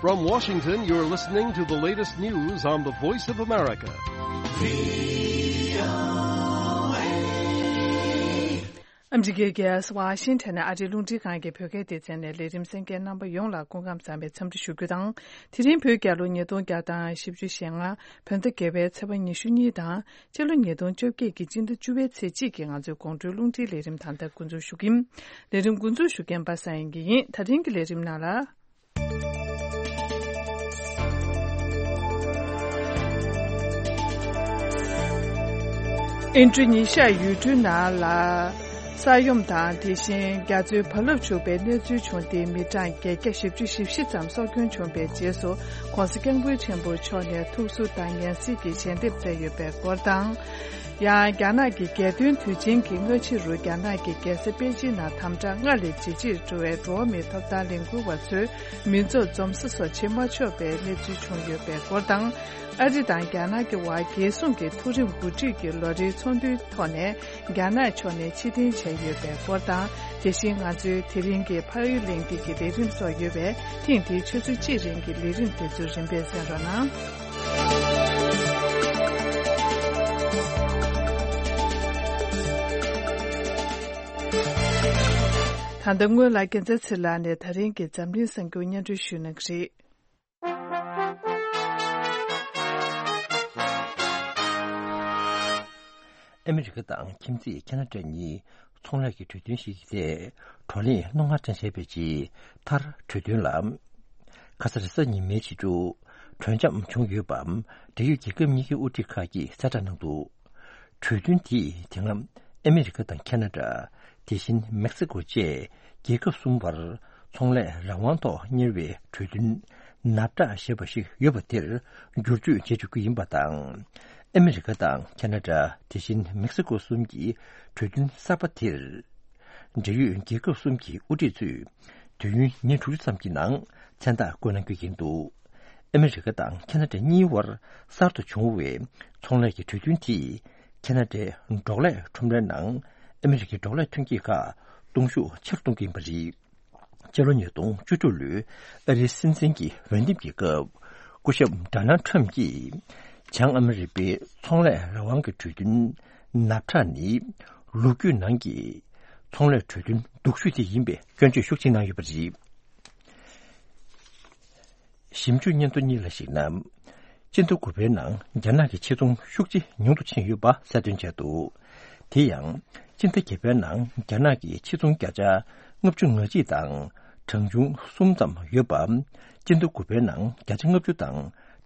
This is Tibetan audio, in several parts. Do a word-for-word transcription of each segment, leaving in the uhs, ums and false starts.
From Washington, you're listening to the latest news on the Voice of America. ཨ་མི་རི་ཀའི་རྒྱལ་ས་ཝ་ཤིང་ཊོན་ནས་ཨ་རིའི་རླུང་འཕྲིན་ཁང་གི་བོད་སྐད་སྡེ་ཚན་ནས་ལས་རིམ་གསན་མཁན་རྣམ་པ་ཡོངས་ལ་སྐུ་ཁམས་བཟང་བའི་འཚམས་འདྲི་ཞུ་རྒྱུ་དང་། དེ་རིང་བོད་རྒྱལ་ལོ་ཉིས་སྟོང་བརྒྱ་དང་བཞི་བཅུ་ཞེ་ལྔ། བོད་ཟླ་བརྒྱད་པའི་ཚེས་པ་ཉི་ཤུ་གཉིས་དང་། སྤྱི་ལོ་ཉིས་སྟོང་བཅོ་བརྒྱད་ཀྱི་སྤྱི་ཟླ་བཅུ་པའི་ཚེས་གཅིག་གི་ང་ཚོའི་དགོང་དྲོའི་རླུང་འཕྲིན་ལས་རིམ་ད་ལྟ་འགོ་འཛུགས་ཞུ་གི་ཡིན། ལས་རིམ་འགོ་འཛུགས་ཞུ་མཁན་པ་སངས་དབྱངས་སྐྱིད་ཡིན། ད་རིང་གི་ལས་རིམ་ནང་ལ། ཨིན་ཌོ་ནི་ཤི་ཡ་ཡུལ་གྲུའི་ནང་ལ་ས་ཡོམ་དང་། དེ་བཞིན་རྒྱ་མཚོའི་རྦ་རླབས་འཁྲུགས་པའི་གནས་ཚུལ་བྱུང་སྟེ། མི་གྲངས་བརྒྱད་བརྒྱ་བཞི་བཅུ་ཞེ་བཞི་ཙམ་སྲོག་སྐྱོན་བྱུང་བའི་རྗེས་སུ། ྋགོང་ས་ྋསྐྱབས་མགོན་ཆེན་པོ་མཆོག་ནས་ཐུགས་གཟབ་དང་ངལ་གསོའི་ཞལ་འདེབས་བསྩལ་ཡོད་པའི་སྐོར་དང་། ཡང་རྒྱ་ནག་གི་རྒྱལ་སྟོན་དུས་ཆེན་གྱི་སྔ་ཕྱི་རུ། རྒྱ་ནག་གི་རྒྱལ་ས་པེ་ཅིན་ནང་དམ་དྲག་སྔར་ལས་ཇེ་ཆེར་འགྲོ་བས། འགྲོ་བ་མིའི་ཐོབ་ཐང་ལས་འགུལ་བ་ཚོས་མི་ཚོགས་འཛོམས་ས་སོགས་བྱེད་མ་ཆོག་པའི་གནས་ཚུལ་བྱུང་ཡོད་པའི་སྐོར་དང་། ཨ་རི་དང་རྒྱ་ནག་གི་བར་རྒྱལ་སྲུང་གི་མཐོ་རིམ་འགོ་ཁྲིད་ཀྱི་ལོ་རེའི་ཚོགས་འདུའི་ཐོག་ནས་རྒྱ་ནག་ཕྱོགས་ནས་ཕྱིར་འཐེན་བྱས་ཡོད་པའི་སྐོར་དང་། དེ་བཞིན་ང་ཚོའི་དེ་རིང་གི་ཕ་ཡུལ་གླེང་སྟེགས་ཀྱི་ལས་རིམ་སོགས་ཡོད་པས། ཐེངས་འདིའི་ཆུ་ཚོད་གཅིག་རིང་གི་ལས་རིམ་དེ་ཚོ་རིམ་པས་གསན་རོགས་གནང་། ད་ལྟ་སྔོན་ལ་རྒྱལ་མཚན་ཚེ་ལགས་ནས་ད་རིང་གི་འཛམ་གླིང་གསར་འགྱུར་སྙན་སྒྲོན་ཞུ་གནང་གི་རེད། ཨ་མི་རི་ཀ་དང་ཁྱིམ་མཚེས་ཁ་ན་ཌ་གཉིས་ཚོང་ལས་ཀྱི་གྲོས་མཐུན་ཞིག་གི་ཐད་བགྲོ་གླེང་རྣོ་ངར་ཅན་བྱས་པའི་རྗེས། མཐར་གྲོས་མཐུན་ལ་ཁ་ས་རེས་གཟའ་ཉི་མའི་ཕྱི་དྲོ་གྲོས་འཆམ་བྱུང་ཡོད་པ། འབྲེལ་ཡོད་རྒྱལ་ཁབ་གཉིས་ཀྱི་དབུ་ཁྲིད་ཁག་གིས་གསལ་བསྒྲགས་གནང་འདུག་གྲོས་མཐུན་དེས་དེ་སྔ་ཨ་མི་རི་ཀ་དང་ཁ་ན་ཌ། དེ་བཞིན་མེག་སི་ཀོ་བཅས་རྒྱལ་ཁབ་གསུམ་བར་ཚོང་ལས་རང་དབང་ཐོག་གཉེར་བའི་གྲོས་མཐུན་ནབ་ཊ་ཞེས་པ་ཞིག་ཡོད་པ་དེར་བསྒྱུར་བཅོས་བྱེད་བཅུག་གི་ཡིན་པ་དང་། ཨ་མི་རི་ཀ་དང་ཁ་ན་ཌ། དེ་བཞིན་མེག་སི་ཀོ་གསུམ་གྱི་གྲོས་མཐུན་གསར་པ་དེར། འབྲེལ་ཡོད་རྒྱལ་ཁབ་གསུམ་གྱི་དབུ་ཁྲིད་ཚོས་དུས་ཡུན་ཉིན་དྲུག་ཅུ་ཙམ་གྱི་ནང་མཚན་རྟགས་བཀོད་གནང་རྒྱུ་ཡིན་འདུག་ཨ་མི་རི་ཀ་དང་ཁ་ན་ཌ་གཉིས་བར་གསར་དུ་བྱུང་བའི་ཚོང་ལས་ཀྱི་གྲོས་མཐུན་དེས་ཁ་ན་ཌའི་འབྲོག་ལས་ཁྲོམ་རའི་ནང་ཨ་མི་རི་ཀའི་འབྲོག་ལས་ཐོན་སྐྱེད་ཁག་གཏོང་ཤུགས་ཆེ་རུ་གཏོང་གི་ཡིན་པ་རེད། སྤྱི་ལོ་ཉིས་སྟོང་བཅུ་དྲུག་ལོའི་ཨ་རིའི་སྲིད་འཛིན་གྱི་འོས་འདེམས་ཀྱི་སྐབས། སྐུ་ཞབས་ཌོ་ནལ་ཊམ་གྱིས་བྱང་ཨ་མི་རི་པའི་ཚོང་ལས་རང་དབང་གི་གྲོས་མཐུན་ནབ་ཊ་ནི་ལོ་རྒྱུས་ནང་གི་ཚོང་ལས་གྲོས་མཐུན་སྡུག་ཤོས་དེ་ཡིན་པའི་སྐྱོན་བརྗོད་ཤུགས་ཆེ་གནང་ཡོད་པ་རེད། ཞིབ་འཇུག་སྙན་ཐོ་གཉིས་ལ་གཞིགས་ན། སྤྱི་ཟླ་དགུ་པའི་ནང་རྒྱ་ནག་གི་ཕྱིར་ཚོང་ཤུགས་ཆེ་ཉུང་དུ་ཕྱིན་ཡོད་པ་གསལ་སྟོན་བྱས་འདུག་དེ་ཡང་། སྤྱི་ཟླ་བརྒྱད་པའི་ནང་རྒྱ་ནག་གི་ཕྱིར་ཚོང་བརྒྱ་ཆ་ལྔ་བཅུ་ང་གཅིག་དང་གྲངས་ཆུང་གསུམ་ཙམ་ཡོད་པ། སྤྱི་ཟླ་དགུ་པའི་ནང་བརྒྱ་ཆ་ལྔ་བཅུ་དང་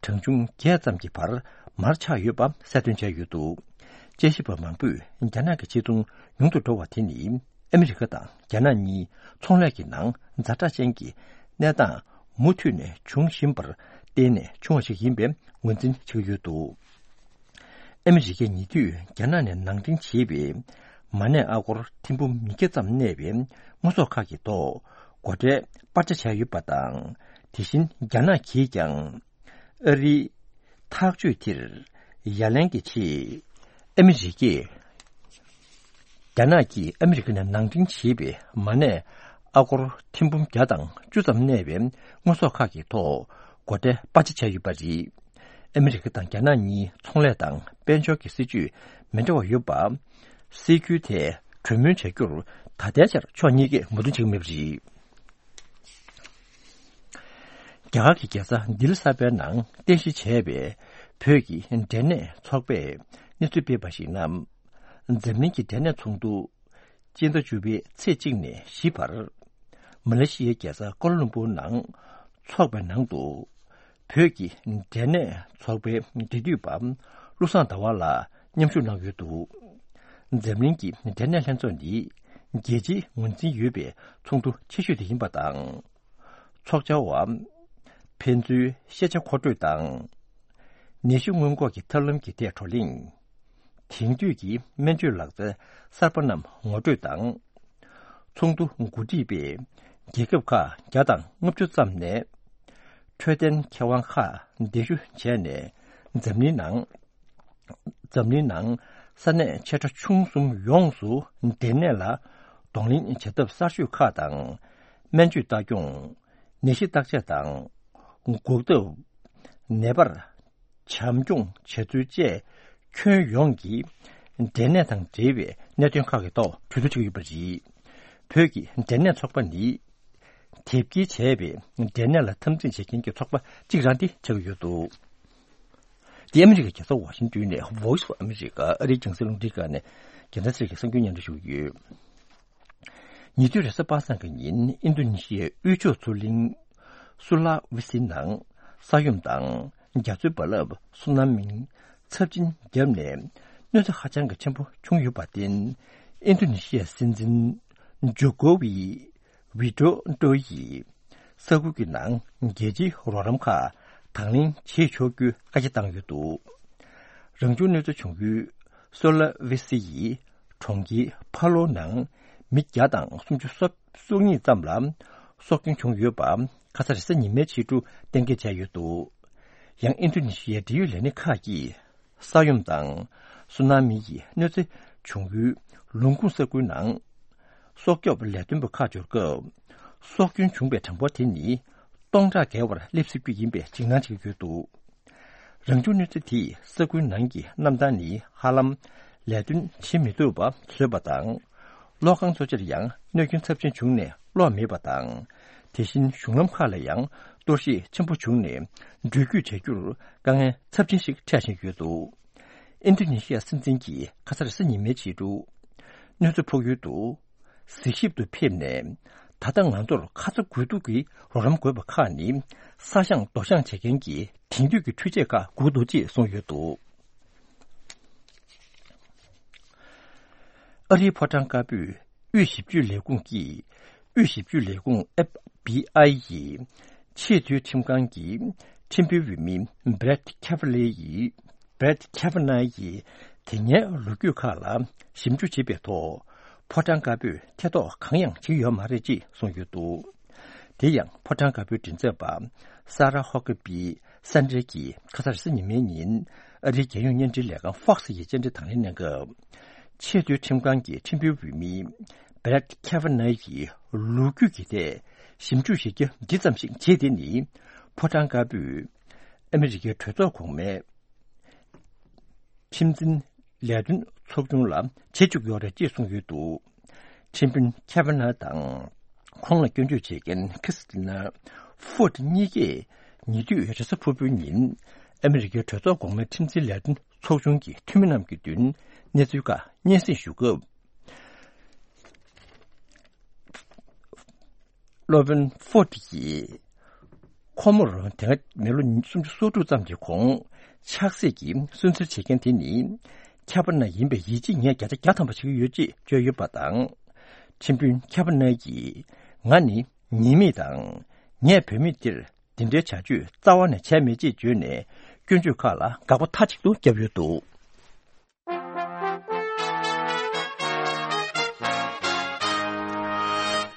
གྲངས་ཆུང་བརྒྱད་ཙམ་གྱི་བར་མར་ཆག་ཡོད་པ་གསལ་སྟོན་བྱས་ཡོད་འདུག་དཔྱད་ཞིབ་པ་མང་པོས་རྒྱ་ནག་གི་ཕྱིར་ཚོང་ཉུང་དུ་འགྲོ་བ་དེ་ནི། ཨ་མི་རི་ཀ་དང་རྒྱ་ནག་གཉིས་ཚོང་ལས་ཀྱི་ནང་ཛ་དྲག་ཅན་གྱི་གནས་སྟངས་མུ་མཐུད་ནས་འབྱུང་བཞིན་པར་བརྟེན་ནས་བྱུང་བ་ཞིག་ཡིན་པའི་ངོས་འཛིན་བྱེད་ཀྱི་ཡོད་འདུག་ཨ་མི་རི་ཀས་ཉེ་དུས་རྒྱ་ནག་ནས་ནང་འདྲེན་བྱས་པའི་མ་གནས་ཨ་སྒོར་ཐེར་འབུམ་ཉིས་བརྒྱ་ཙམ་གནས་པའི་དངོས་ཟོག་ཁག་གི་ཐོག་སྒོ་ཁྲལ་སྤར་ཆ་བྱས་ཡོད་པ་དང་། དེ་བཞིན་རྒྱ་ནག་གིས་ཀྱང་། ཨ་རིའི་ཐག་གཅོད་དེར་ཡ་ལན་གྱི་ཆེད། ཨ་མི་རི་ཀས། རྒྱ་ནག་གིས་ཨ་མི་རི་ཀ་ནས་ནང་འདྲེན་བྱས་པའི་མ་གནས་ཨ་སྒོར་ཐེར་འབུམ་བརྒྱ་དང་བཅུ་ཙམ་གནས་པའི་དངོས་ཟོག་ཁག་གི་ཐོག་སྒོ་ཁྲལ་སྤར་ཆ་བྱས་ཡོད་པ་རེད། ཨ་མི་རི་ཀ་དང་རྒྱ་ནག་གཉིས་ཚོང་ལས་དང་དཔལ་འབྱོར་གྱི་སྲིད་ཇུས་མི་འདྲ་བ་ཡོད་པ། སྲིད་ཇུས་དེ་གྲོས་མོལ་བྱ་རྒྱུར་ད་ལྟའི་ཆར་ཕྱོགས་གཉིས་ཀས་མོས་མཐུན་བྱེད་ཀྱི་མེད་པ་རེད། རྒྱ་གར་གྱི་རྒྱལ་ས་ལྡི་ལི་གསར་པའི་ནང་རྟེན་གཞི་བྱས་པའི་བོད་ཀྱི་འབྲས་ནད་ཚོགས་པས་གནས་ཚུལ་སྤེལ་བར་གཞིགས་ན། འཛམ་གླིང་གི་འབྲས་ནད་ཚོགས་འདུ་སྤྱི་ཟླ་བཅུ་པའི་ཚེས་གཅིག་ནས་བཞི་བར། མ་ལེ་ཤི་ཡའི་རྒྱལ་ས་ཀོ་ལ་ལུམ་པུར་ནང་འཚོགས་པའི་ནང་དུ། བོད་ཀྱི་འབྲས་ནད་ཚོགས་པའི་འབྲེལ་མཐུད་པ་བློ་བཟང་ཟླ་བ་ལགས་མཉམ་ཞུགས་གནང་ཡོད་འདུག་འཛམ་གླིང་གི་འབྲས་ནད་ལྷན་ཚོགས་འདི་རྒྱལ་སྤྱིའི་ངོས་འཛིན་ཡོད་པའི་ཚོགས་འདུ་ཆེ་ཤོས་དེ་ཡིན་པ་དང་། ཚོགས་བཅར་བ་ཕན་ཚུན་ཤེས་བྱ་མཁོ་སྤྲོད་དང་། ནད་གཞི་སྔོན་འགོག་གི་ཐབས་ལམ་གྱི་ཐད་བགྲོ་གླེང་། དེང་དུས་ཀྱི་སྨན་བཅོས་ལག་རྩལ་གསར་པ་རྣམས་ངོ་སྤྲོད་དང་། ཚོགས་འདུ་གོ་སྒྲིག་པས་རྒྱལ་ཁབ་ཁག་བརྒྱ་དང་ལྔ་བཅུ་ཙམ་ནས་འཕྲོད་བསྟེན་མཁས་དབང་ཁག་གདན་ཞུ་བྱས་ནས་འཛམ་གླིང་ནང་། འཛམ་གླིང་ནང་ས་གནས་ཆེ་ཕྲ་ཆུང་གསུམ་ཡོངས་སུ་འབྲས་ནད་ལ་གདོང་ལེན་བྱ་ཐབས་གསར་ཤོས་ཁག་དང་། སྨན་བཅོས་ལྟ་སྐྱོང་། ནད་གཞི་བརྟག་དཔྱད་དང་ འགོག་ཐབས། ནད་པར་བྱམས་སྐྱོང་བྱ་ཚུལ་བཅས་ཁྱོན་ཡོངས་ཀྱི་འབྲས་ནད་དང་འབྲེལ་བའི་གནད་དོན་ཁག་གི་ཐོག་གྲོས་བསྡུར་བྱེད་ཀྱི་ཡོད་པ་རེད། བོད་ཀྱི་འབྲས་ནད་ཚོགས་པ་ནི་དེབ་སྐྱེལ་བྱས་པའི་འབྲས་ནད་ལ་འཐབ་འཛིང་བྱེད་མཁན་གྱི་ཚོགས་པ་གཅིག་རང་དེ་ཆགས་ཀྱི་ཡོད་འདུག། འདི་ཨ་མི་རི་ཀའི་རྒྱལ་ས་ཝ་ཤིང་ཏོན་ནས་Voice of America ཨ་རིའི་རྒྱང་སྲིང་རླུང་འཕྲིན་ཁང་ནས་རྒྱལ་ས་ཆེ་གི་གསར་འགྱུར་སྙན་སྒྲོན་ཞུ་གི་ཡོད། ཉེ་དུས་རེས་གཟའ་པ་སངས་ཀྱི་ཉིན་ཨིན་རྡུ་ནི་ཤི་ཡའི་དབུས་ཕྱོགས་མཚོ་གླིང་སུ་ལ་ཝི་སི་ནང་ས་ཡོམ་དང་རྒྱ་མཚོའི་རྦ་རླབས་སུ་ན་མིའི་ཚབས་ཆེན་བརྒྱབ་ནས་གནོད་འཚེ་ཧ་ཅང་གི་ཆེན་པོ་བྱུང་ཡོད་པར་བརྟེན། ཨིན་རྡུ་ནི་ཤི་ཡའི་སྲིད་འཛིན་ཇོ་ཀོ་ཝི་ཝི་ཌོ་ཌོ་ཡིས་ས་ཁུལ་གྱི་ནང་རྒྱལ་སྤྱིའི་རོགས་རམ་ཁག་དང་ལེན་བྱེད་ཆོག་རྒྱུའི་བཀའ་རྒྱ་བཏང་ཡོད་འདུག། རང་བྱུང་གནོད་འཚེ་བྱུང་ཡུལ་སོ་ལ་ཝི་སི་ཡི་གྲོང་ཁྱེར་ཕ་ལོ་ནང་མི་བརྒྱ་དང་སུམ་ཅུ་སོ་གཉིས་ཙམ་ལ་སྲོག་སྐྱོན་བྱུང་ཡོད་པ་ཁ་ས་རེས་གཟའ་ཉི་མའི་ཕྱི་དྲོ་གཏན་འཁེལ་བྱས་ཡོད་འདུག། ཡང་ཨིན་རྡུ་ནི་ཤི་ཡའི་འབྲེལ་ཡོད་ལས་སྣེ་ཁག་གིས་ས་ཡོམ་དང་སུ་ན་མི་ཡི་གནོད་འཚེ་བྱུང་ཡུལ་ལུང་ཁུངས་ས་ཁུལ་ནང་སྲོག་སྐྱོབ་ལས་དོན་པ་ཁག་འབྱོར་སྐབས། སྲོག་སྐྱོན་བྱུང་པའི་གྲངས་འབོར་དེ་ནི་སྟོང་ཕྲག་བརྒལ་བར་སླེབས་སྲིད་རྒྱུ་ཡིན་པའི་འཇིགས་སྣང་བྱེད་ཀྱི་ཡོད་འདུག། རང་བྱུང་གནོད་འཚེ་དེས་ས་ཁུལ་ནང་གི་གནམ་ཐང་ནི་ཧ་ལམ་ལས་དོན་བྱེད་མི་ཐུབ་པ་བཟོས་པ་དང་། གློག་ཁང་གཙོ་ཆེར་ཡང་གནོད་སྐྱོན་ཚབས་ཆེན་བྱུང་ནས་གློག་མེད་པ་དང་། དེ་བཞིན་གཞུང་ལམ་ཁག་ལ་ཡང་གཏོར་བཤིག་ཆེན་པོ་བྱུང་ནས་འགྲུལ་སྐྱོད་བྱ་རྒྱུར་དཀའ་ངལ་ཚབས་ཆེན་ཞིག་འཕྲད་བཞིན་ཡོད་འདུག། ཨིན་རྡུ་ནི་ཤི་ཡ་སྲིད་འཛིན་གྱིས་ཁ་ས་རེས་གཟའ་ཉི་མའི་ཕྱི་དྲོ་གནོད་འཚེ་ཕོག་ཡུལ་དུ་གཟིགས་ཞིབ་ཏུ་ཕེབས་ནས། ད་ལྟ་ང་ཚོར་ཁ་ཚ་དགོས་གཏུགས་ཀྱི་རོགས་རམ་དགོས་པ་ཁག་ནི་ས་ཞིང་རྡོ་ཤང་བྱེད་མཁན་གྱི་དེང་དུས་ཀྱི་འཕྲུལ་ཆས་ཁག་དགོས་འདུག་ཅེས་གསུངས་ཡོད་འདུག། ཨ་རིའི་ཕོ་བྲང་དཀར་པོའི་དབུས་ཞིབ་དཔྱོད་ལས་ཁུངས་ཀྱིས། དབུས་ཞིབ་དཔྱོད་ལས་ཁུངས་ཨེཕ་བི་ཨའི་ཡི་ཆེས་མཐོའི་ཁྲིམས་ཁང་གི་ཁྲིམས་དཔོན་འོས་མི་Brett Kavanaugh ཡིས། Brett Kavanaugh ཡིས་དེ་སྔའི་ལོ་རྒྱུས་ཁག་ལ་ཞིབ་འཇུག་བྱེད་པའི་ཐོག་ཕོ་བྲང་དཀར་པོས་ཐེ་གཏོགས་གང་ཡང་བྱེད་ཡོད་མ་རེད་ཅེས་གསུངས་ཡོད་འདུག། དེ་ཡང་ཕོ་བྲང་དཀར་པོའི་མགྲིན་ཚབ་པ་Sarah Huckabee Sanders གྱིས་ཁ་སང་རེས་གཟའ་ཉི་མའི་ཉིན་ཨ་རིའི་རྒྱལ་ཡོངས་བརྙན་འཕྲིན་ལས་ཁང་Fox ཡི་བཅར་འདྲི་དང་ལེན་གནང་སྐབས། ཆེས་མཐོའི་ཁྲིམས་ཁང་གི་ཁྲིམས་དཔོན་འོས་མི་Brett Kavanaugh ཡི་ལོ་རྒྱུས་ཀྱི་ཐད་ཞིབ་འཇུག་བྱེད་རྒྱུ་འདི་ཙམ་ཞིག་བྱས་ཏེ་ནི་ཕོ་བྲང་དཀར་པོས་ཨ་མི་རི་ཀའི་གྲོས་ཚོགས་གོང་མའི་ཁྲིམས་འཛིན་ལས་དོན་ཚོགས་ཆུང་ལ་བྱེད་བཅུག་ཡོད་རེད་ཅེས་གསུངས་ཡོད་འདུག། ཁྲིམས་དཔོན་Kavanaugh དང་ཁོང་ལ་སྐྱོན་བརྗོད་བྱེད་མཁན་Christina Ford གཉིས་ཀས་ཉེ་དུས་རེས་གཟའ་ཕུར་བུའི་ཉིན་ཨ་མི་རི་ཀའི་གྲོས་ཚོགས་གོང་མའི་ཁྲིམས་འཛིན་ལས་དོན་ཚོགས་ཆུང་གི་འཐུས་མི་རྣམས་ཀྱི་མདུན་གནས་ཚུལ་ཁག་སྙན་སེང་ཞུ་སྐབས། སློབ་དཔོན་Ford ཡིས་ཁོ་མོར་དེ་སྔ་མི་ལོ་སུམ་ཅུ་སོ་དྲུག་ཙམ་གྱི་གོང་ཆགས་སྲེད་ཀྱིས་སུན་གཙེར་བྱེད་མཁན་དེ་ནི་Kavanaugh ཡིན་པའི་ཡིད་ཆེས་ངས་བརྒྱ་ཆ་བརྒྱ་ཐམ་པ་བྱེད་ཀྱི་ཡོད་ཅེས་བརྗོད་ཡོད་པ་དང་། ཁྲིམས་དཔོན་Kavanaugh ཡིས་ང་ནི་ཉེས་མེད་དང་། ངས་བུད་མེད་འདིར་འདི་འདྲའི་བྱ་སྤྱོད་རྩ་བ་ནས་བྱས་མེད་ཅེས་བརྗོད་ནས་སྐྱོན་བརྗོད་ཁག་ལ་དགག་པ་མཐའ་གཅིག་ཏུ་བརྒྱབ་ཡོད་འདུག།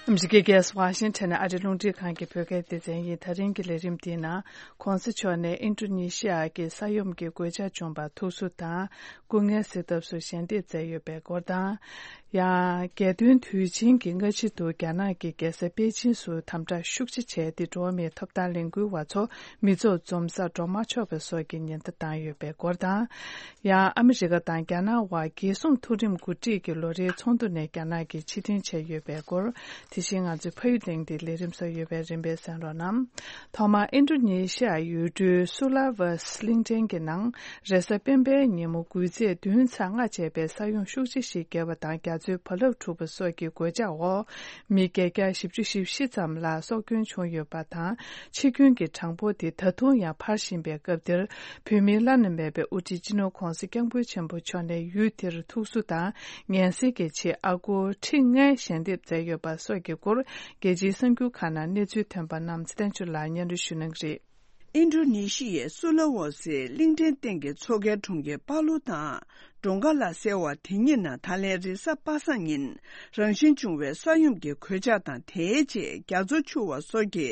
ཨ་མི་རི་ཀའི་རྒྱལ་ས་ཝ་ཤིང་ཊོན་ནས་ཨ་རིའི་རླུང་འཕྲིན་ཁང་གི་བོད་སྐད་སྡེ་ཚན་ཡིན། ད་རིང་གི་ལས་རིམ་འདིའི་ནང་། ྋགོང་ས་མཆོག་ནས་ཨིན་ཌོ་ནེ་ཤི་ཡ་གི་ས་ཡོམ་གྱི་གོད་ཆག་བྱུང་བར་ཐུགས་གསོ་དང་། སྐུ་ངལ་གཟིགས་ཐབས་སུ་ཞལ་འདེབས་མཛད་ཡོད་པའི་སྐོར་དང་། ཡང་རྒྱལ་སྟོན་དུས་ཆེན་གྱི་སྔ་ཕྱི་དུ་རྒྱ་ནག་གི་རྒྱལ་ས་པེ་ཅིན་སུ་དམ་དྲག་ཤུགས་ཆེ་བྱས་ཏེ། འགྲོ་བ་མིའི་ཐོབ་ཐང་ལས་འགུལ་བ་ཚོ་མི་ཚོགས་འཛོམས་སར་འགྲོ་མ་ཆོག་པ་སོགས་ཀྱི་ཉེན་བརྡ་བཏང་ཡོད་པའི་སྐོར་དང་། ཡང་ཨ་མི་རི་ཀ་དང་རྒྱ་ནག་དབར་རྒྱལ་སྲུང་མཐོ་རིམ་འགོ་ཁྲིད་ཀྱི་ལོ་རེའི་ཚོགས་འདུ་ནས་རྒྱ་ནག་གིས་ཕྱིར་འཐེན་བྱས་ཡོད་པའི་སྐོར། དེ་བཞིན་ང་ཚོའི་ཕ་ཡུལ་གླེང་སྟེགས་ལས་རིམ་སོགས་ཡོད་པའི་རིམ་པས་གསན་རོགས་གནང་། ཐོག་མར་ཨིན་ཌོ་ནེ་ཤི་ཡ་ཡུལ་གྲུའི་སུ་ལ་ཝ་སི་གླིང་ཕྲན་གྱི་ནང་རེས་གཟའ་སྤེན་པའི་ཉིན་མོ་འགུལ་ཚད་བདུན་ཚེག་ལྔ་བྱས་པའི་ས་ཡོམ་ཤུགས་ཆེ་ཞིག་བརྒྱབ་པ་དང་། རྒྱ་མཚོའི་རྦ་རླབས་འཁྲུགས་པ་སོགས་ཀྱི་གོད་ཆག་འོག་མི་བརྒྱད་བརྒྱ་བཞི་བཅུ་ཞེ་བཞི་ཙམ་ལ་སྲོག་སྐྱོན་བྱུང་ཡོད་པ་དང་། འཆི་སྐྱོན་གྱི་གྲངས་འབོར་དེ་ད་དུང་ཡང་འཕར་བཞིན་པའི་སྐབས་འདིར། བོད་མིའི་བླ་ན་མེད་པའི་དབུ་ཁྲིད་སྤྱི་ནོར་ྋགོང་ས་ྋསྐྱབས་མགོན་ཆེན་པོ་མཆོག་ནས་ཡུལ་དེར་ཐུགས་གསོ་དང་ངལ་སེལ་གྱི་ཆེད་ཨ་སྒོར་ཁྲི་ལྔའི་ཞལ་འདེབས་མཛད་ཡོད་པ་སོགས་ཀྱི་སྐོར། རྒྱལ་སྤྱིའི་གསར་འགྱུར་ཁག་ནང་གནས་ཚུལ་ཐོན་པ་རྣམས་ཚེ་བརྟན་ཆོས་ལགས་སྙན་སྒྲོན་ཞུ་གནང་གི་རེད། ཨིན་ཌོ་ནེ་ཤི་ཡའི་སུ་ལ་ཝོ་སི་གླིང་ཕྲན་སྟེང་གི་མཚོ་ཁའི་གྲོང་ཁྱེར་པ་ལུ་དང་། གྲོང་ཁ་ལ་ཟེར་བ་དེ་གཉིས་ནང་ད་ལན་རེས་གཟའ་པ་སངས་ཉིན་རང་བཞིན་བྱུང་བའི་ས་ཡོམ་གྱི་གོད་ཆག་དང་། དེའི་རྗེས་རྒྱ་མཚོ་འཕྱུར་བ་སོགས་ཀྱི་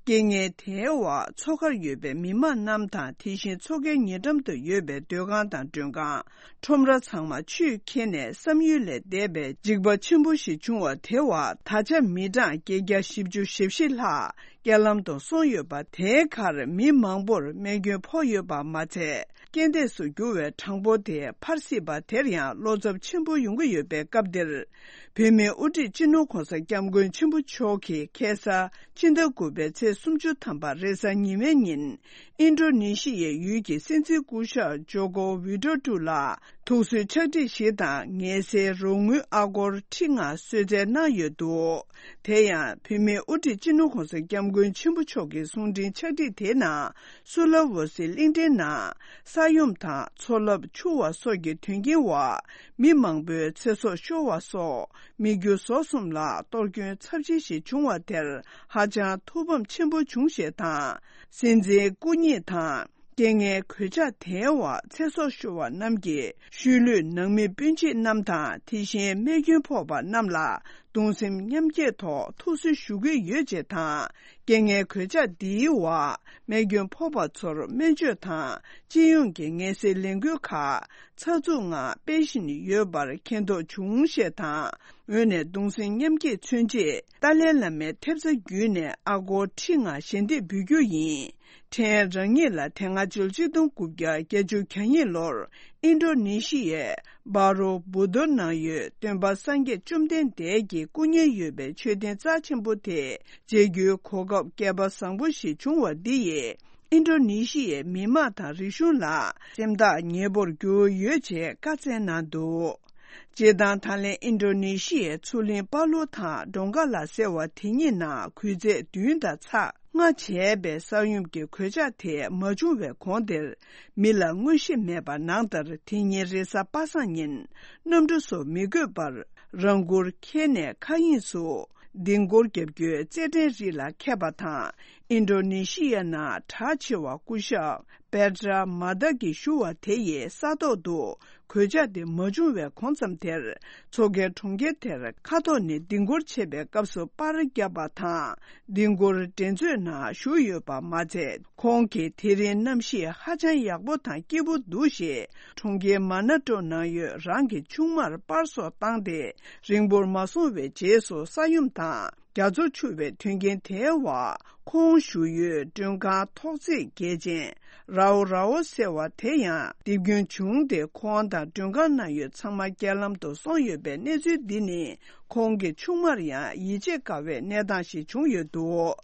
རྐྱེན་ངན། དེའི་འོག་མཚོ་ཁར་ཡོད་པའི་མི་མང་རྣམས་དང་། དེ་བཞིན་མཚོ་ཁའི་ཉེ་འགྲམ་དུ་ཡོད་པའི་སྡོད་ཁང་དང་མགྲོན་ཁང་། ཁྲོམ་ར་ཚང་མ་ཆུས་ཁྱེར་ནས་བསམ་ཡུལ་ལས་འདས་པའི་འཇིགས་པ་ཆེན་པོ་ཞིག་བྱུང་བ་དེའི་འོག་ད་ཆ་མི་གྲངས་བརྒྱད་བརྒྱ་བཞི་བཅུ་ཞེ་བཞི་ལྷག་རྐྱེན་ལམ་དུ་སོང་ཡོད་པ་དེའི་ཁར་མི་མང་པོར་རྨས་སྐྱོན་ཕོག་ཡོད་པ་མ་ཚད། རྐྱེན་འདས་སུ་གྱུར་བའི་གྲངས་འབོར་དེ་འཕར་སྲིད་པ་དེར་ཡང་བློ་འཚབ་ཆེན་པོ་ཡོང་གི་ཡོད་པའི་སྐབས་འདིར། བོད་མིའི་དབུ་ཁྲིད་སྤྱི་ནོར་༧གོང་ས་༧སྐྱབས་མགོན་ཆེན་པོ་མཆོག་གིས་ཁ་སང་ཕྱི་ཟླ་དགུ་པའི་ཚེས་སུམ་ཅུ་ཐམ་པ་རེས་གཟའ་ཉི་མའི་ཉིན། ཨིན་ཌོ་ནེ་ཤི་ཡའི་ཡུལ་གྱི་སྲིད་འཛིན་སྐུ་ཞབས་ཇོ་ཀོ་ཝི་ཌོ་ཌོ་ལ་ཐུགས་གསོའི་ཕྱག་བྲིས་ཤིག་དང་ངལ་སེལ་རོགས་དངུལ་ཨ་སྒོར་ཁྲི་ལྔ་གསོལ་སྩལ་གནང་ཡོད་འདུག་དེ་ཡང་བོད་མིའི་དབུ་ཁྲིད་སྤྱི་ནོར་༧གོང་ས་༧སྐྱབས་མགོན་ཆེན་པོ་མཆོག་གི་གསུང་འཕྲིན་ཕྱག་བྲིས་དེའི་ནང་། སུ་ལ་ཝོ་སི་གླིང་ཕྲན་ནང་ས་ཡོམ་དང་མཚོ་རླབས་འཕྱུར་བ་སོགས་ཀྱི་དོན་རྐྱེན་འོག་མི་མང་པོའི་ཚེ་སྲོག་ཤོར་བ་སོགས་མི་རྒྱུ་ཟོག་གསུམ་ལ་གཏོར་སྐྱོན་ཚབས་ཆེན་ཞིག་བྱུང་བ་དེར་ཧ་ཅང་ཐུགས་ཕམ་ཆེན་པོ་བྱུང་ཞེས་དང་། སྲིད་འཛིན་སྐུ་ཉིད་དང་། རྐྱེན་ངན་གོད་ཆག་དེའི་འོག་ཚེ་སྲོག་ཤོར་བ་རྣམས་ཀྱི་ཤུལ་ལུས་ནང་མི་སྤུན་མཆེད་རྣམས་དང་དེ་བཞིན་རྨས་སྐྱོན་ཕོག་པ་རྣམས་ལ་གདུང་སེམས་མཉམ་སྐྱེད་ཐོག་ཐུགས་གསོ་ཞུ་གི་ཡོད་ཅེས་དང་། རྐྱེན་ངན་གོད་ཆག་འདིའི་འོག་རྨས་སྐྱོན་ཕོག་པ་ཚོར་སྨན་བཅོས་དང་སྤྱི་ཡོངས་ཀྱི་ངལ་སེལ་ལས་འགུལ་ཁག་ཚགས་ཚུད་ངང་སྤེལ་བཞིན་ཡོད་པར་མཁྱེན་རྟོགས་བྱུང་ཞེས་དང་། འོས་ནས་གདུང་སེམས་མཉམ་སྐྱེད་མཚོན་ཆེད་ཏཱ་ལའི་བླ་མའི་ཐེབས་རྩ་བརྒྱུད་ནས་ཨ་སྒོར་ཁྲི་ལྔ་ཞལ་འདེབས་འབུལ་རྒྱུ་ཡིན། ཕྲན་རང་ཉིད་ལ་དེ་སྔ་ཕྱི་ལོ་ཆིག་སྟོང་དགུ་བརྒྱ་བརྒྱད་ཅུ་གྱ་གཉིས་ལོར་ཨིན་ཌོ་ནེ་ཤི་ཡའི་སྦ་རོ་བུ་ཏོ་ནང་ཡོད་སྟོན་པ་སངས་རྒྱས་བཅོམ་ལྡན་འདས་ཀྱི་སྐུ་བརྙན་ཡོད་པའི་མཆོད་རྟེན་རྩ་ཆེན་པོ་དེ་མཇལ་རྒྱུའི་གོ་སྐབས་སྐལ་པ་བཟང་པོ་ཞིག་བྱུང་བ་འདི་ཡིས་ཨིན་ཌོ་ནེ་ཤི་ཡའི་མི་དམངས་དང་རིག་གཞུང་ལ་སེམས་ཐག་ཉེ་པོར་གྱུར་ཡོད་ཅེས་བཀའ་སྩལ་གནང་འདུག་སྤྱིར་བཏང་ད་ལན་ཨིན་ཌོ་ནེ་ཤི་ཡའི་མཚོ་གླིང་པ་ལུ་དང་ཌོང་ག་ལ་ཟེར་བ་དེ་གཉིས་ནང་གུང་ཚིགས་བདུན་དང་ཚེག་ལྔ་བྱས་པའི་ས་ཡོམ་གྱི་གོད་ཆག་དེ་མ་བྱུང་བའི་གོང་དེར་མི་ལ་མངོན་ཤེས་མེད་པ་ནང་ལྟར་དེ་ཉིན་རེས་གཟའ་པ་སངས་ཉིན་གནམ་གྲུ་སོགས་མི་དགོས་པར་རང་འཁུར་ཁྱེར་ནས་མཁའ་དབྱིངས་སུ་ལྡིང་སྐོར་བརྒྱབ་རྒྱུའི་རྩེད་འགྲན་རིགས་ལ་འཁེལ་བ་དང་། ཨིན་ཌོ་ནེ་ཤི་ཡ་ནང་གྲགས་ཆེ་བ་སྐུ་ཞབས་པེ་ཏྲ་མ་ཏཱ་གིས་ཞུ་བ་དེ་ཡི་ས་ཐོག་ཏུ་གོད་ཆག་དེ་མ་བྱུང་བའི་གོང་ཙམ་དེར། མཚོ་ཁའི་གྲོང་ཁྱེར་དེར་མཁའ་ཐོག་ནས་ལྡིང་སྐོར་བྱེད་པའི་སྐབས་སུ་པར་བརྒྱབ་པ་དང་། ལྡིང་སྐོར་འགྲན་རྩོད་ནང་ཞུགས་ཡོད་པ་མ་ཚད། ཁོང་གིས་དེ་རིང་གནམ་གཤིས་ཧ་ཅང་ཡག་པོ་དང་སྐྱིད་པོ་འདུག་ཞེས། གྲོང་ཁྱེར་མ་ན་ཀྲོ་ནང་ཡོད་རང་གི་ཆུང་མར་པར་སོགས་བཏང་སྟེ། རིང་པོར་མ་སོང་བའི་རྗེས་སུ་ས་ཡོམ་དང་རྒྱ་མཚོ་འཕྱུར་བའི་དོན་རྐྱེན་དེའི་འོག་ཁོང་བཞུགས་ཡུལ་མགྲོན་ཁང་ཐོག་བརྩེགས་རྒྱལ་ཆེན་རའོ་རའོ་ཟེར་བ་དེ་ཡང་རྡིབ་སྐྱོན་བྱུང་སྟེ། ཁོང་དང་མགྲོན་ཁང་ནང་ཡོད་ཚང་མ་རྐྱེན་ལམ་དུ་སོང་ཡོད་པའི་གནས་ཚུལ་འདི་ནི། ཁོང་གི་ཆུང་མར་ཡང་ཡིད་ཆེས་དཀའ་བའི་གནས་སྟངས་ཤིག་བྱུང་ཡོད་འདུག་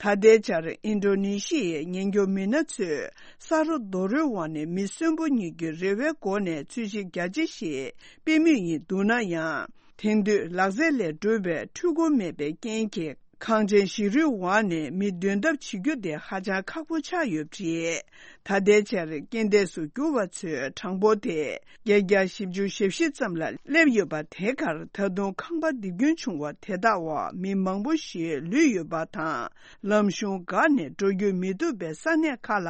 ད་ལྟའི་ཆར་ཨིན་ཌོ་ནེ་ཤི་ཡའི་ཉེན་སྐྱོབ་མི་སྣ་ཚོས་ས་རོ་རྡོ་རོའི་འོག་ནས་མི་གསོན་པོ་གཉིས་ཀྱི་རེ་བའི་སྒོ་ནས་འཚོལ་ཞིབ་རྒྱ་ཆེ་ཞིག་སྤེལ་མུས་ཡིན་འདུག་ན་ཡང་། དེང་དུས་ལག་རྩལ་ལས་གྲུབ་པའི་འཕྲུལ་འཁོར་མེད་པའི་རྐྱེན་གྱིས། གངས་ཅན་བཞི་རུའི་འོག་ནས་མི་འདོན་ཐབས་བྱེད་རྒྱུ་དེ་ཧ་ཅང་ཁག་པོ་ཆགས་ཡོད་པ་རེད། ད་ལྟའི་ཆར་རྐྱེན་འདས་སུ་གྱུར་བ་ཚོའི་གྲངས་འབོར་དེ་བརྒྱད་བརྒྱ་བཞི་བཅུ་ཞེ་བཞི་ཙམ་ལ་སླེབས་ཡོད་པ། དེ་གར་ད་དུང་ཁང་པ་རྡིབ་སྐྱོན་བྱུང་བ་དེ་དག་འོག་མི་མང་པོ་ཞིག་ལུས་ཡོད་པ་དང་། ལམ་གཞུང་འགག་ནས་འགྲོ་སྐྱོད་མི་ཐུབ་པའི་ས་གནས་ཁག་ལ་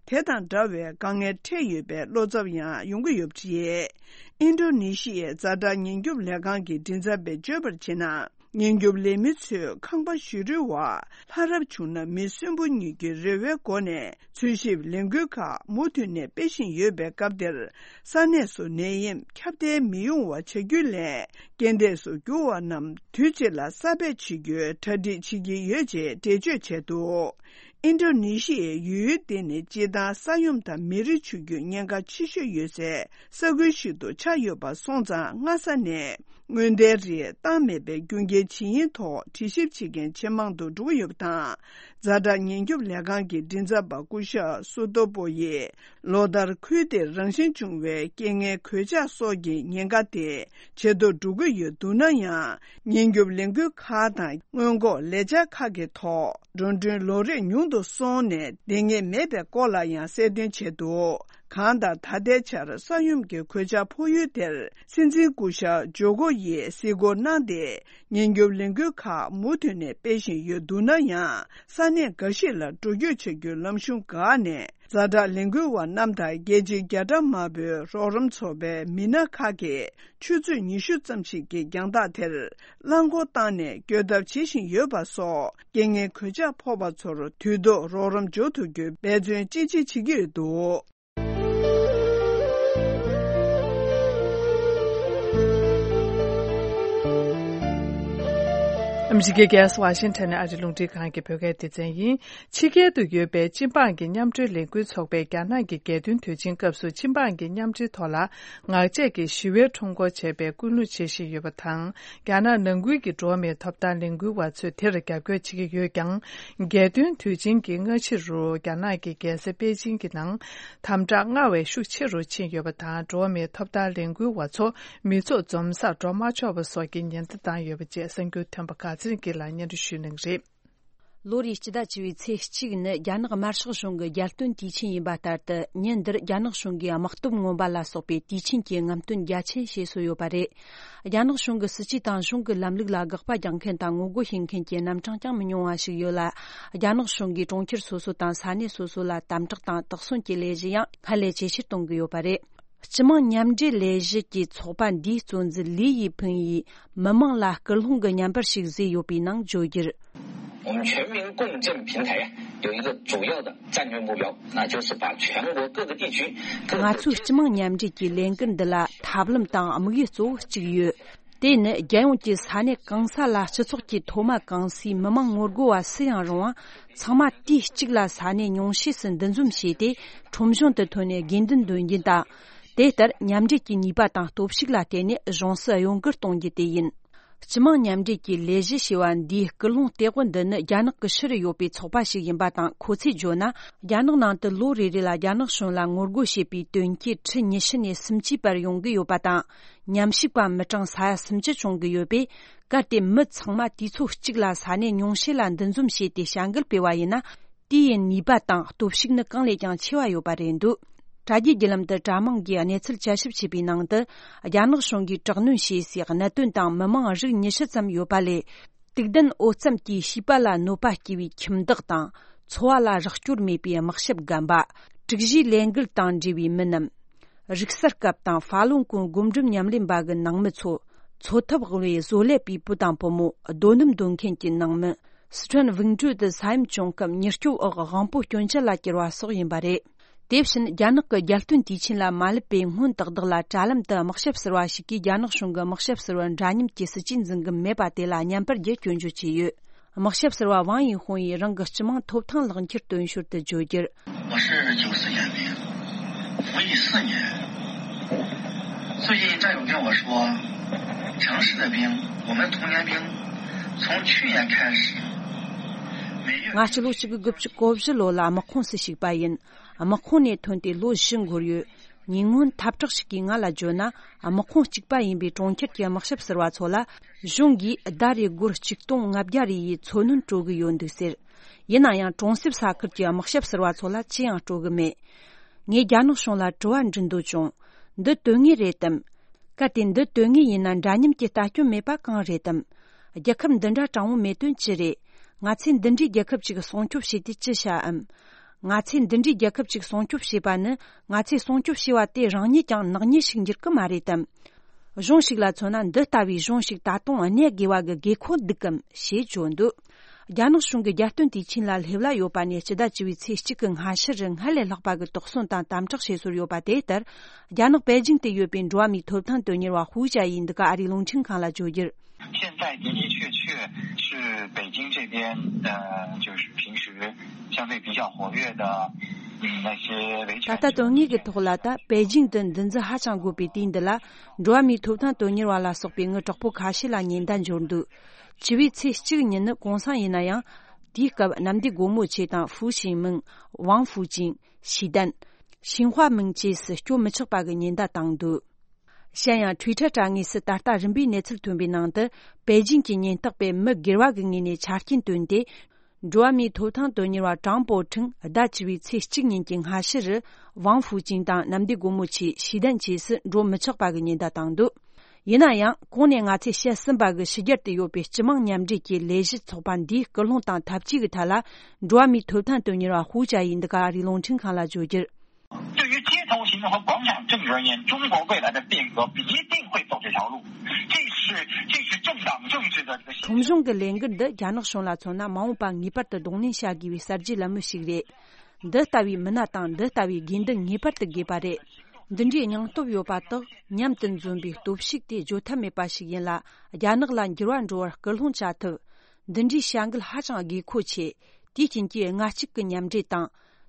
དེ་དང་འདྲ་བའི་དཀའ་ངལ་འཕྲད་ཡོད་པའི་བློ་འཚབ་ཡང་ཡོང་གི་ཡོད་པ་རེད། ཨིན་ཌོ་ནེ་ཤི་ཡའི་ཛ་དྲག་ཉེན་སྐྱོབ་ལས་ཁང་གི་མགྲིན་ཚབ་པས་བརྗོད་པར་བྱས་ན། ཉེན་སྐྱོབ་ལས་མི་ཚོས་ཁང་པ་ཞིག་རུལ་བ་ལྷ་རབ་བྱུང་ན་མི་གསོན་པོ་གཉིས་ཀྱི་རེ་བའི་སྒོ་ནས་འཚོལ་ཞིབ་ལས་འགུལ་ཁག་མུ་མཐུད་ནས་སྤེལ་བཞིན་ཡོད་པའི་སྐབས་དེར། ས་གནས་སུ་ནད་ཡམས་ཁྱབ་གདལ་མི་ཡོང་བ་བྱ་རྒྱུའི་སླད། རྐྱེན་འདས་སུ་གྱུར་བ་རྣམས་དུས་གཅིག་ལ་གསར་སྦས་བྱེད་རྒྱུའི་གྲ་སྒྲིག་བྱེད་ཀྱི་ཡོད་ཅེས་འགྲེལ་བརྗོད་བྱས་འདུག་ཨིན་ཌོ་ནེ་ཤི་ཡའི་ཡུལ་དེ་ནི་སྤྱིར་བཏང་ས་ཡོམ་དང་མེ་རི་ཆུ་རྒྱུད་ཉེན་ཁ་ཆེ་ཤོས་ཡོད་སའི་ས་ཁུལ་ཞིག་ཏུ་ཆགས་ཡོད་པ་སོང་ཙང་། སྔ་ས་ནས་སྔོན་བརྡའི་རིགས་བཏང་མེད་པའི་རྒྱུ་རྐྱེན་ཇི་ཡིན་ཐོག་དྲི་ཞིབ་བྱེད་མཁན་ཇེ་མང་དུ་འགྲོ་གི་ཡོད་པ་དང་། ཛ་དྲག་ཉེན་སྐྱོབ་ལས་ཁང་གི་མགྲིན་ཚབ་པ་སྐུ་ཞབས་སུ་ཏོ་པོ་ཡིས། ལོ་ལྟར་ཁུལ་དེར་རང་བཞིན་བྱུང་བའི་རྐྱེན་ངན་གོད་ཆག་སོགས་ཀྱི་ཉེན་ཁ་དེ་ཇེ་མཐོར་འགྲོ་གི་ཡོད་འདུག་ན་ཡང་། ཉེན་སྐྱོབ་ལས་འགུལ་ཁག་དང་སྔོན་འགོག་ལས་འཆར་ཁག་གི་ཐོག་འགྲོ་གྲོན་ལོ་རེར་ཉུང་དུ་སོང་ནས་ལྡང་ངེས་མེད་པའི་སྐོར་ལ་ཡང་གསལ་སྟོན་བྱས་འདུག་གང་ལྟར། ད་ལྟའི་ཆར་ས་ཡོམ་གྱི་གོད་ཆག་ཕོག་ཡུལ་དེར་སྲིད་འཛིན་སྐུ་ཞབས་ཇོ་ཀོ་ཡིས་གཟིགས་སྐོར་གནང་སྟེ། ཉེན་སྐྱོབ་ལས་འགུལ་ཁག་མུ་མཐུད་ནས་སྤེལ་བཞིན་ཡོད་འདུག་ན་ཡང་། ས་གནས་འགའ་ཞིག་ལ་འགྲོ་སྐྱོད་བྱ་རྒྱུའི་ལམ་གཞུང་འགག་ནས། ཛ་དྲག་ལས་འགུལ་བ་རྣམས་དང་རྒྱལ་སྤྱིའི་རྒྱ་གྲམ་དམར་པོའི་རོགས་རམ་ཚོགས་པའི་མི་སྣ་ཁག་གིས་ཆུ་ཚོད་ཉི་ཤུ་ཙམ་ཞིག་གི་རྒྱང་ཐག་དེར་རླངས་འཁོར་བཏང་ནས་སྐྱོད་ཐབས་བྱེད་བཞིན་ཡོད་པ་སོགས། རྐྱེན་ངན་གོད་ཆག་ཕོག་པ་ཚོར་དུས་ཐོག་རོགས་རམ་འབྱོར་ཐུབ་རྒྱུའི་འབད་བརྩོན་ཅི་ཆེ་བྱེད་ཀྱི་ཡོད་འདུག་ཨ་མི་རི་ཀའི་རྒྱལ་ས་ཝ་ཤིང་ཊོན་ནས་ཨ་རིའི་རླུང་འཕྲིན་ཁང་གི་བོད་སྐད་སྡེ་ཚན་ཡིན། ཕྱི་རྒྱལ་དུ་ཡོད་པའི་སྤྱི་འབངས་ཀྱི་མཉམ་འབྲེལ་ལས་འགུལ་ཚོགས་པས་རྒྱ་ནག་གི་རྒྱལ་སྟོན་དུས་ཆེན་སྐབས་སུ་སྤྱི་འབངས་ཀྱི་མཉམ་འབྲེལ་ཐོག་ལ་ངག་བཅད་ཀྱི་ཞི་བའི་ཁྲོམ་སྐོར་བྱས་པའི་སྐུལ་སློང་བྱེད་བཞིན་ཡོད་པ་དང་། རྒྱ་ནག་ནང་ཁུལ་གྱི་འགྲོ་བ་མིའི་ཐོབ་ཐང་ལས་འགུལ་བ་ཚོས་དེར་རྒྱབ་སྐྱོར་བྱེད་ཀྱི་ཡོད་ཀྱང་། རྒྱལ་སྟོན་དུས་ཆེན་གྱི་སྔ་ཕྱི་རུ་རྒྱ་ནག་གི་རྒྱལ་ས་པེ་ཅིང་གི་ནང་དམ་དྲག་སྔར་བས་ཤུགས་ཆེ་རུ་ཕྱིན་ཡོད་པ་དང་། འགྲོ་བ་མིའི་ཐོབ་ཐང་ལས་འགུལ་བ་ཚོ་མི་ཚོགས་འཛོམས་སར་འགྲོ་མ་ཆོག་པ་སོགས་ཀྱི་ཉེན་བརྡ་བཏང་ཡོད་པ་བཅས་གསར་འགྱུར་ཐོན་པ་ག་ཚོད་ཀྱིས་ལ་སྙན་སྒྲོན་ཞུ་གནང་གི་རེད། ལོ་རེའི་སྤྱི་ཟླ་བཅུ་པའི་ཚེས་གཅིག་ནི་རྒྱ་ནག་དམར་ཤོག་གཞུང་གི་རྒྱལ་སྟོན་དུས་ཆེན་ཡིན་པ་ལྟར་དུ། ཉིན་འདིར་རྒྱ་ནག་གཞུང་གིས་དམག་སྟོབས་མངོན་པ་ལ་སོགས་པའི་དུས་ཆེན་གྱི་རྔམ་སྟོན་རྒྱ་ཆེན་བྱས་སྲོལ་ཡོད་པ་རེད། རྒྱ་ནག་གཞུང་གི་སྲིད་ཇུས་དང་གཞུང་གི་ལམ་ལུགས་ལ་དགག་པ་རྒྱག་མཁན་དང་ངོ་རྒོལ་བྱེད་མཁན་གྱི་རྣམ་གྲངས་ཀྱང་མི་ཉུང་བ་ཞིག་ཡོད་ལ། རྒྱ་ནག་གཞུང་གིས་གྲོང་ཁྱེར་སོ་སོ་དང་ས་གནས་སོ་སོ་ལ་དམ་དྲག་དང་དོགས་ཟོན་གྱི་ལས་གཞི་ཡང་སྔར་ལས་ཇེ་ཆེར་གཏོང་གི་ཡོད་པ་རེད། སྤྱི་དམངས་མཉམ་འབྲེལ་ལས་གཞི་གི་ཚོགས་པ་འདིའི་གཙོ་འཛིན་ལི་ཡི་ཕིང་ཡིས། མི་མང་ལ་སྐུལ་སློང་གི་བརྙན་པར་ཞིག་བཟོས་ཡོད་པའི་ནང་བརྗོད་རྒྱུར། 我们全民共振平台呀，有一个主要的战略目标，那就是把全国各个地区各个 ང་ཚོའི་སྤྱི་དམངས་མཉམ་འབྲེལ་གྱི་ལས་འགུལ་འདི་ལ་ཐབས་ལམ་དང་དམིགས་ཡུལ་གཙོ་བོ་གཅིག་ཡོད། དེ་ནི་རྒྱལ་ཡོངས་ཀྱི་ས་གནས་གང་ས་ལ་སྤྱི་ཚོགས་ཀྱི་མཐོ་དམའ་གང་སའི་མི་མང་ངོ་རྒོལ་བ་སུ་ཡང་རུང་བ་ཚང་མ་དུས་གཅིག་ལ་ས་གནས་ཉུང་ཤས་སུ་འདུ་འཛོམས་བྱས་ཏེ། ཁྲོམ་གཞུང་དུ་ཐོན་ནས་དགོས་འདུན་འདོན་རྒྱུ་དང་། དེ་ལྟར་མཉམ་འབྲེལ་གྱི་ནུས་པ་དང་སྟོབས་ཤུགས་ལ་བརྟེན་ནས་གཞུང་སྲིད་གཡོ་འགུལ་གཏོང་རྒྱུ་དེ་ཡིན། སྤྱི་དམངས་མཉམ་འབྲེལ་གྱི་ལས་གཞི་ཞེས་པ་འདིའི་སྐུལ་སློང་སྟེགས་བུ་འདི་ནི་རྒྱ་ནག་གི་ཕྱི་རུ་ཡོད་པའི་ཚོགས་པ་ཞིག་ཡིན་པ་དང་། ཁོ་ཚོས་བརྗོད་ན། རྒྱ་ནག་ནང་དུ་ལོ་རེ་རེ་ལ་རྒྱ་ནག་གཞུང་ལ་ངོ་རྒོལ་བྱེད་པའི་དོན་རྐྱེན་ཁྲི་ཉི་ཤུ་ནས་སུམ་ཅུའི་བར་ཡོང་གི་ཡོད་པ་དང་། ཉམས་ཞིབ་པ་མི་གྲངས་ས་ཡ་སུམ་ཅུ་བྱུང་གི་ཡོད་པས། གལ་ཏེ་མི་ཚང་མ་དུས་ཚོད་གཅིག་ལ་ས་གནས་ཉུང་ཤས་ལ་འདུ་འཛོམས་བྱས་ཏེ་བྱ་འགུལ་སྤེལ་བ་ཡིན་ན། དེའི་ནུས་པ་དང་སྟོབས་ཤུགས་ནི་གང་ལས་ཀྱང་ཆེ་བ་ཡོད་པ་རེད་འདུག་དྲ་རྒྱའི་བརྒྱུད་ལམ་དུ་དྲ་དམངས་ཀྱིས་གནས་ཚུལ་དཔྱད་ཞིབ་བྱས་པའི་ནང་དུ། རྒྱ་ནག་གཞུང་གིས་དྲག་གནོན་བྱས་སའི་གནད་དོན་དང་མི་མང་རིགས་ཉི་ཤུ་ཙམ་ཡོད་པ་ལས། དུག་ལྡན་འོ་རྩམ་གྱིས་བྱིས་པ་ལ་གནོད་པ་སྐྱེལ་བའི་ཁྱིམ་བདག་དང་། འཚོ་བ་ལ་རོགས་སྐྱོར་མེད་པའི་དམག་ཞབས་རྒན་པ། དྲུག་བཞིའི་ལས་འགུལ་དང་འབྲེལ་བའི་མི་རྣམས། རིག་གསར་སྐབས་དང་ཧྥ་ལུན་གོང་སྒོམ་སྒྲུབ་ཉམས་ལེན་པ་གི་ནང་མི་ཚོ། འཚོ་ཐབས་དབུལ་བའི་བཟོ་ལས་པའི་བུ་དང་བུ་མོ། རྡོ་སྣུམ་འདོན་མཁན་གྱི་ནང་མི། སི་ཁྲོན་ཝིང་ཀྲུའུ་དུ་ས་ཡོམ་བྱུང་སྐབས་མྱུར་སྐྱོབ་འོག་དབང་པོ་སྐྱོན་ཅན་ལ་གྱུར་བ་སོགས་ཡིན་པ་རེད། དེ་བཞིན་རྒྱ་ནག་གི་རྒྱལ་སྟོན་དུས་ཆེན་ལ་མ་སླེབས་པའི་སྔོན་ཏག་ཏག་ལ་དྲ་ལམ་དུ་དམག་ཞབས་ཟུར་བ་ཞིག་གིས་རྒྱ་ནག་གཞུང་གི་དམག་ཞབས་ཟུར་བ་འདྲ་མཉམ་གྱི་སྲིད་ཇུས་འཛིན་གི་མེད་པ་དེ་ལ་བརྙན་པར་བརྒྱུད་སྐྱོན་བརྗོད་བྱས་ཡོད། དམག་ཞབས་ཟུར་བ་ཝང་ཡིན་ཧུང་ཡིས་རང་གི་སྤྱི་དམངས་ཐོབ་ཐང་ལག་འཁྱེར་སྟོན་ཞོར་དུ་བརྗོད་རྒྱུར། 我是九四眼病，服役四年，最近战友跟我说，城市的兵，我们童年兵，从去年开始，每月 ང་སྤྱི་ལོ་གཅིག་དགུ་དགུ་བཅུ་གོ་བཞི་ལོ་ལ་དམག་ཁོངས་སུ་ཞུགས་པ་ཡིན། དམག་ཁོངས་ནས་ཐོན་ཏེ་ལོ་བཞི་འགོར་ཡོད། ཉེ་སྔོན་འཐབ་གྲོགས་ཤིག་གིས་ང་ལ་བརྗོད་ན། དམག་ཁོངས་གཅིག་པ་ཡིན་པའི་གྲོང་ཁྱེར་གྱི་དམག་ཞབས་ཟུར་བ་ཚོ་ལ། གཞུང་གིས་ཟླ་རེར་སྒོར་ཆིག་སྟོང་ལྔ་བརྒྱ་རེ་ཡི་འཚོ་སྣོན་སྤྲོད་ཀྱི་ཡོད་འདུག་ཟེར། ཡིན་ན་ཡང་གྲོང་གསེབ་ས་ཁུལ་གྱི་དམག་ཞབས་ཟུར་བ་ཚོ་ལ་ཅི་ཡང་སྤྲོད་ཀྱི་མེད། ངས་རྒྱ་ནག་གཞུང་ལ་དྲི་བ་འདྲི་འདོད་བྱུང་། འདི་དོན་ངེས་རེད་དམ། གལ་ཏེ་འདི་དོན་ངེས་ཡིན་ན་འདྲ་མཉམ་གྱི་ལྟ་སྐྱོན་མེད་པ་གང་རེད་དམ། རྒྱལ་ཁབ་འདི་འདྲ་དྲང་བོ་མེད་དོན་ཅི་རེད། ང་ཚོས་འདི་འདྲའི་རྒྱལ་ཁབ་ཅིག་སྲུང་སྐྱོབ་བྱས་ཏེ་ཅི་བྱའམ། ང་ཚོས་འདི་འདྲའི་རྒྱལ་ཁབ་ཅིག་སྲུང་སྐྱོབ་བྱས་པ་ནི། ང་ཚོས་སྲུང་སྐྱོབ་བྱས་པ་དེ་རང་ཉིད་ཀྱང་ནག་ཉེས་ཤིག་འགྱུར་གི་མ་རེད་དམ། གཞུང་ཞིག་ལ་མཚོན་ན། འདི་ལྟ་བུའི་གཞུང་ཞིག་ད་དུང་གནས་དགོས་པ་གི་དགོས་མཁོ་འདུག་གམ་ཞེས་བརྗོད་འདུག་རྒྱ་ནག་གཞུང་གིས་རྒྱལ་སྟོན་དུས་ཆེན་ལ་སླེབས་ལ་ཡོད་པ་ནས་སྤྱི་ཟླ་བཅུ་པའི་ཚེས་གཅིག་གི་སྔ་ཕྱི་རུ་སྔར་ལས་ལྷག་པ་གི་དོགས་ཟོན་དང་དམ་དྲག་བྱེད་སྲོལ་ཡོད་པ་དེ་ལྟར། རྒྱ་ནག་པེ་ཅིང་དུ་ཡོད་པའི་འགྲོ་བ་མིའི་ཐོབ་ཐང་དོན་གཉེར་བ་ཧུའུ་ཅཱ་ཡིས་འདི་ག་ཨ་རིའི་རླུང་འཕྲིན་ཁང་ལ་བརྗོད་རྒྱུར། 现在的的确确是北京这边，呃，就是平时相对比较活跃的，嗯，那些维权者。 ད་ལྟ་དོན་དངོས་ཀྱི་ཐོག་ལ། ད་པེ་ཅིང་དུ་འདུ་འཛི་ཧ་ཅང་དགོས་པའི་དུས་འདི་ལ། འགྲོ་བ་མིའི་ཐོབ་ཐང་དོན་གཉེར་བ་ལ་སོགས་པའི་མི་དྲག་པོ་ཁ་ཤས་ལ་ཉེན་བརྡ་འབྱོར་འདུག་བཅུ་པའི་ཚེས་གཅིག་ཉིན་ནི་གུང་སེང་ཡིན་ན་ཡང་། དེའི་སྐབས་གནམ་བདེ་སྒོ་མོ་ཆེ་དང་ཧྥུ་ཞིང་མིང་། ཝང་ཧྥུ་ཅིང་། ཞི་ཏན། ཤིན་ཧྭ་མིང་བཅས་སུ་སྐྱོད་མི་ཆོག་པ་གི་ཉེན་བརྡ་བཏང་འདུག་གཞན་ཡང་། ཊུའི་ཊར་དྲ་ངོས་སུ་ད་ལྟ་རིམ་པས་གནས་ཚུལ་ཐོན་པའི་ནང་དུ། པེ་ཅིང་གི་ཉེན་རྟོག་པས་མི་སྒེར་བ་གི་ངོས་ནས་ཆ་རྐྱེན་བཏོན་ཏེ། འགྲོ་བ་མིའི་ཐོབ་ཐང་དོན་གཉེར་བ་ཀྲང་པོ་ཁྲིན་ཟླ་བཅུ་པའི་ཚེས་གཅིག་ཉིན་གྱི་སྔ་ཕྱི་རུ། ཝང་ཧྥུ་ཅིང་དང་གནམ་བདེ་སྒོ་མོ་ཆེ། ཞི་ཏན་བཅས་སུ་འགྲོ་མི་ཆོག་པ་གི་ཉེན་བརྡ་བཏང་འདུག་ཡིན་ན་ཡང་། གོང་ནས་ང་ཚོས་བཤད་ཟིན་པ་གི་ཕྱི་རྒྱལ་དུ་ཡོད་པའི་སྤྱི་དམངས་མཉམ་འབྲེལ་གྱི་ལས་གཞི་ཚོགས་པ་འདིའི་སྐུལ་སློང་དང་འཐབ་ཇུས་ཀྱི་ཐད་ལ། འགྲོ་བ་མིའི་ཐོབ་ཐང་དོན་གཉེར་བ་ཧུའུ་ཅཱ་ཡིས་འདི་ག་ཨ་རིའི་རླུང་འཕྲིན་ཁང་ལ་བརྗོད་རྒྱུར། 对于街头行动和广场政治而言，中国未来的变革一定会走这条路。这是这是政党政治的这个现 ཁྲོམ་གཞུང་གི་ལས་འགུལ་འདི་རྒྱ་ནག་གཞུང་ལ་མཚོན་ན། མ་འོངས་པ་ངེས་པར་དུ་གདོང་ལེན་བྱ་དགོས་པའི་གསར་བརྗེའི་ལམ་བུ་ཞིག་རེད། འདི་ལྟ་བུའི་མི་སྣ་དང་འདི་ལྟ་བུའི་དགོས་འདུན་ངེས་པར་དུ་དགོས་པ་རེད། འདི་འདྲའི་སྙིང་སྟོབས་ཡོད་པ་དག་མཉམ་དུ་འཛོམས་པའི་སྟོབས་ཤུགས་དེ་བརྗོད་ཐབས་མེད་པ་ཞིག་ཡིན་ལ། རྒྱ་ནག་ལ་འགྱུར་བ་འགྲོ་བར་སྐུལ་སློང་བྱ་ཐུབ། འདི་འདྲའི་བྱ་འགུལ་ཧ་ཅང་དགོས་མཁོ་ཆེ། དེའི་རྐྱེན་གྱིས་ལྔ་གཅིག་གི་མཉམ་འབྲེལ་དང་།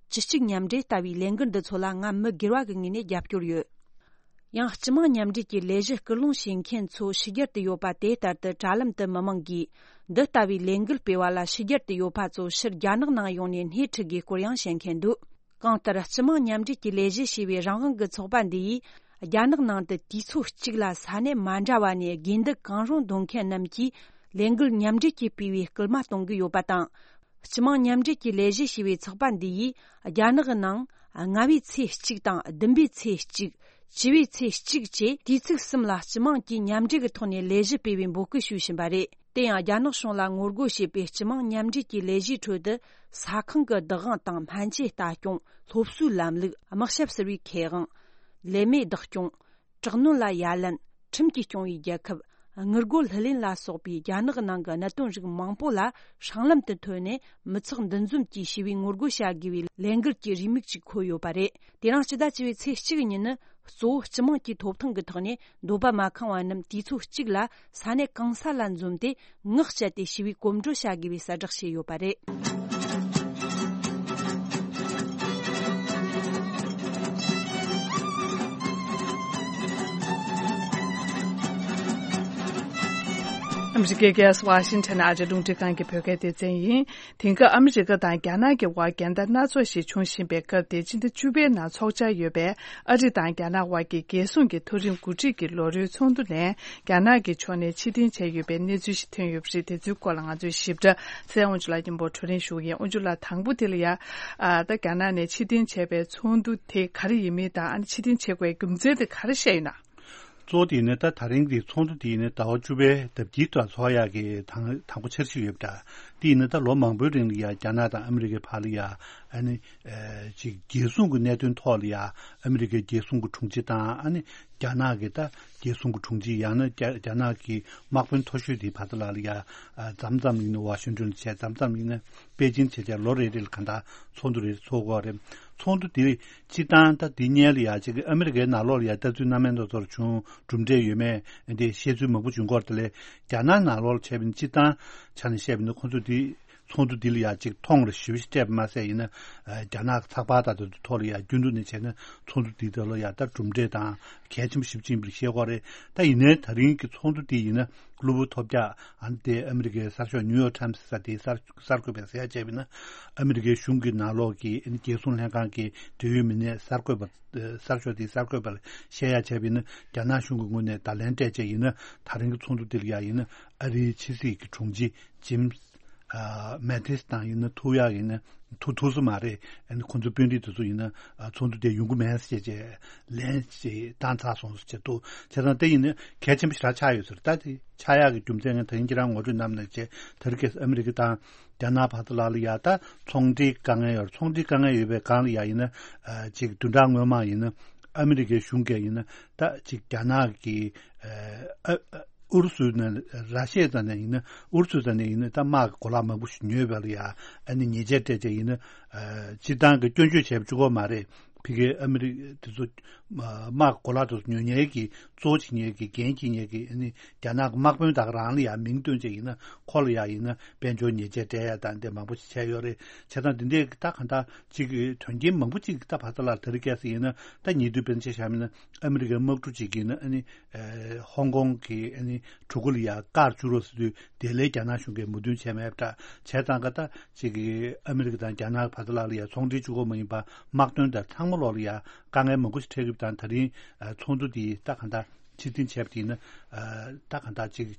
བཅུ་གཅིག་མཉམ་འབྲེལ་ལྟ་བུའི་ལས་འགུལ་འདི་ཚོ་ལ་ང་མི་སྒེར་བ་གི་ངོས་ནས་རྒྱབ་སྐྱོར་ཡོད། ཡང་སྤྱི་དམངས་མཉམ་འབྲེལ་གྱི་ལས་གཞི་སྐུལ་སློང་བྱེད་མཁན་ཚོ་ཕྱི་རྒྱལ་དུ་ཡོད་པ་དེ་ལྟར་དུ་དྲ་ལམ་དུ་མི་མང་གིས་འདི་ལྟ་བུའི་ལས་འགུལ་སྤེལ་བ་ལ་ཕྱི་རྒྱལ་དུ་ཡོད་པ་ཚོ་ཕྱིར་རྒྱ་ནག་ནང་ཡོང་ནས་སྣེ་ཁྲིད་དགོས་སྐོར་ཡང་བཤད་མཁན་འདུག་གང་ལྟར་སྤྱི་དམངས་མཉམ་འབྲེལ་གྱི་ལས་གཞི་ཞེས་པའི་རང་དབང་གི་ཚོགས་པ་འདི་ཡིས་རྒྱ་ནག་ནང་དུ་དུས་ཚོད་གཅིག་ལ་ས་གནས་མ་འདྲ་བ་ནས་དགོས་འདུན་གང་རུང་འདོན་མཁན་རྣམས་ཀྱིས་ལས་འགུལ་མཉམ་འབྲེལ་གྱིས་སྤེལ་བའི་སྐུལ་མ་གཏོང་གི་ཡོད་པ་དང་། སྤྱི་དམངས་མཉམ་འབྲེལ་གྱི་ལས་གཞི་ཞེས་པའི་ཚོགས་པ་འདི་ཡིས་རྒྱ་ནག་གི་ནང་ལྔ་བའི་ཚེས་གཅིག་དང་བདུན་པའི་ཚེས་གཅིག་བཅུ་བའི་ཚེས་གཅིག་བཅས་དུས་ཚིགས་གསུམ་ལ་སྤྱི་དམངས་ཀྱིས་མཉམ་འབྲེལ་གྱི་ཐོག་ནས་ལས་གཞི་སྤེལ་བའི་འབོད་སྐུལ་ཞུས་བཞིན་པ་རེད། དེ་ཡང་རྒྱ་ནག་གཞུང་ལ་ངོ་རྒོལ་བྱེད་པའི་སྤྱི་དམངས་མཉམ་འབྲེལ་གྱི་ལས་གཞིའི་ཁྲོད་དུ་ས་ཁང་གི་བདག་དབང་དང་སྨན་བཅོས་ལྟ་སྐྱོང་། སློབ་གསོའི་ལམ་ལུགས། དམག་ཞབས་ཟུར་བའི་ཁེ་དབང་། ལས་མེད་བདག་སྐྱོང་། དྲག་གནོན་ལ་ཡ་ལན། ཁྲིམས་ཀྱིས་སྐྱོང་བའི་རྒྱལ་ཁབ། དངུལ་སྒོར་ལྷུར་ལེན་ལ་སོགས་པའི་རྒྱ་ནག་གི་ནང་གི་གནད་དོན་རིགས་མང་པོ་ལ་སྲང་ལམ་དུ་ཐོན་ནས་མི་ཚོགས་འདུ་འཛོམས་ཀྱིས་ཞི་བའི་ངོ་རྒོལ་བྱ་དགོས་པའི་ལས་འགུལ་གྱི་རེའུ་མིག་ཅིག་འཁོད་ཡོད་པ་རེད། དེ་རིང་སྤྱི་ཟླ་བཅུ་པའི་ཚེས་གཅིག་ཉིན་ནི་གཙོ་བོ་སྤྱི་དམངས་ཀྱི་ཐོབ་ཐང་གི་ཐོག་ནས་འདོད་པ་མ་ཁེངས་པ་རྣམས་དུས་ཚོད་གཅིག་ལ་ས་གནས་གང་ས་ལ་འཛོམས་ཏེ་ངག་བཅད་དེ་ཞི་བའི་གོམ་བགྲོད་བྱ་དགོས་པའི་གསལ་བསྒྲགས་བྱས་ཡོད་པ་རེད། ཨ་མི་རི་ཀའི་རྒྱལ་ས་ཝ་ཤིང་ཊོན་ནས་ཨ་ཅེ་རླུང་འཕྲིན་ཁང་གི་བོད་སྐད་སྡེ་ཚན་ཡིན། དེང་སྐབས་ཨ་མི་རི་ཀ་དང་རྒྱ་ནག་གི་དབར་འགལ་ཟླ་སྣ་ཚོགས་ཤིག་འབྱུང་བཞིན་པའི་སྐབས་དེ། སྤྱི་ཟླ་བཅུ་པའི་ནང་འཚོགས་འཆར་ཡོད་པའི་ཨ་རི་དང་རྒྱ་ནག་དབར་གྱི་རྒྱལ་སྲུང་གི་མཐོ་རིམ་འགོ་ཁྲིད་ཀྱི་ལོ་རེའི་ཚོགས་འདུ་ནས་རྒྱ་ནག་གི་ཕྱོགས་ནས་ཕྱིར་འཐེན་བྱས་ཡོད་པའི་གནས་ཚུལ་ཞིག་ཐོན་ཡོད་པ་རེད། དེ་ཚོའི་སྐོར་ལ་ང་ཚོའི་ཞིབ་ཕྲ་ཚེ་དབང་ཕྱུག་ལགས་མཉམ་པོ་གྲོས་རིམ་ཞུ་གི་ཡིན། དབང་ཕྱུག་ལགས། དང་པོ་དེ་ལ་ཡ། ཨ། ད་རྒྱ་ནག་ནས་ཕྱིར་འཐེན་བྱས་པའི་ཚོགས་འདུ་དེ་ག་རེ་ཡིན་མིན་དང་། ཨ་ནི་ཕྱིར་འཐེན་བྱེད་དགོས་རྒྱུ་མཚན་དེ་ག་རེ་བཤད་ཡོད་ན། གཙོ་བོ་དེ་ཡིན་ན། ད་ད་རིང་གི་ཚོགས་འདུ་དེ་ཡིན་ན་ཟླ་བ་བཅུ་པའི་ཟླ་དཀྱིལ་དུ་ཚོགས་ཡག་གི་དང་དང་པོ་འཆར་གཞི་ཡོད་པ་འདྲ། དེ་ཡིན་ན་ད་ལོ་མང་པོའི་རིང་ལ་ཡ་རྒྱ་ནག་དང་ཨ་མི་རི་ཀའི་བར་ལ་ཡ། ཨ་ནི། ཨེ། ཅིག་རྒྱལ་སྲུང་གི་གནད་དོན་ཐོག་ལ་ཡ། ཨ་མི་རི་ཀའི་རྒྱལ་སྲུང་གི་དྲུང་ཆེ་དང་། ཨ་ནི་རྒྱ་ནག་གི་ད་རྒྱལ་སྲུང་གི་དྲུང་ཆེ། ཡང་ན་རྒྱ་རྒྱ་ནག་གི་དམག་དཔོན་མཐོ་ཤོས་དེའི་བར་དུ་ལ་ལ་ཡ། ཨ། མཚམས་མཚམས་ཡིན་ན་ཝ་ཤིང་ཊོན་ལ་བྱས། མཚམས་མཚམས་ཡིན་ན་པེ་ཅིང་བྱས། བྱས་ལོ་རེ་རེ་ལ་གང་ལྟར་ཚོགས་འདུ་རེ་ཚོགས་ཀྱི་ཡོད་རེད། ཚོགས་འདུ་དེ་སྤྱིར་བཏང་ད་འདི་སྔོན་ལ་ཡ་ཅིག་ཨ་མི་རི་ཀའི་ནང་ལོགས་ལ་ཡ་ལྟ་ཚུལ་སྣ་མིན་སྣ་ཚོགས་བྱུང་། གྲུབ་འབྲས་ཡོད་མེད་འདི་བཤད་ཚུལ་མང་པོ་བྱུང་སྐོར་དེ་ལས། རྒྱ་ནག་ནང་ལོགས་ལ་བྱས་པ་ཡིན་ན། སྤྱིར་བཏང་ཆ་ནས་བཤད་པ་ཡིན་ན། ཁོང་ཚོ་འདི་ཚོགས་འདུ་འདི་ལ་ཡ་ཅིག་མཐོང་རེ་ཞེ་པོ་ཞིག་སྤྲད་པ་མ་ཟད། ཡིན་ན། ཨ། རྒྱ་ནག་གི་ཚགས་པར་དང་དེ་ཚོ་ཐོག་ལ་ཡ་རྒྱུན་དུ་ནས་བྱས་ན་ཚོགས་འདུ་འདི་དག་ལ་ཡ་ད་གྲུབ་འབྲས་དང་གལ་ཆེན་པོ་ཞེ་པོ་ཅིག་ཡིན་པ་ཤེས་དགོས་རེད། ད་ཡིན་ནའི་ད་རིང་གི་ཚོགས་འདུ་འདི་ཡིན་ན། གློ་བུར་ཐོལ་རྒྱག་ཨ་ནི་དེ་ཨ་མི་རི་ཀའི་གསར་ཤོག་ནིའུ་ཡོག་ཊའིམ་སི་ཟེར་དེའི་གསར་གསར་འགོད་པས་ཟེར་ཡ་བྱས་པ་ཡིན་ན། ཨ་མི་རི་ཀའི་གཞུང་གི་ནང་ལོགས་ཀྱི། ཨ་ནི་རྒྱལ་སྲུང་ལྷན་ཁང་གི་འབྲེལ་ཡོད་མི་སྣས་གསར་འགོད་པ། ཨ། གསར་ཤོག་དེའི་གསར་འགོད་པར་བཤད་ཡ་བྱས་པ་ཡིན་ན། རྒྱ་ནག་གཞུང་གི་ངོས་ནས་བརྡ་ལན་སྤྲད་བྱས་ཡིན་ན། ད་རིང་གི་ཚོགས་འདུ་དེ་ལ་ཡ་ཡིན་ན། ཨ་རིའི་ཕྱི་སྲིད་ཀྱི་དྲུང་ཆེ་ཇིམ། ཨ། མེ་ཏིས་དང་ཡིན་ན་ཐུག་ཡག་ཡིན་ན་ཐུག་ཐུབ་ས་མ་རེད། ཨ་ནི་ཁོང་ཚོའི་དཔོན་རིགས་དེ་ཚོ་ཡིན་ན། ཨ། ཚོགས་འདུ་དེ་ཡོང་གི་མེད་ཟེར་བྱས་ལན་ཞིག་བཏང་ཚར་སོང་ཟེར་བྱས་འདུག་བྱས་ཙང་དེ་ཡིན་ན་གལ་ཆེན་པོ་ཞེ་དྲག་ཆགས་ཡོད་ཟེར། ད་དེ་ཆགས་ཡག་གི་རྒྱུ་མཚན་ངས་ད་རིང་ཁྱེད་རང་ངོ་སྤྲོད་གནང་ནས་བྱས། དེ་རིང་ཁ་སང་ཨ་མི་རི་ཀ་དང་རྒྱ་ནག་བར་དུ་ལ་ལ་ཡ་ད་ཚོང་འབྲེལ་དཀའ་ངལ་ཡོད། ཚོང་འབྲེལ་དཀའ་ངལ་ཡོད་པའི་སྒང་ལ་ཡ་ཡིན་ན། ཨ། ཅིག་བདུན་ཕྲག་སྔོན་མ་ཡིན་ན་ཨ་མི་རི་ཀའི་གཞུང་གིས་ཡིན་ན། ད་ཅིག་རྒྱ་ནག་གི། ཨ། ཨ། ཨུ་རུ་སུ་ནས། ར་ཤི་ཡ་ཙམ་ནས་ཡིན་ན། ཨུ་རུ་སུ་ཙམ་ནས་ཡིན་ན་ད་དམག་གི་གོ་ལག་མང་པོ་ཞིག་ཉོས་པ་ལ་ཡ། ཨ་ནི་ཉེས་ཆད་སྤྲད་བྱས་ཡིན་ན། ཨ། སྤྱིར་བཏང་གི་སྐྱོན་བརྗོད་བྱས་པ་གཅིག་པོ་མ་རེད། ཕ་གིའི་ཨ་མི་རི་དེ་ཚོ་དམག་གི་གོ་ལག་དེ་ཚོ་ཉོ་མཁན་གྱི་གཙོ་བོ་བྱེད་མཁན་གྱི། འགན་འཁྱེར་མཁན་གྱི། ཨ་ནི་རྒྱ་ནག་གི་དམག་དཔོན་དག་རང་ལ་ཡ་མིང་བཏོན་བྱས་ཡིན་ན། ཁོ་ལ་ཡ་ཡིན་ན་དཔལ་འབྱོར་ཉེས་ཆད་སྤྲད་ཡ་དང་དེ་མང་པོ་ཞིག་བྱས་ཡོད་རེད། བྱས་ཙང་འདི་འདྲའི་ད་གང་ལྟར་ཅིག་དོན་རྐྱེན་མང་པོ་ཅིག་ད་བར་དུ་ལ་དེ་རིང་ཁ་སང་ཡིན་ན། ད་ཉེ་དུས་དཔེར་ན་ཆ་བཞག་པ་ཡིན་ན་ཨ་མི་རི་ཀའི་དམག་གྲུ་ཅིག་གིས་ཡིན་ན། ཨ་ནི། ཨེ། ཧོང་ཀོང་གི། ཨ་ནི་གྲུ་གུ་ལ་ཡ་བཀག་བཅུག་རོགས་ཟེར་དུས། དེ་ལས་རྒྱ་ནག་གཞུང་གིས་མོས་མཐུན་བྱས་མེད་པ་འདྲ། བྱས་ཙང་ཀ་ད་ཅིག་གི་ཨ་མི་རི་ཀ་དང་རྒྱ་ནག་བར་དུ་ལ་ལ་ཡ་ཚོང་འབྲེལ་གཅིག་པོ་མ་ཡིན་པ། དམག་དོན་དང་ཚང་མ་ལོག་ལ་ཡ་དཀའ་ངལ་མང་པོ་ཞིག་འཕྲད་ཀྱི་ཡོད་པ་དང་། ད་རིང་ཚོགས་འདུ་དེ་ད་གང་ལྟར་ཕྱིར་འཐེན་བྱས་པ་དེ་ཡིན་ན། ཨ། ད་གང་ལྟར་ཅིག་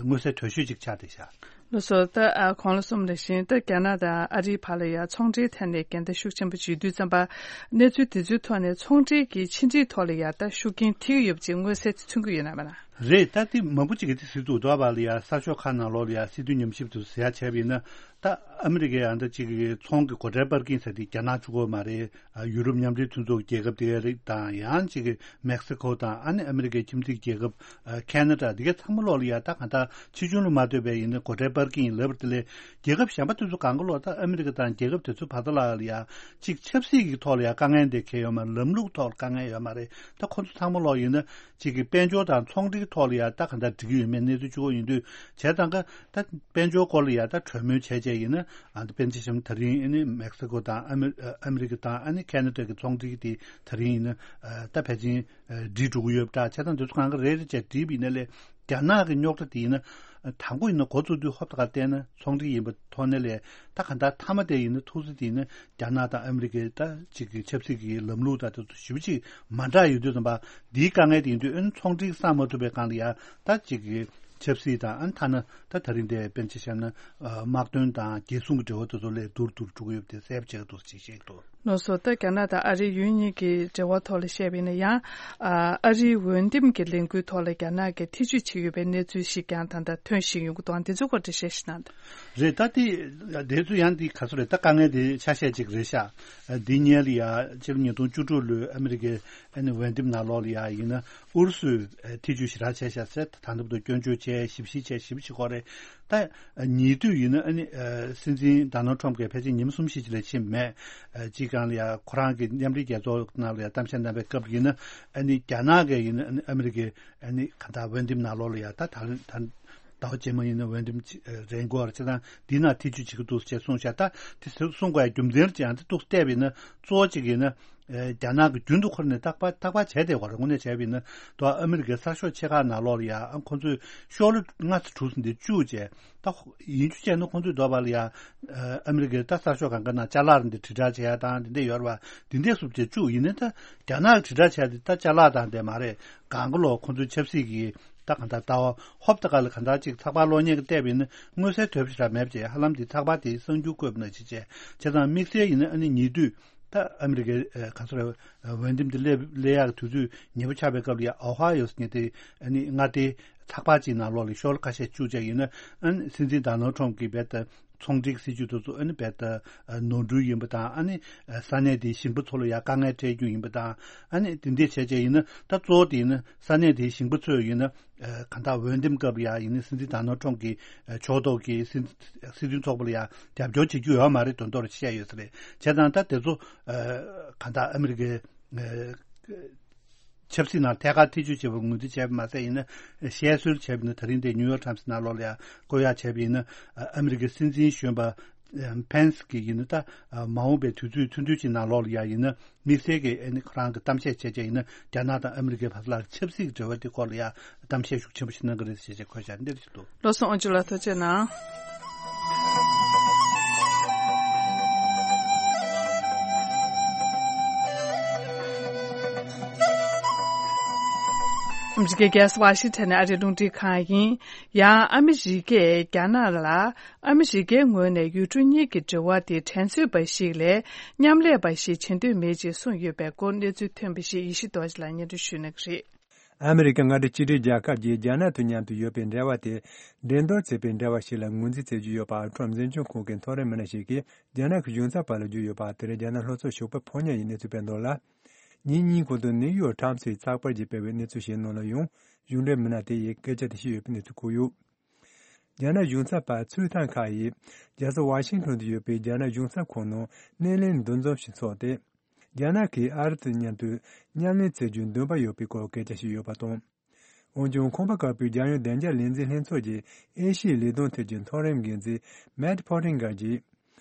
མངོན་གསལ་དོད་ཤོས་ཅིག་ཆགས་བསྡད་ཤག་ལགས་སོ། ད། ཨ། གོང་ལ་གསུངས་པ་ནང་བཞིན། ད་རྒྱ་ནག་དང་ཨ་རིའི་བར་ལ་ཡ་ཚོང་འབྲེལ་ཐད་ནས་འགལ་ཟླ་ཤུགས་ཆེན་པོ་ཅིག་ཡོད་དུས་ཙམ་པ། གནས་ཚུལ་དེ་ཚོའི་ཐོག་ནས་ཚོང་འབྲེལ་གྱི་ཕྱི་འབྲེལ་ཐོག་ལ་ཡ་ད་ཤུགས་རྐྱེན་ཐེབས་ཀྱི་ཡོད་པ་ཅིག་མངོན་གསལ་དུ་མཚོན་གྱི་ཡོད་ན་མེད་ན། རེད། ད་དེ་མང་པོ་ཅིག་གིས་དེ་ཟེར་འདུག་དོ་བ་ལ་ཡ་གསར་ཤོག་ཁག་ནང་ལོགས་ལ་ཡ་སྲིད་དོན་ཉམས་ཞིབ་དུ་ཟེར་ཡ་བྱས་པ་ཡིན་ན། ད་ཨ་མི་རི་ཀའི་ཨ་འདྲ་ཅིག་གི་ཚོང་གི་སྒོ་ཁྲལ་སྤར་མཁན་ཟེར་དེ་རྒྱ་ནག་གཅིག་པོ་མ་རེད། ཨ། ཡུ་རོབ་མཉམ་འབྲེལ་མཐུན་ཚོགས་ཀྱི་རྒྱལ་ཁབ་དེ་ག་རེད། དང་ཡང་ཅིག་གི་མེག་སི་ཁོ་དང་། ཨ་ནི་ཨ་མི་རི་ཀའི་ཁྱིམ་མཚེས་རྒྱལ་ཁབ། ཨ། ཁེ་ན་ཌ། དེ་ག་ཚང་མ་ལོག་ལ་ཡ་ད་གང་ལྟར་ཕྱི་ལྗོངས་ལ་མ་ལྟོས་པའི་ཡིན་ན་སྒོ་ཁྲལ་ པར་གྱི་ཡིན་ལབ་པ་དེ་ལས་རྒྱལ་ཁབ་གཞན་པ་དེ་ཚོ་གང་ག་ལོག་ད་ཨ་མི་རི་ཀ་དང་རྒྱལ་ཁབ་དེ་ཚོའི་བར་ཐག་ལ་ཡ་གཅིག་ཆབ་སྲིད་ཀྱི་ཐོག་ལ་ཡ་དཀའ་ངལ་འདི་འཁེལ་ཡོད་མ་རེད། ལམ་ལུགས་ཐོག་ལ་དཀའ་ངལ་ཡོད་མ་རེད། ད་ཁོ་ཚོ་ཚང་མ་ལོག་ཡིན་ན་གཅིག་གི་དཔལ་འབྱོར་དང་ཚོང་འབྲེལ་ཐོག་ལ་ཡ་ད་ག་འདྲ་འགྲིག་གི་ཡོད་མེད་གནས་ཚུལ་གཅིག་པོ་ཡིན་དུས་བྱས་ཙང་ཀ་ད་དཔལ་འབྱོར་སྐོར་ལ་ཡ་ད་གྲོས་མོལ་བྱས་བྱས་ཡིན་ན་ཨ་ད་དཔེར་ན་ཆ་བཞག་ན་ད་རིང་ཨ་ནི་མེག་སི་ཀོ་དང་ཨ་མི་ཨ་མི་རི་ཀ་དང་ཨ་ནི་ཁེ་ན་ཌ་གི་ཚོང་འབྲེལ་དེ་ད་རིང་ཡིན་ན་ཨ་ད་ཕལ་ཆེར་ཨ་འགྲིག་འགྲོ་གི་ཡོད་པ་འདྲ། བྱས་ཙང་དེ་ཚོ་གང་ག་རེ་རེ་བྱས་འགྲིག་པ་ཡིན་ན་ལས་རྒྱ་ནག་གི་རྙོག་དྲ་དེ་ཡིན་ན་དང་པོ་ཡིན་ན་འགོ་བཙུགས་དུས་ཧོབ་ཏེ་ག་བལྟས་ན་ཚོང་འབྲེལ་ཡིན་པ་ཐོག་ནས་ལས་ད་ག་འདྲ་མཐའ་མ་དེ་ཡིན་ན་ཐུག་ས་དེ་ཡིན་ན་རྒྱ་ནག་དང་ཨ་མི་རི་ཀའི་ད་གཅིག་གི་ཆབ་སྲིད་ཀྱི་ལམ་ལུགས་དང་དེ་ཚོ་ཞེ་པོ་ཅིག་མ་འདྲ་ཡོད་དུས་ཙམ་པ་འདིའི་དཀའ་ངལ་དེ་ཡིན་དུས་ཨ་ནི་ཚོང་འབྲེལ་བསམ་མ་ཐུབ་པའི་སྒང་ལ་ཡ་ད་གཅིག་གི་ཆབ་སྲིད་དང་ཨ་ནི་ཐ་ན་ད་ད་རིང་དེ་དཔེར་ན་ཆ་བཞག་ན་ཨ་དམག་དོན་དང་རྒྱལ་སྲུང་གི་འབྲེལ་བ་དེ་ཚོ་ལས་སྡུག་རུ་སྡུག་རུ་འགྲོ་གི་ཡོད་པ་དེ་གསལ་པོ་བྱེད་ཀྱི་འདུག་ཅེས་བཤད་ཀྱི་འདུག། ལགས་སོ། ད་རྒྱ་ནག་དང་ཨ་རིའི་ཡུལ་གཉིས་ཀྱི་འབྲེལ་བ་ཐོག་ལ་བཤད་པ་ཡིན་ན་ཡང་ཨ་ཨ་རིའི་འོས་འདེམས་ཀྱི་ལས་འགུལ་ཐོག་ལ་རྒྱ་ནག་གིས་ཐེ་བྱུས་བྱེད་ཀྱི་ཡོད་པའི་གནས་ཚུལ་ཞིག་ཀྱང་ད་ལྟ་ཐོན་བཞིན་ཡོང་གི་འདུག། དེ་ཚོའི་སྐོར་འགྲེལ་བཤད་ཞིག་གནང་དང་། རེད། ད་དེ་དེ་ཚོ་ཡང་དེ་ག་ཚོད་རེད། ད་དཀའ་ངལ་དེ་ཆ་ཤས་ཅིག་རེད་ཤག། འདི་སྔོན་ལ་ཡ་ཕྱི་ལོ་ཉིས་སྟོང་བཅུ་དྲུག་ལོའི་ཨ་མི་རི་ཀའི་ཨ་ནི་འོས་འདེམས་ནང་ལོགས་ལ་ཡ་ཡིན་ན་ཨུ་རུ་སུས་ཐེ་བྱུས་ཞེ་དྲག་བྱས་ཤག་ཟེར། ད་ལྟ་བར་དུ་སྐྱོན་བརྗོད་བྱས་ཞིབ་བཤེར་བྱས་ཞིབ་བྱེད་ཀྱི་ཡོད་རེད། ད་ཉེ་དུས་ཡིན་ན་ཨ་ནི་ཨ་སྲིད་འཛིན་ཌོ་ནལ་ཊམ་གྱིས་ཕལ་ཆེར་ཉིན་མོ་གསུམ་བཞི་ཅིག་ལས་ཕྱིན་མེད། ཨ་སྤྱིར་བཏང་ལ་ཡ་ཁོ་རང་གི་མཉམ་འབྲེལ་རྒྱལ་ཚོགས་ནང་ལ་ཡ་གཏམ་བཤད་གནང་བའི་སྐབས་ཡིན་ན་ཨ་ནི་རྒྱ་ནག་གིས་ཡིན་ན་ཨ་ནི་ཨ་མི་རི་ཀའི་ཨ་ནི་ག་ད་འོས་འདེམས་ནང་ལོགས་ལ་ཡ་ད་ད་ད་ཟླ་བ་རྗེས་མ་ཡིན་ན་འོས་འདེམས་ཅིག་རན་དགོས་པ་རེད། བྱས་ཙང་འདི་ནང་ཐེ་བྱུས་བྱེད་ཀྱི་འདུག་ཅེས་གསུངས་ཤག། ད་དེ་གསུང་དགོས་ཡ་རྒྱུ་མཚན་ཅིག་ཡང་དེ་འདུག་བལྟས་པ་ཡིན་ན་གཙོ་བོ་གཅིག་ཡིན་ན། ཨེ་རྒྱ་ནག་གིས་རྒྱུན་དུ་ཁོ་རང་ནས་རྟག་པར་རྟག་པར་བྱས་བསྡད་ཡོད་རེད། དངོས་གནས་བྱས་པ་ཡིན་ན་ད་ཨ་མི་རི་ཀའི་གསར་ཤོག་ཆེ་ཁག་ནང་ལོགས་ལ་ཡ་ཨ་ཁོ་ཚོས་ཤོག་ལྷེ་ལྔ་ཙམ་དྲུག་ཙམ་འདི་བཅུག་བྱས། ད་ཡིན་རྒྱུ་བྱས་ན་ཁོ་ཚོས་འདོད་པ་ལ་ཡ་ཨ་མི་རི་ཀའི་ད་གསར་ཤོག་གང་ག་ནང་ཅ་ལག་རེ་འདི་དྲིལ་བསྒྲགས་བྱེད་ཡ་དང་འདི་འདྲས་ཡོད་རེད་པ། འདི་འདྲས་སུ་བྱས་བཅུག་ཡིན་ན་ད་རྒྱ་ནག་གིས་དྲིལ་བསྒྲགས་བྱས་ཏེ་ད་ཅ་ལག་དང་འདྲས་མ་རེད། གང་ག་ལོག་ཁོ་ཚོའི་ཆབ་སྲིད་ཀྱི་ད་གང་ལྟར་ལྟ་བ་ཧོབ་ཏེ་ག་ལ་གང་ལྟར་ཅིག་ཚགས་པར་གློག་བརྙན་གྱི་བལྟས་པ་ཡིན་ན་མངོན་གསལ་དོད་པོ་ཞེ་དྲག་མེད་པ་བྱས། ཧ་ལམ་དེ་ཚགས་པར་དེའི་གསར་འགྱུར་བཀོད་པ་ནང་བཞིན་བྱས། བྱས་ཙང་དམིགས་བསལ་ཡིན་ན་ཨ་ནི་ཉེ་དུས་ད་ཨ་མི་རི་ཀའི་ཨ་ག་ཚོད་རེད། ཨ་འོས་འདེམས་དེ་སླེབས་སླེབས་ཡག་གི་དུས་ཚོད་ཉེ་པོ་ཆགས་པའི་སྐབས་ལ་ཡ་ཨོ་ཧ་ཡོ་ཟེར་མཁན་དེ་ཨ་ནི་མངའ་སྡེའི་ཚགས་པར་ཅིག་ནང་ལོགས་ལ་ཤོག་ལྷེ་ཁ་ཤས་བཅུག་བྱས་ཡིན་ན་ཨ་ནི་སྲིད་འཛིན་ཌོ་ནལ་ཊམ་གྱིས་རྦད་དེ་ཚོང་འབྲེལ་གྱི་སྲིད་ཇུས་དེ་ཚོ་ཨ་ནི་རྦད་དེ་ཨ་ནོར་འཁྲུལ་ཡིན་པ་དང་། ཨ་ནི་ཨ་ས་གནས་དེའི་ཞིང་པ་ཚོ་ལ་ཡ་དཀའ་ངལ་འཕྲད་རྒྱུ་ཡིན་པ་དང་། ཨ་ནི་དེ་འདྲས་བྱས་བྱས་ཡིན་ན་ད་གཙོ་བོ་དེ་ཡིན་ན་ས་གནས་དེའི་ཞིང་པ་ཚོས་ཡིན་ན། ཨ་གང་ལྟར་འོས་འདེམས་སྐབས་ལ་ཡ་ཡིན་ན་སྲིད་འཛིན་ཌོ་ནལ་ཊམ་གྱི་ཨ་ཕྱོགས་གཏོགས་ཀྱི་སྲིད་སྲིད་དོན་ཚོགས་པ་ལ་ཡ་རྒྱབ་སྐྱོར་བྱེད་རྒྱུ་ཡོད་མ་རེད་དོན་དག་རེད་བཤད་ཡོད་ས་རེད། བྱས་ཙང་ད་དེ་ཚོ་ཨ་གང་ལྟར་ཨ་མི་རི་ཀའི་ཨ་ཆབ་སྲིད་ནང་ཐད་ཀར་ཐེ་བྱུས་བྱས་པ་ངོས་འཛིན་བྱས་པ་མ་ཟད་ཡིན་ན་བཤད་སྲོལ་བྱས་པ་ཡིན་ན་ད་རིང་དེ་ནིའུ་ཡོག་ཊའིམ་སི་ནང་ལོགས་ལ་ཡ་བཀོད་ཡག་བྱས་པ་ཡིན་ན་ཨ་ཨ་མི་རི་ཀའི་སྲིད་འཛིན་གཞོན་པ་ཕེན་སི་གིས་ཡིན་ན་ད་ཨ་མ་འོངས་པའི་དུས་ཚོད་ཐུང་ཐུང་ཅིག་ནང་ལོགས་ལ་ཡ་ཡིན་ན། དམིགས་བསལ་གྱི་ཨ་ནི་ཁོ་རང་གི་གཏམ་བཤད་བྱས་བྱས་ཡིན་ན་རྒྱ་ནག་དང་ཨ་མི་རི་ཀའི་བར་ལ་ཆབ་སྲིད་ཀྱི་འབྲེལ་བ་དེ་སྐོར་ལ་ཡང་གཏམ་བཤད་ཤུགས་ཆེན་པོ་ཞིག་གནང་གི་རེད་ཟེར་བྱས་བཀོད་བཞག་འདིར་ཞིག་འདུག། བློ་བཟང་དབང་ཕྱུག་ལགས་ཐུགས་རྗེ་གནང་། ཨ་མི་རི་ཀའི་རྒྱལ་ས་ཝ་ཤིང་ཊོན་ནས་ཨ་རིའི་རླུང་འཕྲིན་ཁང་ཡིན། ཡང་ཨ་མི་རི་ཀས་རྒྱ་ནག་ལ། ཨ་མི་རི་ཀའི་ངོས་ནས་ཡུལ་གྲུ་གཉིས་ཀྱི་འབྲེལ་བ་དེ་དྲན་གསོའི་འབའ་ཞིག་ལས་མཉམ་ལས་པ་ཞིག་བྱེད་འདོད་མེད་ཅེས་གསུངས་ཡོད་པའི་སྐོར་གནས་ཚུལ་ཐོན་པ་ཞིག་ཡེ་ཤེས་རྡོ་རྗེ་ལགས་སྙན་སྒྲོན་ཞུ་གནང་གི་རེད། ཨ་མི་རི་ཀ་མངའ་སྡེ་གཅིག་སྒྲིལ་རྒྱལ་ཁབ་ཀྱིས་རྒྱ་ནག་དང་མཉམ་དུ་ཡོད་པའི་འབྲེལ་བ་དེ་འགྲན་བསྡུར་བྱེད་པའི་འབྲེལ་བ་ཞིག་ལ་ངོས་འཛིན་བྱེད་ཀྱི་ཡོད་པ་ཁྲོམ་འཛིན་སྐྱོང་ཁང་གི་མཐོ་རིམ་མི་སྣ་ཞིག་གིས་རྒྱ་ནག་གི་གཞུང་ཚབ་པ་ལ་བརྗོད་ཡོད་པ་དེར་རྒྱ་ནག་ལྷོ་ཕྱོགས་ཞོགས་པ་ཕོ་ཉ་ཡིས་གནས་ཚུལ་སྤེལ་འདུག་ལ། ཉིན་གཉིས་གོང་དུ་ནིའུ་ཡོག་ཊའིམ་སི་ཡིས་ཚགས་པར་ཞིག་སྤེལ་བའི་གནས་ཚུལ་ཞིག་ནང་ལ་ཡང་གཞུང་འབྲེལ་མི་སྣ་དེ་ཡིས་སྐད་ཆ་དེ་བཤད་ཡོད་པའི་གནས་ཚུལ་བཀོད་ཡོད། རྒྱ་ནག་གཞུང་ཚབ་པ་ཚུའུ་ཐང་ཁ་ཡིས་རྒྱལ་ས་ཝ་ཤིང་ཊོན་དུ་ཡོད་པའི་རྒྱ་ནག་གཞུང་ཚབ་ཁང་ནང་སྣེ་ལེན་འདུ་འཛོམས་ཤིག་འཚོགས་ཏེ། རྒྱ་ནག་གིས་ཨ་རི་དང་མཉམ་དུ་མཉམ་ལས་བྱེད་རྒྱུའི་འདུན་པ་ཡོད་པའི་སྐོར་སྐད་ཆ་བཤད་ཡོད་པ་དང་། འོན་ཀྱང་ཁང་པ་དཀར་པོའི་རྒྱལ་ཡོངས་བདེ་འཇགས་ལས་འཛིན་ལྷན་ཚོགས་ཀྱི་ཨེ་ཤི་ཡའི་ལས་དོན་ཐད་ཀྱི་མཐོ་རིམ་འགན་འཛིན་མེད་ཕོ་ཊིང་གར་གྱིས།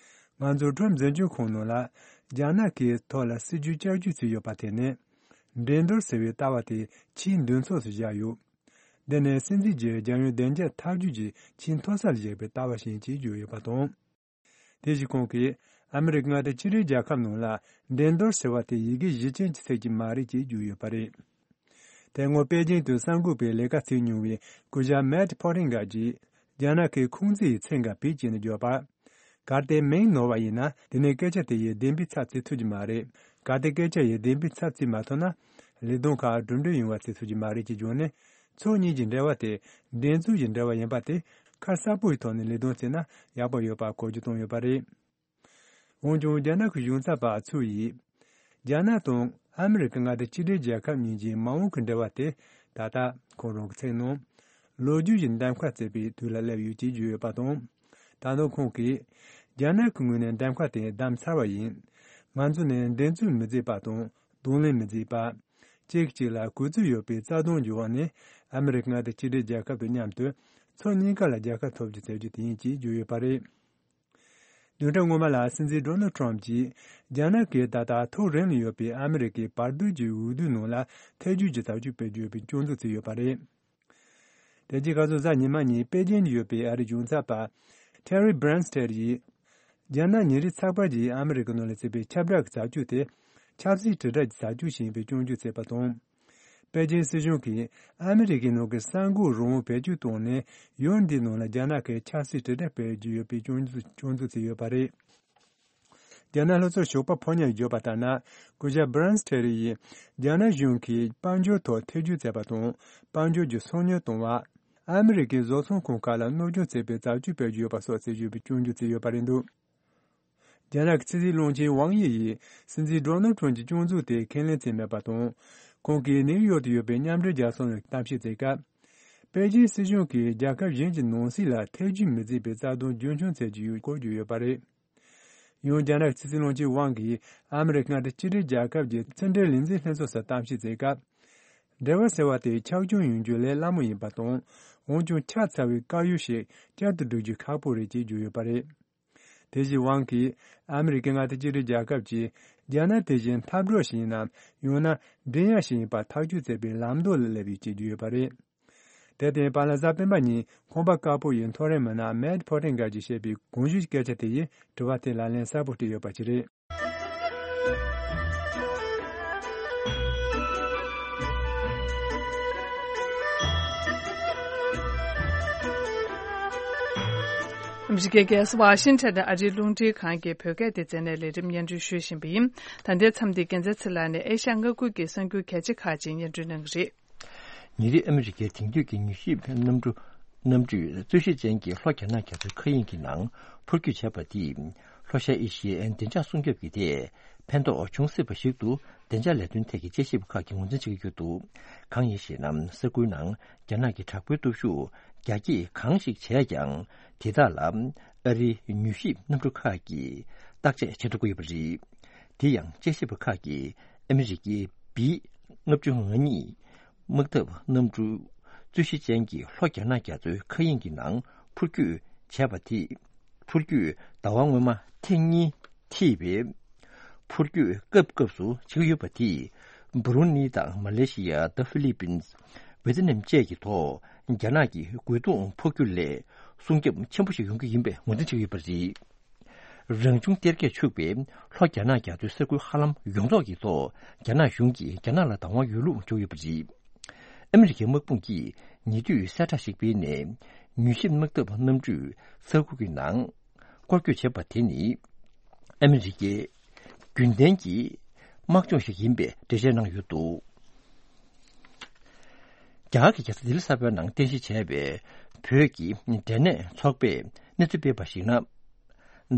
ང་ཚོ་ཁྲོམ་འཛིན་སྐྱོང་ཁང་ནང་ལ་རྒྱ་ནག་གི་ཐོག་ལ་སྲིད་ཇུས་བསྐྱར་བཅོས་བྱས་ཡོད་པ་དེ་ནི། འགྲན་བསྡུར་ཟེར་བའི་ལྟ་བ་དེ་ཆེས་མདུན་ཕྱོགས་སུ་བཞག་ཡོད། འདི་ནི་སྲིད་འཛིན་གྱིས་རྒྱལ་ཡོངས་བདེ་འཇགས་འཐབ་ཇུས་ཀྱི་ཆེས་མཐོ་ས་ལ་བཞག་པའི་ལྟ་བ་ཞིག་ཡིན་ཅེས་བརྗོད་ཡོད་པ་དང་། དེ་བཞིན་ཁོང་གིས་ཨ་མི་རི་ཀ་མངའ་སྡེ་གཅིག་སྒྲིལ་རྒྱལ་ཁབ་ནང་ལ་འགྲན་བསྡུར་ཟེར་བ་དེ་ཡི་གེ་གཞི་ཅན་གྱི་ཚིག་ཅིག་མ་རེད་ཅེས་བརྗོད་ཡོད་པ་རེད། དེ་སྔོན་པེ་ཅིང་དུ་གསར་འགོད་པའི་ལས་ཀ་བྱས་མྱོང་བའི་སྐུ་ཞབས་མེད་ཕོ་ཊིང་གར་གྱིས་རྒྱ་ནག་གི་ཁུང་ཙི་ཡི་མཚན་འགའ་བེད་སྤྱད་ནས་བརྗོད་པ། གལ་ཏེ་མིང་ནོར་བ་ཡིན་ན་དེ་ནི་སྐད་ཆ་དེ་ཡི་བདེན་པའི་ཚབ་བྱེད་ཐུབ་ཀྱི་མ་རེད། གལ་ཏེ་སྐད་ཆ་ཡི་བདེན་པའི་ཚབ་བྱེད་མ་ཐུབ་ན་ལས་དོན་ཁག་གྲུབ་འབྲས་ཡོང་བ་བྱེད་ཐུབ་ཀྱི་མ་རེད་ཅེས་བརྗོད་ནས། ཕྱོགས་གཉིས་ཀྱི་འབྲེལ་བ་དེ་འགྲན་རྩོད་ཀྱི་འབྲེལ་བ་ཡིན་པ་དེ་ཁ་གསལ་པོའི་ཐོག་ནས་ལས་དོན་བྱས་ན་ཡག་པོ་ཡོད་པ་གོ་རྒྱུ་བཏོན་ཡོད་པ་རེད། འོན་ཀྱང་རྒྱ་ནག་གི་གཞུང་ཚབ་པ་ཚུའུ་ཡིས། རྒྱ་ནག་དང་ཨ་མི་རི་ཀ་མངའ་སྡེ་གཅིག་སྒྲིལ་རྒྱལ་ཁབ་གཉིས་ཀྱི་མ་འོངས་ཀྱི་འབྲེལ་བ་དེ་ད་ལྟ་ཁོང་རང་གི་ཚིག་ནང་། ལོ་རྒྱུས་ཀྱི་འདེམས་ཁ་བརྩད་པའི་དུས་ལ་སླེབས་ཡོད་ཅེས་བརྗོད་ཡོད་པ་དང་། ད་དུང་ཁོང་གིས། རྒྱ་ནག་གི་ངོས་ནས་འདེམས་ཁ་དེ་བདམས་ཚར་བ་ཡིན། ང་ཚོ་ནས་འགྲན་རྩོད་མི་མཛད་པ་དང་གདོང་ལེན་མི་མཛད་པ། གཅིག་གཅིག་ལ་གུས་བརྩི་ཡོད་པའི་རྩ་དོན་གྱི་འོག་ནས་ཨ་མི་རི་ཀ་མངའ་སྡེ་གཅིག་སྒྲིལ་རྒྱལ་ཁབ་དང་མཉམ་དུ་ཕྱོགས་གཉིས་ཀ་ལ་རྒྱལ་ཁ་ཐོབ་རྒྱུ་བྱ་རྒྱུ་དེ་ཡིན་ཅེས་བརྗོད་ཡོད་པ་རེད། བདུན་ཕྲག་སྔོན་མ་ལ་སྲིད་འཛིན་ཌོ་ནལ་ཊམ་གྱིས་རྒྱ་ནག་གིས་ད་ལྟ་ཐག་རིང་ལ་ཡོད་པའི་ཨ་མི་རི་ཀའི་བར་དོའི་འོས་བསྡུའི་ནང་ལ་ཐེ་བྱུས་ཀྱི་བྱ་སྤྱོད་སྤེལ་རྒྱུ་ཡོད་པའི་སྐྱོན་འཛུགས་བྱས་ཡོད་པ་རེད། དེ་རྗེས་ཁ་སང་གཟའ་ཉི་མ་ཉིན་པེ་ཅིན་དུ་ཡོད་པའི་ཨ་རིའི་གཞུང་ཚབ་པ་ཊེ་རི་སྦྲན་སྟེར་ཡིས། རྒྱ་ནག་ཉིན་རེའི་ཚགས་པར་གྱིས་ཨ་མི་རི་ཀའི་ནང་ལ་བརྩིས་པའི་ཁྱབ་བསྒྲགས་ཀྱི་བྱ་སྤྱོད་དེ་ཆབ་སྲིད་དྲིལ་བསྒྲགས་ཀྱི་བྱ་སྤྱོད་ཞིག་ཡིན་པའི་སྐྱོན་བརྗོད་བྱས་པ་དང་། པེ་ཅིན་སྲིད་གཞུང་གིས་ཨ་མི་རི་ཀའི་ནང་གི་གསར་འགོད་རང་དབང་བེད་སྤྱོད་བཏང་ནས་ཡུལ་འདིའི་ནང་ལ་རྒྱ་ནག་གིས་ཆབ་སྲིད་དྲིལ་བསྒྲགས་སྤེལ་གྱི་ཡོད་པའི་སྐྱོན་འཛུགས་སྐྱོན་འཛུགས་བྱས་ཡོད་པ་རེད། རྒྱ་ནག་ལྷོ་ཕྱོགས་ཞོགས་པ་ཕོ་ཉ་བརྗོད་པ་ལྟར་ན། སྐུ་ཞབས་སྦྲན་སྟེར་ཡིས་རྒྱ་ནག་གཞུང་གིས་དཔལ་འབྱོར་ཐོག་ཐེ་བྱུས་བྱས་པ་དང་དཔལ་འབྱོར་གྱི་སང་ཉིན་གཏོང་བ། ཨ་མི་རི་ཀའི་བཟོ་ཚོང་ཁང་ཁག་ལ་གནོད་སྐྱོན་བྱས་པའི་བྱ་སྤྱོད་སྤེལ་གྱི་ཡོད་པ་སོགས་ཟེར་བརྗོད་པའི་སྐྱོན་བརྗོད་བྱས་ཡོད་པ་རེད་འདུག་རྒྱ་ནག་གི་ཕྱི་སྲིད་བློན་ཆེན་ཝང་དབྱི་ཡིས་སྲིད་འཛིན་ཌོ་ནལ་ཊམ་གྱི་སྐྱོན་འཛུགས་དེ་ཁས་ལེན་བྱས་མེད་པ་དང་། ཁོང་གིས་ནིའུ་ཡོག་ཏུ་ཡོད་པའི་མཉམ་འབྲེལ་རྒྱལ་ཚོགས་ནང་གཏམ་བཤད་བྱེད་སྐབས། པེ་ཅིན་སྲིད་གཞུང་གིས་རྒྱལ་ཁབ་གཞན་གྱི་ནང་སྲིད་ལ་ཐེ་བྱུས་མི་བྱེད་པའི་རྩ་དོན་རྒྱུན་འཁྱོངས་བྱེད་ཀྱི་ཡོད་སྐོར་བརྗོད་ཡོད་པ་རེད། ཡང་རྒྱ་ནག་གི་ཕྱི་སྲིད་བློན་ཆེན་ཝང་གིས་ཨ་མི་རི་ཀ་མངའ་སྡེ་གཅིག་སྒྲིལ་རྒྱལ་ཁབ་ཀྱི་ཕྱི་འབྲེལ་ལས་འཛིན་ལྷན་ཚོགས་སུ་གཏམ་བཤད་བྱེད་སྐབས། འབྲེལ་བ་ཟེར་བ་དེ་ཆག་སྐྱོན་ཡོང་རྒྱུ་ལས་སླ་མོ་ཡིན་པ་དང་། འོན་ཀྱང་ཆགས་ཚར་བའི་དཀར་ཡོལ་ཞིག་བསྐྱར་དུ་བསྒྲིག་རྒྱུ་ཁག་པོ་རེད་ཅེས་བརྗོད་ཡོད་པ་རེད། དེ་བཞིན་ཝང་གིས་ཨ་མི་རི་ཀའི་མངའ་སྡེ་གཅིག་སྒྲིལ་རྒྱལ་ཁབ་ཀྱིས་རྒྱ་ནག་དེ་བཞིན་འཐབ་གྲོགས་ཤིག་ཡིན་ནམ་ཡང་ན་མགྲིན་གཡག་ཞིག་ཡིན་པ་ཐག་གཅོད་བྱེད་པའི་ལམ་ལྡོག་ལ་སླེབས་ཡོད་ཅེས་བརྗོད་ཡོད་པ་རེད། དེར་བརྟེན་བར་ལ་གཟའ་སྤེན་པ་ཉིན་ཁང་པ་དཀར་པོ་ཡི་མཐོ་རིམ་མི་སྣ་མེཊ་ཕོ་ཊིང་གྷར་གྱིས་བཤད་པའི་གོང་ཞུས་སྐད་ཆ་དེ་ཡིས་དྲི་བ་དེ་ལ་ལན་གསལ་པོ་སྤྲད་ཡོད་པ་ཞིག་རེད། ཨ་མི་རི་ཀའི་རྒྱལ་ས་ཝ་ཤིང་ཊོན་ནས་ཨ་རིའི་རླུང་འཕྲིན་ཁང་གི་བོད་སྐད་སྡེ་ཚན་ནས་ལས་རིམ་སྙན་སྒྲོན་ཞུ་བཞིན་པ་ཡིན། ད་ལྟའི་མཚམས་འདིར་རྒྱལ་མཚན་ཚེ་ལགས་ནས་ཨེ་ཤ་ཡ་མངའ་ཁུལ་གྱི་གསར་འགྱུར་གལ་ཆེ་ཁག་ཅིག་སྙན་སྒྲོན་གནང་གི་རེད། ཉེ་རིང་ཨ་མི་རི་ཀའི་དེང་དུས་ཀྱི་མྱུལ་ཞིབ་གནམ་གྲུ་གནམ་གྲུས་རྩོད་གཞི་ཅན་གྱི་ལྷོ་རྒྱ་ནག་རྒྱ་མཚོའི་མཁའ་དབྱིངས་ཀྱི་ནང་འཕུར་སྐྱོད་བྱས་པ་དེས་ལྷོ་ཤར་ཨེ་ཤི་ཡའི་བདེ་འཇགས་སྲུང་སྐྱོབ་ཀྱི་ཐད་ཕན་ཐོགས་བྱུང་སྲིད་པ་ཞིག་ཏུ་བདེ་འཇགས་ལས་དོན་ཐད་ཀྱི་དཔྱད་ཞིབ་ཁག་གིས་ངོས་འཛིན་བྱེད་ཀྱི་ཡོད་འདུག་གང་ཡིན་ཞེ་ན། ས་ཁུལ་ནང་རྒྱ་ནག་གི་དྲག་པོའི་སྟོབས་ཤུགས་རྒྱ་སྐྱེད་གང་ཞིག་བྱས་ཀྱང་། དེ་དག་ལ་ཨ་རིའི་མྱུལ་ཞིབ་གནམ་གྲུ་ཁག་གིས་བརྟག་དཔྱད་བྱེད་ཐུབ་ཀྱི་ཡོད་པ་རེད། དེ་ཡང་དཔྱད་ཞིབ་པ་ཁག་གིས་ཨ་མི་རི་ཀའི་བི་ལྔ་བཅུ་ང་གཉིས་དམག་འཐབ་གནམ་གྲུ་རྩོད་གཞི་ཅན་གྱི་ལྷོ་རྒྱ་ནག་རྒྱ་མཚོའི་མཁའ་དབྱིངས་ཀྱི་ནང་འཕུར་སྐྱོད་བྱས་པ་དེས། འཕུར་སྐྱོད་ཟླ་བ་སྔོན་མ་ཐེངས་གཉིས་ཐེབས་པའི་འཕུར་སྐྱོད་སྐབས་སྐབས་སུ་བྱེད་ཀྱི་ཡོད་པ་དེས། འབུ་རུན་ནི་དང་མ་ལེ་ཤི་ཡ། ད་ཧྥི་ལི་པིན། ཝེ་ཏི་ནམ་བཅས་ཀྱི་ཐོག་རྒྱ་ནག་གི་རྒོལ་རྡུང་འཕུར་སྐྱོད་ལས་སྲུང་སྐྱོབ་ཆེན་པོ་ཞིག་ཡོང་གི་ཡིན་པའི་ངོས་འཛིན་བྱེད་ཀྱི་ཡོད་པ་རེད། རང་བྱུང་གཏེར་ཁས་ཕྱུག་པའི་ལྷོ་རྒྱ་ནག་རྒྱ་མཚོའི་ས་ཁུལ་ཧ་ལམ་ཡོངས་རྫོགས་ཀྱི་ཐོག་རྒྱ་ནག་གཞུང་གིས་རྒྱ་ནག་ལ་བདག་དབང་ཡོད་ལུགས་བརྗོད་ཡོད་པ་རེད། ཨ་མི་རི་ཀའི་དམག་དཔུང་གིས་ཉེ་དུས་གསལ་བསྒྲགས་ཤིག་སྤེལ་ནས། མྱུལ་ཞིབ་དམག་འཐབ་གནམ་གྲུས་ས་ཁུལ་གྱི་ནང་སྐོར་སྐྱོད་བྱས་པ་དེ་ནི། ཨ་མི་རི་ཀའི་རྒྱུན་ལྡན་གྱི་དམག་སྦྱོང་ཞིག་ཡིན་པའི་འགྲེལ་བཤད་གནང་ཡོད་འདུག་རྒྱ་གར་གྱི་རྒྱལ་ས་ལྡི་ལི་གསར་པའི་ནང་རྟེན་གཞི་བྱས་པའི་བོད་ཀྱི་འབྲས་ནད་ཚོགས་པས་གནས་ཚུལ་སྤེལ་བར་གཞིགས་ན།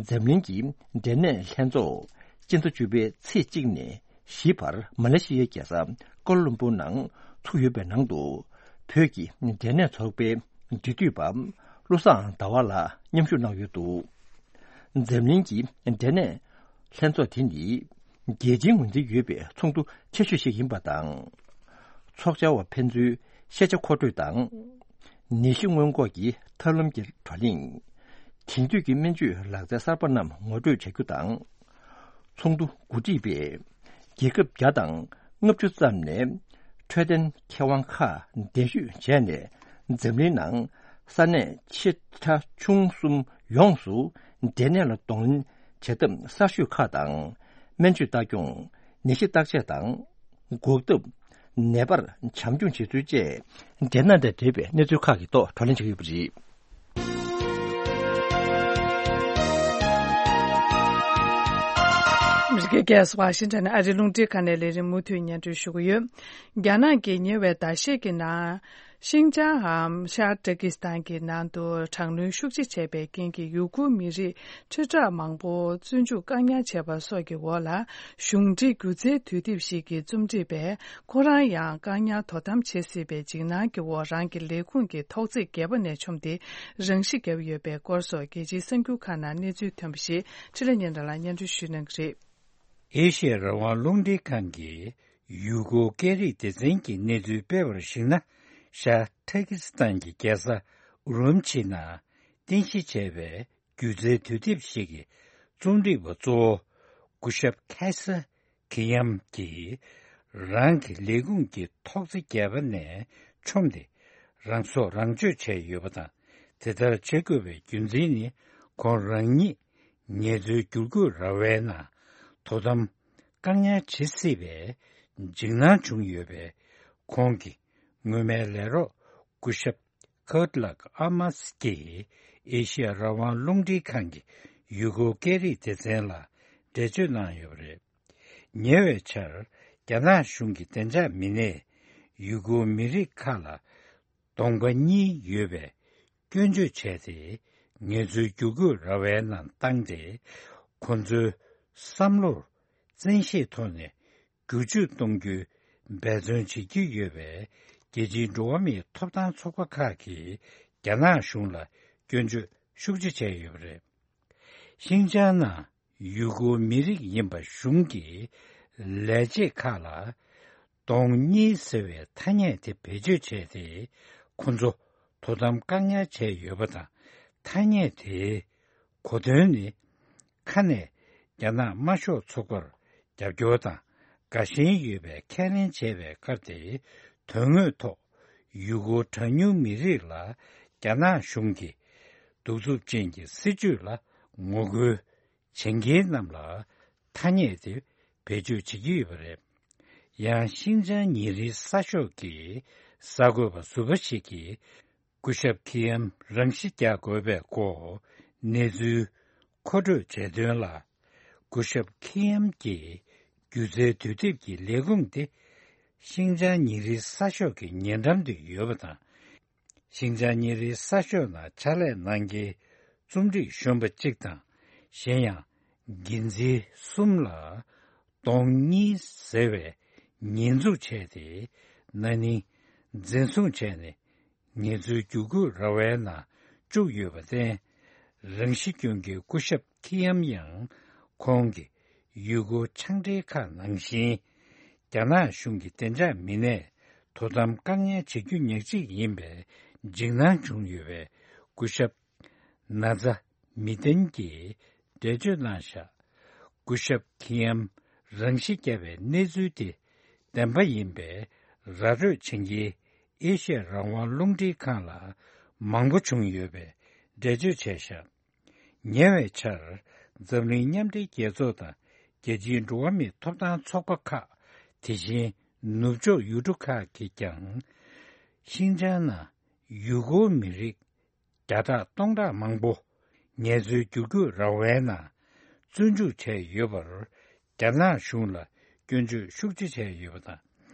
འཛམ་གླིང་གི་འབྲས་ནད་ལྷན་ཚོགས་སྤྱི་ཟླ་བཅུ་པའི་ཚེས་གཅིག་ནས་བཞི་བར་མ་ལེ་ཤི་ཡའི་རྒྱལ་ས་ཀོ་ལ་ལམ་པུར་ནང་ཚུགས་ཡོད་པའི་ནང་དུ། བོད་ཀྱི་འབྲས་ནད་ཚོགས་པའི་འབྲེལ་མཐུད་པ་བློ་བཟང་ཟླ་བ་ལགས་མཉམ་ཞུགས་གནང་ཡོད་འདུག་འཛམ་གླིང་གི་འབྲས་ནད་ལྷན་ཚོགས་དེ་ནི། རྒྱལ་སྤྱིའི་ངོས་འཛིན་ཡོད་པའི་ཚོགས་འདུ་ཆེ་ཤོས་ཤིག་ཡིན་པ་དང་། ཚོགས་བཅར་བ་ཕན་ཚུན་ཤེས་བྱ་མཁོ་སྤྲོད་དང་། ནད་གཞི་སྔོན་འགོག་གི་ཐབས་ལམ་གྱི་བགྲོ་གླེང་། དེང་དུས་ཀྱི་སྨན་བཅོས་ལག་རྩལ་གསར་པ་རྣམས་ངོ་སྤྲོད་བྱ་རྒྱུ་དང་། ཚོགས་འདུ་གོ་སྒྲིག་པས་རྒྱལ་ཁབ་བརྒྱ་དང་ལྔ་བཅུ་ཙམ་ནས་འཕྲོད་བསྟེན་མཁས་དབང་ཁག་གདན་ཞུ་བྱས་ནས། འཛམ་གླིང་ནང་ས་གནས་ཆེ་ཕྲ་ཆུང་གསུམ་ཡོངས་སུ་འབྲས་ནད་ལ་གདོང་ལེན་བྱེད་ཐབས་གསར་ཤོས་ཁག་དང་། སྨན་བཅོས་ལྟ་སྐྱོང་། ནད་གཞི་བརྟག་དཔྱད་དང་། འགོག་ཐབས། ནད་པར་བྱམས་སྐྱོང་བྱེད་ཚུལ་བཅས་འབྲས་ནད་དང་འབྲེལ་བའི་གནས་ཚུལ་ཁག་གི་ཐོག་བགྲོ་གླེང་བྱེད་ཀྱི་ཡོད་པ་རེད། ཨ་མི་རི་ཀའི་རྒྱལ་ས་ཝ་ཤིང་ཊོན་ནས་ཨ་རིའི་རླུང་འཕྲིན་ཁང་ནས་ལས་རིམ་མུ་མཐུད་སྙན་སྒྲོན་ཞུ་གི་ཡོད། རྒྱ་ནག་གིས་ཉེ་བའི་ཟླ་ཤས་ཀྱི་ནང་ ཤིང་ཅང་འམ་ཤར་ཏུར་ཀི་སི་ཐན་གྱི་ནང་དུ་དྲག་གནོན་ཤུགས་ཆེ་བྱས་པའི་རྐྱེན་གྱིས་ཡུ་གུར་མི་རིགས་ཁྲི་ཕྲག་མང་པོ་བཙོན་འཇུག་བཀག་ཉར་བྱས་པ་སོགས་ཀྱི་འོག་ལ། གཞུང་འབྲེལ་སྒྱུ་རྩལ་དུས་དེབ་ཞིག་གི་རྩོམ་སྒྲིག་པས། ཁོ་རང་ཡང་བཀག་ཉར་དོ་དམ་བྱེད་སྲིད་པའི་འཇིགས་སྣང་གི་འོག་རང་གི་ལས་ཁུངས་ཀྱི་ཐོག་བརྩེགས་བརྒྱད་པ་ནས་མཆོངས་ཏེ། རང་ཤི་བརྒྱབ་ཡོད་པའི་སྐོར་སོགས་རྒྱལ་སྤྱིའི་གསར་འགྱུར་ཁག་ནང་གནས་ཚུལ་ཐོན་པ་ཞིག་འཕྲིན་ལས་སྙན་གྲགས་ལགས་སྙན་སྒྲོན་ཞུ་གནང་གི་རེད། ཨེ་ཤི་ཡ་རང་དབང་རླུང་འཕྲིན་ཁང་གིས་ཡུ་གུར་སྐད་རིགས་སྡེ་ཚན་གྱི་གནས་ཚུལ་སྤེལ་བར་གཞིགས་ན། ཤར་ཏུར་ཀི་སི་ཐན་གྱི་རྒྱལ་ས་ཨུ་རུམ་ཆི་ནང་རྟེན་གཞི་བྱས་པའི་སྒྱུ་རྩལ་དུས་དེབ་ཞིག་གི་རྩོམ་སྒྲིག་པ་གཙོ་བོ་སྐུ་ཞབས་ཁེ་སར་ཁི་ཡམ་གྱིས་རང་གི་ལས་ཁུངས་ཀྱི་ཐོག་བརྩེགས་བརྒྱད་པ་ནས་མཆོངས་ཏེ། རང་སྲོག་རང་གཅོད་བྱས་ཡོད་པ་དང་། དེ་ལྟར་བྱེད་དགོས་པའི་རྒྱུ་མཚན་ནི། ཁོང་རང་ཉིད་ངལ་རྩོལ་བསྒྱུར་བཀོད་ར་བའི་ནང་དོ་དམ་བཀག་ཉར་བྱེད་སྲིད་པའི་འཇིགས་སྣང་བྱུང་ཡོད་པས། ཁོང་གི་སྔོན་མའི་ལས་རོགས་སྐུ་ཞབས་ཁར་ཏི་ལག་ཨ་མཱ་སི་ཀྱིས་ཨེ་ཤི་ཡ་རང་དབང་རླུང་འཕྲིན་ཁང་གི་ཡུ་གུར་སྐད་རིགས་སྡེ་ཚན་ལ་འགྲེལ་བརྗོད་གནང་ཡོད་པ་རེད། ཉེ་བའི་ཆར་རྒྱ་ནག་གཞུང་གི་བདེ་འཇགས་མི་སྣས་ཡུ་གུར་མི་རིགས་ཁག་ལ་གདོང་པ་གཉིས་ཡོད་པའི་སྐྱོན་བརྗོད་བྱས་ཏེ། ངལ་རྩོལ་བསྒྱུར་བཀོད་ར་བའི་ནང་བཏང་སྟེ། ཁོ་ཚོའི་བསམ་བློར་བཙན་ཤེད་ཐོག་ནས་བསྒྱུར་བཅོས་གཏོང་རྒྱུའི་འབད་བརྩོན་བྱེད་ཀྱི་ཡོད་པས། རྒྱལ་སྤྱིའི་འགྲོ་བ་མིའི་ཐོབ་ཐང་ཚོགས་པ་ཁག་གིས་རྒྱ་ནག་གཞུང་ལ་སྐྱོན་བརྗོད་ཤུགས་ཆེ་བྱས་ཡོད་པ་རེད། ཤིང་ཅང་ནང་ཡུ་གུར་མི་རིགས་ཡིན་པ་གཞུང་གིས་ལས་བྱེད་ཁག་ལ་གདོང་གཉིས་ཟེར་བའི་ཐ་སྙད་དེ་བེད་སྤྱོད་བྱས་ཏེ། ཁོ་ཚོ་དོ་དམ་བཀག་ཉར་བྱས་ཡོད་པ་དང་། ཐ་སྙད་དེའི་གོ་དོན་ནི། ཁ་ནས་རྒྱ་ནག་དམར་ཤོག་ཚོགས་པར་རྒྱབ་སྐྱོར་དང་དགའ་ཞེན་ཡོད་པའི་ཁས་ལེན་བྱས་པའི་ཁར་ཏེ། དོན་དངོས་ཐོག་ཡུ་གུར་གྲངས་ཉུང་མི་རིགས་ལ་རྒྱ་ནག་གཞུང་གི་གདུག་རྩུབ་ཅན་གྱི་སྲིད་བྱུས་ལ་ངོ་རྒོལ་བྱེད་མཁན་རྣམས་ལ་ཐ་སྙད་དེ་བེད་སྤྱོད་བྱེད་ཀྱི་ཡོད་པ་རེད། ཡང་ཤིང་ཅང་ཉིན་རེའི་གསར་ཤོག་གི་གསར་འགོད་པ་ཟུར་པ་ཞིག་གིས། སྐུ་ཞབས་ཁི་ཡམ་རང་ཤི་རྒྱག་དགོས་པའི་སྐོར་གནས་ཚུལ་མཁོ་སྤྲོད་བྱས་དོན་ལ། སྐུ་ཞབས་ཁི་ཡམ་གྱི་སྒྱུ་རྩལ་དུས་དེབ་ཀྱི་ལས་ཁུངས་དེ་ཤིང་ཅང་ཉིན་རེའི་གསར་ཤོག་གི་ཉེ་འགྲམ་དུ་ཡོད་པ་དང་། ཤིང་ཅང་ཉིན་རེའི་གསར་ཤོག་ནང་ཕྱག་ལས་གནང་མཁན་རྩོམ་སྒྲིག་གཞོན་པ་གཅིག་དང་། གཞན་ཡང་འགན་འཛིན་གསུམ་ལ། གདོང་གཉིས་ཟེར་བའི་ཉེས་འཛུགས་བྱས་ཏེ། ན་ནིང་འཛིན་བཟུང་བྱས་ནས་ངལ་རྩོལ་བསྒྱུར་བཀོད་ར་བའི་ནང་བཅུག་ཡོད་པར་བརྟེན། རང་ཤི་སྐྱོན་གྱི་སྐུ་ཞབས་ཁི་ཡམ་ཡང་ཁོང་གི་ཡུལ་སྐོར་ཕྱག་འབྲེལ་ཁག་ནང་བཞིན། རྒྱ་ནག་གཞུང་གི་བདེ་འཇགས་མི་སྣས་དོ་དམ་བཀག་ཉར་བྱེད་རྒྱུ་ཉག་གཅིག་ཡིན་པའི་འཇིགས་སྣང་བྱུང་ཡོད་པས། སྐུ་ཞབས་ན་ཛ་མི་ཏན་གྱིས་འགྲེལ་བརྗོད་གནང་བཞག་སྐུ་ཞབས་ཁི་ཡམ་རང་ཤི་བརྒྱབ་པའི་གནས་ཚུལ་དེ་བདེན་པ་ཡིན་པའི་ར་སྤྲོད་བྱེད་མཁན་ཨེ་ཤི་ཡ་རང་དབང་རླུང་འཕྲིན་ཁང་ལ་མང་པོ་བྱུང་ཡོད་པའི་འགྲེལ་བརྗོད་བྱས་བཞག་ཉེ་བའི་ཆར་འཛམ་གླིང་མཉམ་འབྲེལ་རྒྱལ་ཚོགས་དང་རྒྱལ་སྤྱིའི་འགྲོ་བ་མིའི་ཐོབ་ཐང་ཚོགས་པ་ཁག་དེ་བཞིན་ནུབ་ཕྱོགས་ཡུལ་གྲུ་ཁག་གིས་ཀྱང་ཤིན་ཅང་ནང་ཡུ་གུར་མི་རིགས་བརྒྱ་ཕྲག་སྟོང་ཕྲག་མང་པོ་ངལ་རྩོལ་བསྒྱུར་བཀོད་ར་བའི་ནང་བཙོན་འཇུག་བྱས་ཡོད་པར་རྒྱ་ནག་གཞུང་ལ་སྐྱོན་བརྗོད་ཤུགས་ཆེ་བྱས་ཡོད་པ་དང་།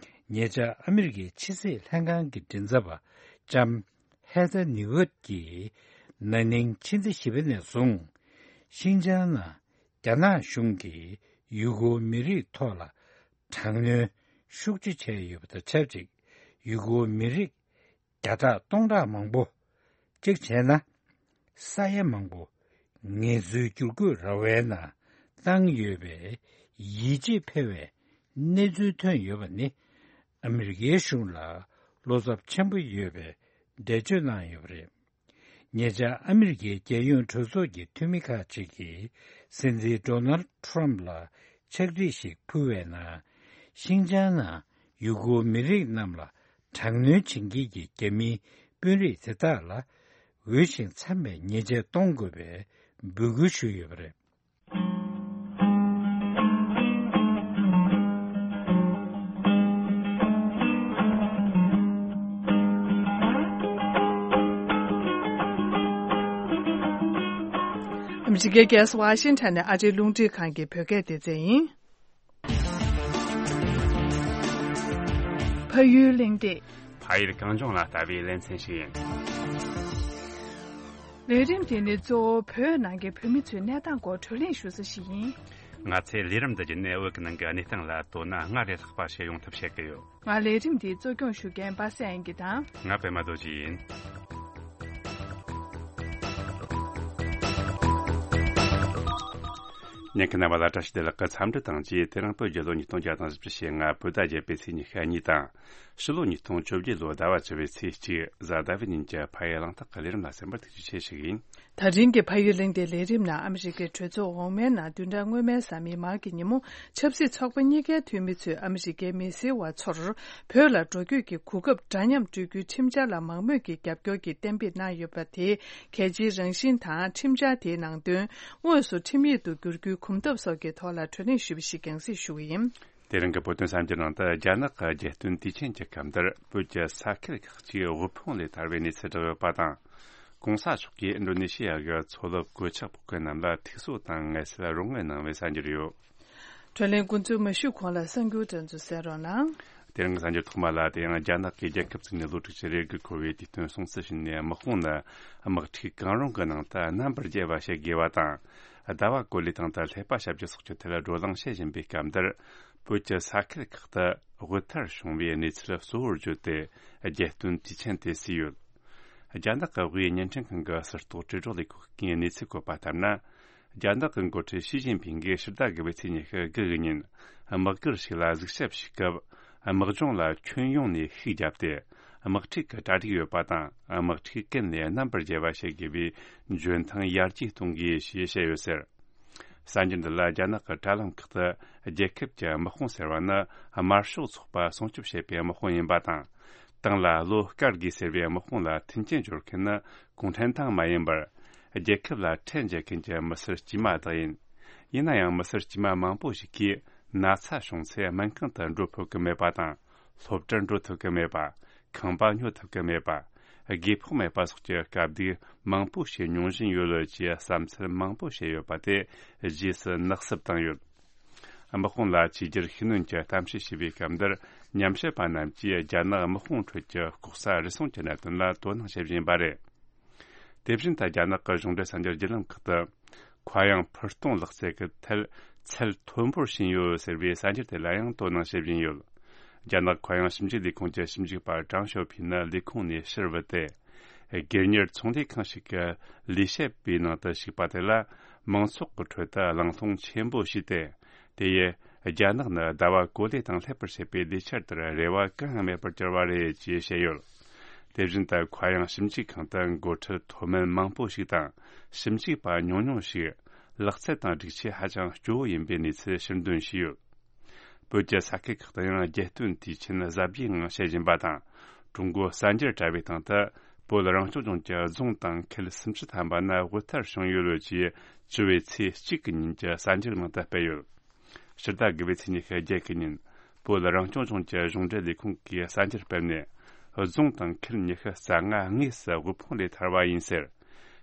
ཉེ་ཆར་ཨ་མི་རི་ཀའི་ཕྱི་སྲིད་ལྷན་ཁང་གི་མགྲིན་ཚབ་པ་ལྕམ་ཧེ་ཐར་ནིའུ་ཨརྟ་ཀྱིས་ན་ནིང་ཕྱི་ཟླ་བཞི་པ་ནས་བཟུང་ཤིན་ཅང་ནང་རྒྱ་ནག་གཞུང་གིས་ཡུ་གུར་མི་རིགས་ཐོག་ལ་དྲག་གནོན་ཤུགས་ཆེ་བྱས་ཡོད་པ་དང་ཆབས་ཅིག་ཡུ་གུར་མི་རིགས་བརྒྱ་ཕྲག་སྟོང་ཕྲག་མང་པོ། གཅིག་བྱས་ན། ས་ཡ་མང་པོ་ངལ་རྩོལ་བསྒྱུར་བཀོད་ར་བའི་ནང་བཏང་ཡོད་པའི་ཡིད་ཆེས་འཕེར་བའི་གནས་ཚུལ་ཐོན་ཡོད་པ་ནི། ཨ་མི་རི་ཀའི་གཞུང་ལ་བློ་འཚབ་ཆེན་པོ་ཡོད་པའི་འགྲེལ་བརྗོད་གནང་ཡོད་པ་རེད། ཉེ་ཆར་ཨ་མི་རི་ཀའི་རྒྱལ་ཡོངས་གྲོས་ཚོགས་ཀྱི་འཐུས་མི་ཁག་ཅིག་གིས་སྲིད་འཛིན་ཌོ་ནལ་ཊརམ་ལ་ཕྱག་བྲིས་ཤིག་ཕུལ་བའི་ནང་། ཤིན་ཅང་ནང་ཡུ་གུར་མི་རིགས་རྣམས་ལ་དྲག་གནོན་བྱེད་མཁན་གྱི་རྒྱ་མིའི་དཔོན་རིགས་དེ་དག་ལ་འོས་ཤིང་འཚམ་པའི་ཉེས་ཆད་གཏོང་དགོས་པའི་འབོད་སྐུལ་ཞུས་ཡོད་པ་རེད། ཨ་མི་རི་ཀའི་རྒྱལ་ས་ཝ་ཤིང་ཊོན་ནས་ཨ་རིའི་རླུང་འཕྲིན་ཁང་གི་བོད་སྐད་སྡེ་ཚན་ཡིན། ཕ་ཡུལ་གླེང་སྟེགས། ཨ་ཡེ་གངས་ལྗོངས་ལ་ལྟ་བའི་ལེ་ཚན་ཞིག་ཡིན། ལས་རིམ་དེ་ནི་གཙོ་བོ་བོད་ནང་གི་བོད་མི་ཚོའི་གནས་སྟངས་སྐོར་བགྲོ་གླེང་ཞུ་ས་ཞིག་ཡིན། ང་ཚོའི་ལས་རིམ་འདི་བརྒྱུད་ནས་བོད་ཀྱི་ནང་གི་གནས་སྟངས་ལ་དོ་སྣང་སྔར་ལས་ལྷག་པ་བྱེད་ཡོང་ཐབས་བྱེད་ཀྱི་ཡོད། ང་ལས་རིམ་འདི་གཙོ་སྐྱོང་ཞུ་མཁན་པ་སངས་དབྱངས་སྐྱིད་དང་། ང་པད་མ་རྡོ་རྗེ་ཡིན། ཉན་མཁན་རྣམ་པ་ལ་བཀྲ་ཤིས་བདེ་ལེགས། འཚམས་འདྲི་དང་བཅས། དེ་རིང་བོད་རྒྱལ་ལོ་ཉིས་སྟོང་བརྒྱ་དང་བཞི་བཅུ་ཞེ་ལྔ་བོད་ཟླ་བརྒྱད་པའི་ཚེས་ཉི་ཤུ་གཉིས་དང་། ཕྱི་ལོ་ཉིས་སྟོང་བཅོ་བརྒྱད་ལོ་ཟླ་བ་བཅུ་པའི་ཚེས་གཅིག་གཟའ་ཟླ་བའི་ཉིན་གྱི་ཕ་ཡུལ་གླེང་སྟེགས་ཀྱི་ལས་རིམ་ལ་གསན་པར་ཐུགས་རྗེ་ཆེ་ཞུ་གི་ཡིན། ད་རིང་གི་ཕ་ཡུལ་གླེང་སྟེགས་ལས་རིམ་ནང་ཨ་མི་རི་ཀའི་གྲོས་ཚོགས་འོག་མའི་ནང་བདུན་ཕྲག་སྔོན་མའི་གཟའ་མིག་དམར་གྱི་ཉིན་མོ་ཆབ་སྲིད་ཚོགས་པ་གཉིས་ཀའི་འཐུས་མི་ཚོས་ཨ་མི་རི་ཀའི་མི་སེར་བ་ཚོར་བོད་ལ་འགྲོ་སྐྱོད་ཀྱི་གོ་སྐབས་འདྲ་མཉམ་སྤྲོད་རྒྱུའི་ཁྲིམས་འཆར་ལ་མང་མོས་ཀྱིས་རྒྱབ་སྐྱོར་གྱི་གཏན་འབེབས་གནང་ཡོད་པ་དེ་གལ་ཆེའི་རང་བཞིན་དང་ཁྲིམས་འཆར་དེའི་ནང་དོན་དངོས་སུ་ཁྲིམས་ཡིག་ཏུ་བསྒྱུར་རྒྱུའི་གོམ་སྟབས་སོགས་ཀྱི་ཐོག་ལ་བགྲོ་གླེང་ཞུས་པ་ཞིག་རྒྱང་སྲིང་ཞུ་གི་ཡིན། དེ་རིང་གི་བོད་དོན་གསར་འགྱུར་ནང་དུ་རྒྱ་ནག་གི་རྒྱལ་སྟོན་དུས་ཆེན་གྱི་སྐབས་འདིར་བོད་ཀྱི་ས་ཁུལ་ཁག་ཅིག་དབུལ་ཕོངས་ལས་ཐར་བའི་གནས་ཚུལ་བསྒྲགས་ཡོད་པ་དང་། གོང་ས་མཆོག་གིས་ཨིན་ཌོ་ནེ་ཤི་ཡ་གི་མཚོ་རླབས་གོད་ཆག་ཕོག་མཁན་རྣམས་ལ་ཐུགས་གསོ་དང་ངལ་གསོ་རོགས་དངུལ་གནང་བའི་གསར་འགྱུར་ཡོད། བགྲོ་གླེང་འགོ་འཛུགས་མ་ཞུས་གོང་ལ་གསར་འགྱུར་དེ་ཚོ་གསན་རོགས་གནང་། དེ་རིང་གི་གསར་འགྱུར་ཐོག་མ་ལ། དེ་ཡང་རྒྱ་ནག་གིས་རྒྱལ་ཁབ་བཙུགས་ནས་ལོ་དྲུག་ཅུ་རེ་དགུ་འཁོར་བའི་དུས་སྟོན་སྲུང་བརྩི་བྱས་ནས། དམག་དཔུང་ནི་དམག་འཁྲུག་གང་རུང་གི་ནང་དུ་རྣམ་པར་རྒྱལ་བ་བྱེད་དགོས་པ་དང་། ཟླ་བ་གོ་ལའི་སྟེང་དུ་ཀླད་པ་ཞབས་ཀྱུ་སོགས་ཀྱི་ཐད་བགྲོ་གླེང་བྱེད་བཞིན་པའི་སྐབས་འདིར། བོད་ཀྱི་ས་ཁུལ་ཁག་ཏུ་དབུལ་ཐར་བྱུང་བའི་གནས་ཚུལ་གཙོ་བོར་བརྗོད་དེ། རྒྱལ་སྟོན་དུས་ཆེན་དེ་བརྩིས་ཡོད། རྒྱ་ནག་གི་དབུས་བརྙན་འཕྲིན་ཁང་གི་ཟུར་གཏོགས་དྲིལ་སྒྲོག་ལས་ཁུངས་ཀྱིས་གནས་ཚུལ་བཀོད་པ་ལྟར་ན། རྒྱ་ནག་གི་འགོ་ཁྲིད་ཞི་ཅིན་ཕིང་གིས་ཕྱི་ཟླ་དགུ་པའི་ཚེས་ཉི་ཤུ་དགུ་གི་ཉིན། དམག་སྒར་ཞིག་ལ་གཟིགས་ཞིབ་ཞུས་སྐབས། དམག་སྦྱོང་ལ་ཁྱོན་ཡོངས་ནས་ཤུགས་བརྒྱབ་སྟེ། དམག་འཁྲུག་གི་གྲ་སྒྲིག་ཡོད་པ་དང་། དམག་འཁྲུག་ཀུན་ནས་རྣམ་པར་རྒྱལ་བ་བྱེད་དགོས་པའི་འཇོན་ཐང་ཡར་རྒྱས་གཏོང་དགོས་ཞེས་བཤད་ཡོད་ཟེར། གསར་འགྱུར་འདི་ལ། རྒྱ་ནག་གི་དྲ་ལམ་ཁག་ཏུ་རྒྱལ་ཁབ་ཀྱི་དམག་དཔུང་ཟེར་བ་ནི་དམར་ཤོག་ཚོགས་པ་སྲུང་སྐྱོབ་བྱེད་པའི་དམག་དཔུང་ཡིན་པ་དང་། ཏང་ལ་བློ་དཀར་དགོས་ཟེར་བའི་དམག་དཔུང་ལ་མཐུན་རྐྱེན་སྦྱོར་མཁན་ནི་གུང་ཁྲན་ཏང་མ་ཡིན་པར། རྒྱལ་ཁབ་ལ་ཁྲལ་འཇལ་མཁན་གྱི་མི་སེར་དཀྱུས་མ་དག་ཡིན། ཡིན་ན་ཡང་། མི་སེར་དཀྱུས་མ་མང་པོ་ཞིག་གིས་ན་ཚ་བྱུང་ཚེ་སྨན་ཁང་དུ་འགྲོ་ཕོད་ཀྱི་མེད་པ་དང་། སློབ་གྲྭར་འགྲོ་ཐུབ་ཀྱི་མེད་པ། ཁང་པ་ཉོ་ཐུབ་ཀྱི་མེད་པ། དགོས་ཕོགས་མེད་པ་སོགས་ཀྱི་དཀའ་སྡུག་མང་པོ་ཞིག་མྱོང་བཞིན་ཡོད་ལོས་ཀྱི་བསམ་ཚུལ་མང་པོ་བཤད་ཡོད་པ་དེ་རྗེས་སུ་ནག་སུབ་བཏང་ཡོད། དམག་དཔུང་ལ་ཆིག་སྒྱུར་ཤུགས་སྣོན་གྱི་གཏམ་བཤད་བྱས་པའི་སྐབས་འདིར། ཉམས་ཞིབ་པ་རྣམས་ཀྱིས་རྒྱ་ནག་དམག་དཔུང་ཁྲོད་ཀྱི་ལྐོག་ཟ་རུལ་སུངས་ཀྱི་གནད་དོན་ལ་དོ་སྣང་བྱེད་བཞིན་པ་རེད། དེ་བཞིན་དུ། རྒྱ་ནག་གི་གཞུང་འབྲེལ་གསར་འགྱུར་བརྒྱུད་ལམ་ཁག་ཏུ། མཁའ་དབྱིངས་འཕུར་གཏོང་ལག་རྩལ་གྱི་ཐད་ཚད་མཐོན་པོར་ཕྱིན་ཡོད་ཟེར་བའི་གསར་འགྱུར་དེ་ལ་ཡང་དོ་སྣང་བྱེད་བཞིན་ཡོད། རྒྱ་ནག་མཁའ་དབྱིངས་ཞིབ་འཇུག་ལས་ཁུངས་ཀྱི་ཞིབ་འཇུག་པ་ཀྲང་ཞའོ་ཕིན་ནི་ལས་ཁུངས་ནས་ཕྱིར་བུད་དེ། སྒེར་གཉེར་ཚོང་ལས་ཁང་ཞིག་གི་ལས་བྱེད་པའི་ནང་དུ་ཞུགས་པ་དེ་ལ། མང་ཚོགས་ཀྱི་ཁྲོད་དུ་གླེང་སློང་ཆེན་པོ་བྱས་ཏེ། དེ་ཡིས་རྒྱ་ནག་ནི་ཟླ་བ་གོ་ལའི་སྟེང་སླེབས་པར་བྱེད་པའི་ལས་འཆར་དེར་རེ་བ་གང་ཡང་མེད་པར་གྱུར་བ་རེད་ཅེས་བཤད་ཡོད། དེ་བཞིན་དུ། མཁའ་དབྱིངས་ཞིབ་འཇུག་ཁང་དུ་འགོ་ཁྲིད་མཐོ་དམན་མང་པོ་ཞིག་དང་། ཞིབ་འཇུག་པ་ཉུང་ཉུང་ཞིག་ལག་རྩལ་དང་སྒྲིག་ཆས་ཧ་ཅང་སྐྱོ་བོ་ཡིན་པའི་གནས་ཚུལ་ཕྱིར་འདོན་བྱས་ཡོད། བོད་ཀྱི་ས་ཁུལ་ཁག་ཏུ་ཡང་རྒྱལ་སྟོན་དུས་ཆེན་གཟབ་རྒྱས་ངང་བྱེད་བཞིན་པ་དང་། ཀྲུང་གོ་གསར་འགྱུར་དྲ་བའི་སྟེང་དུ། བོད་རང་སྐྱོང་ལྗོངས་ཀྱི་རྫོང་དང་ཁུལ་སུམ་ཅུ་ཐམ་པ་ནི་དབུལ་ཐར་བྱུང་ཡོད་ལོས་ཀྱིས་བཅུ་བའི་ཚེས་གཅིག་གི་ཉིན་གྱི་གསར་འགྱུར་ནང་དུ་སྤེལ་ཡོད། ཕྱི་ཟླ་དགུ་པའི་ཚེས་ཉི་ཤུ་བརྒྱད་གི་ཉིན། བོད་རང་སྐྱོང་ལྗོངས་ཀྱི་གཞུང་འབྲེལ་ལས་ཁུངས་ཀྱིས་གསར་འགྱུར་སྤེལ་ནས། རྫོང་དང་ཁུལ་ཉི་ཤུ་རྩ་ལྔ་དངོས་སུ་དབུལ་ཕོངས་ལས་ཐར་བ་ཡིན་ཟེར།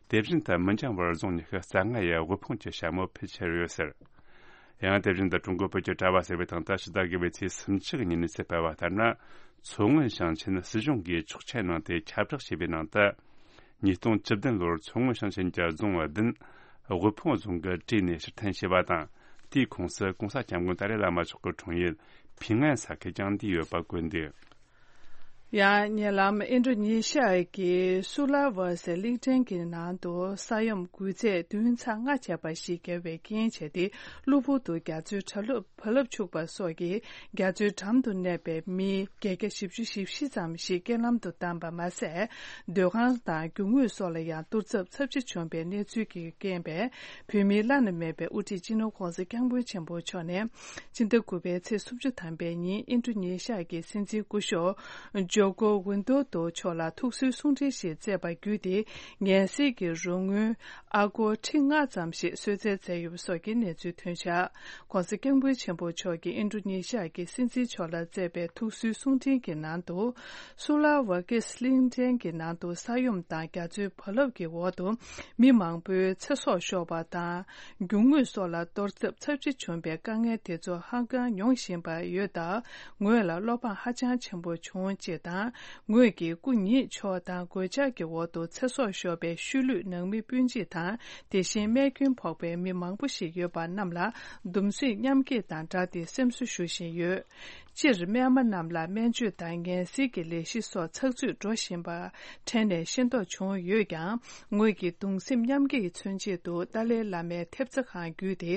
དེ་བཞིན་དུ། མི་འགྱང་བར་རྫོང་ཉི་ཤུ་རྩ་ལྔ་ཡི་དབུལ་ཕོངས་ཀྱི་ཞྭ་མོ་ཕུད་ཁྱེར་ཡོད་ཟེར། ཡང་དེ་བཞིན་དུ། ཀྲུང་གོ་བོད་ཀྱི་དྲ་བ་ཟེར་བའི་སྟེང་དུ་ཕྱི་ཟླ་དགུ་པའི་ཚེས་སུམ་ཅུ་གི་ཉིན་གནས་ཚུལ་སྤེལ་བ་ལྟར་ན། མཚོ་སྔོན་ཞིང་ཆེན་སྲིད་གཞུང་གིས་ཆོག་མཆན་གནང་སྟེ་ཁྱབ་བསྒྲགས་བྱས་པའི་ནང་དུ། ཉིས་སྟོང་བཅུ་བདུན་ལོར་མཚོ་སྔོན་ཞིང་ཆེན་གྱི་རྫོང་བདུན་དབུལ་ཕོངས་རྫོང་གི་གྲས་ནས་ཕྱིར་འཐེན་བྱས་པ་དང་། དེའི་ཁོངས་སུ་༸གོང་ས་༸སྐྱབས་མགོན་ཏཱ་ལའི་བླ་མ་མཆོག་གི་འཁྲུངས་ཡུལ་ཕིང་ཨན་ས་ཁུལ་ཀྱང་འདུས་ཡོད་པ་བཀོད་འདུག། ཡང་ཉེ་ལམ་ཨིན་ཌོ་ནེ་ཤི་ཡ་གི་སུ་ལ་ཝ་སི་གླིང་ཕྲན་གྱི་ནང་དུ་ས་ཡོམ་འགུལ་ཚད་བདུན་ཚེག་ལྔ་བྱས་པ་ཞིག་བརྒལ་བའི་རྐྱེན་བྱས་ཏེ། གློ་བུར་དུ་རྒྱ་མཚོའི་བ་རླབས་འཁྱུག་པ་སོགས་ཀྱིས་རྒྱ་མཚོའི་འགྲམ་དུ་གནས་པའི་མི་བརྒྱད་བརྒྱ་བཞི་བཅུ་ཞེ་བཞི་ཙམ་ཞིག་རྐྱེན་ལམ་དུ་བཏང་པ་མ་ཟད། སྡོད་ཁང་དང་རྒྱུ་དངོས་སོགས་ལ་ཡང་གཏོར་ཚབ་ཚབས་ཆེ་བྱུང་བའི་གནས་ཚུལ་གྱི་རྐྱེན་པས། བོད་མིའི་བླ་ན་མེད་པའི་དབུ་ཁྲིད་སྤྱི་ནོར་༸གོང་ས་༸སྐྱབས་མགོན་ཆེན་པོ་མཆོག་ནས། ཕྱི་ཟླ་དགུ་པའི་ཚེས་སུམ་ཅུ་ཐམ་པའི་ཉིན་ཨིན་ཌོ་ནེ་ཤི་ཡ་གི་སྲིད་འཛིན་སྐུ་ཞབས་ཇོ་ཀོ་ཝིན་དོ་དོ་མཆོག་ལ་ཐུགས་གསོའི་གསུང་འཕྲིན་ཞིག་བསྩལ་བ་བརྒྱུད་དེ། ངལ་སེལ་གྱི་རོགས་དངུལ་ཨ་སྒོར་ཁྲི་ལྔ་ཙམ་ཞིག་གསོལ་སྩལ་མཛད་ཡོད་པ་སོགས་ཀྱི་གནས་ཚུལ་ཐོན་བཞག། ༸གོང་ས་༸སྐྱབས་མགོན་ཆེན་པོ་མཆོག་གིས་ཨིན་ཌོ་ནེ་ཤི་ཡ་གི་སྲིད་འཛིན་མཆོག་ལ་བསྩལ་བའི་ཐུགས་གསོའི་གསུང་འཕྲིན་གྱི་ནང་དུ། སུ་ལ་ཝ་ཀེ་སི་གླིང་ཕྲན་གྱི་ནང་དུ་ས་ཡོམ་དང་རྒྱ་མཚོའི་བ་རླབས་ཀྱི་འོག་ཏུ་མི་མང་པོའི་ཚེ་སྲོག་ཤོར་བ་དང་། རྒྱུ་དངོས་སོགས་ལ་གཏོར་ཚབས་ཚབས་ཆེ་བྱུང་བའི་དཀའ་ངལ་དེ་ཚོ་ཧ་ཅང་མྱོང་བཞིན་པ་ཡོད་སྟབས། ངོས་ལ་བློ་ཕམ་ཧ་ཅང་ཆེན་པོ་བྱུང་ཅེས་ དང་། ངོས་ཀྱིས་སྐུ་ཉིད་མཆོག་དང་གོད་ཆག་གི་འོག་ཏུ་ཚེ་སྲོག་ཤོར་བའི་ཤུལ་ལུས་ནང་མི་སྤུན་མཆེད་དང་། དེ་བཞིན་རྨས་སྐྱོན་ཕོག་པའི་མི་མང་པོ་ཞིག་ཡོད་པ་རྣམས་ལ་གདུང་སེམས་མཉམ་སྐྱེད་དང་སྦྲགས་ཏེ་སེམས་གསོ་ཞུ་བཞིན་ཡོད། སྤྱིར་རྨས་མ་རྣམས་ལ་སྨན་བཅོས་དང་ངལ་སེལ་གྱི་ལས་གཞི་སོགས་ཚགས་ཚུད་འགྲོ་བཞིན་པ་ཕྲན་ནས་ཤེས་རྟོགས་བྱུང་ཡོད་ཀྱང་། ངོས་ཀྱིས་གདུང་སེམས་མཉམ་སྐྱེད་ཀྱི་མཚོན་ཆེད་དུ་ཏཱ་ལའི་བླ་མའི་ཐེབས་རྩ་ཁང་བརྒྱུད་དེ་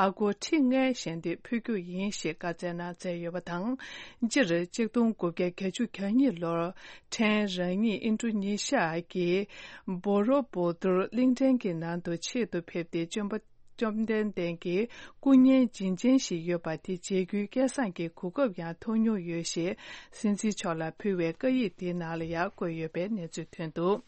ཨ་སྒོར་ཁྲི་ལྔའི་ཞལ་འདེབས་ཕུལ་རྒྱུ་ཡིན་ཞེས་བཀའ་སྩལ་གནང་མཛད་ཡོད་པ་དང་། སྤྱིར་གཅིག་སྟོང་དགུ་བརྒྱ་གྱ་གཉིས་ལོར་ཕྲན་རང་ཉིད་ཨིན་ཌོ་ནེ་ཤི་ཡ་གི་བོ་རོ་བུ་ཏུར་གླིང་ཕྲན་གྱི་ནང་དུ་ཆེད་དུ་ཕེབས་ཏེ། བཅོམ་པ་བཅོམ་ལྡན་འདས་ཀྱི་སྐུ་བརྙན་བྱིན་ཅན་ཞིག་ཡོད་པ་དེ་མཇལ་རྒྱུའི་སྐལ་བཟང་གི་གོ་སྐབས་ཡང་ཐོབ་མྱོང་ཡོད་ཞེས་སྲིད་འཛིན་མཆོག་ལ་ཕུལ་བའི་བཀའ་ཡིག་དེའི་ནང་ལ་ཡང་བཀོད་ཡོད་པའི་གནས་ཚུལ་ཐོན་འདུག།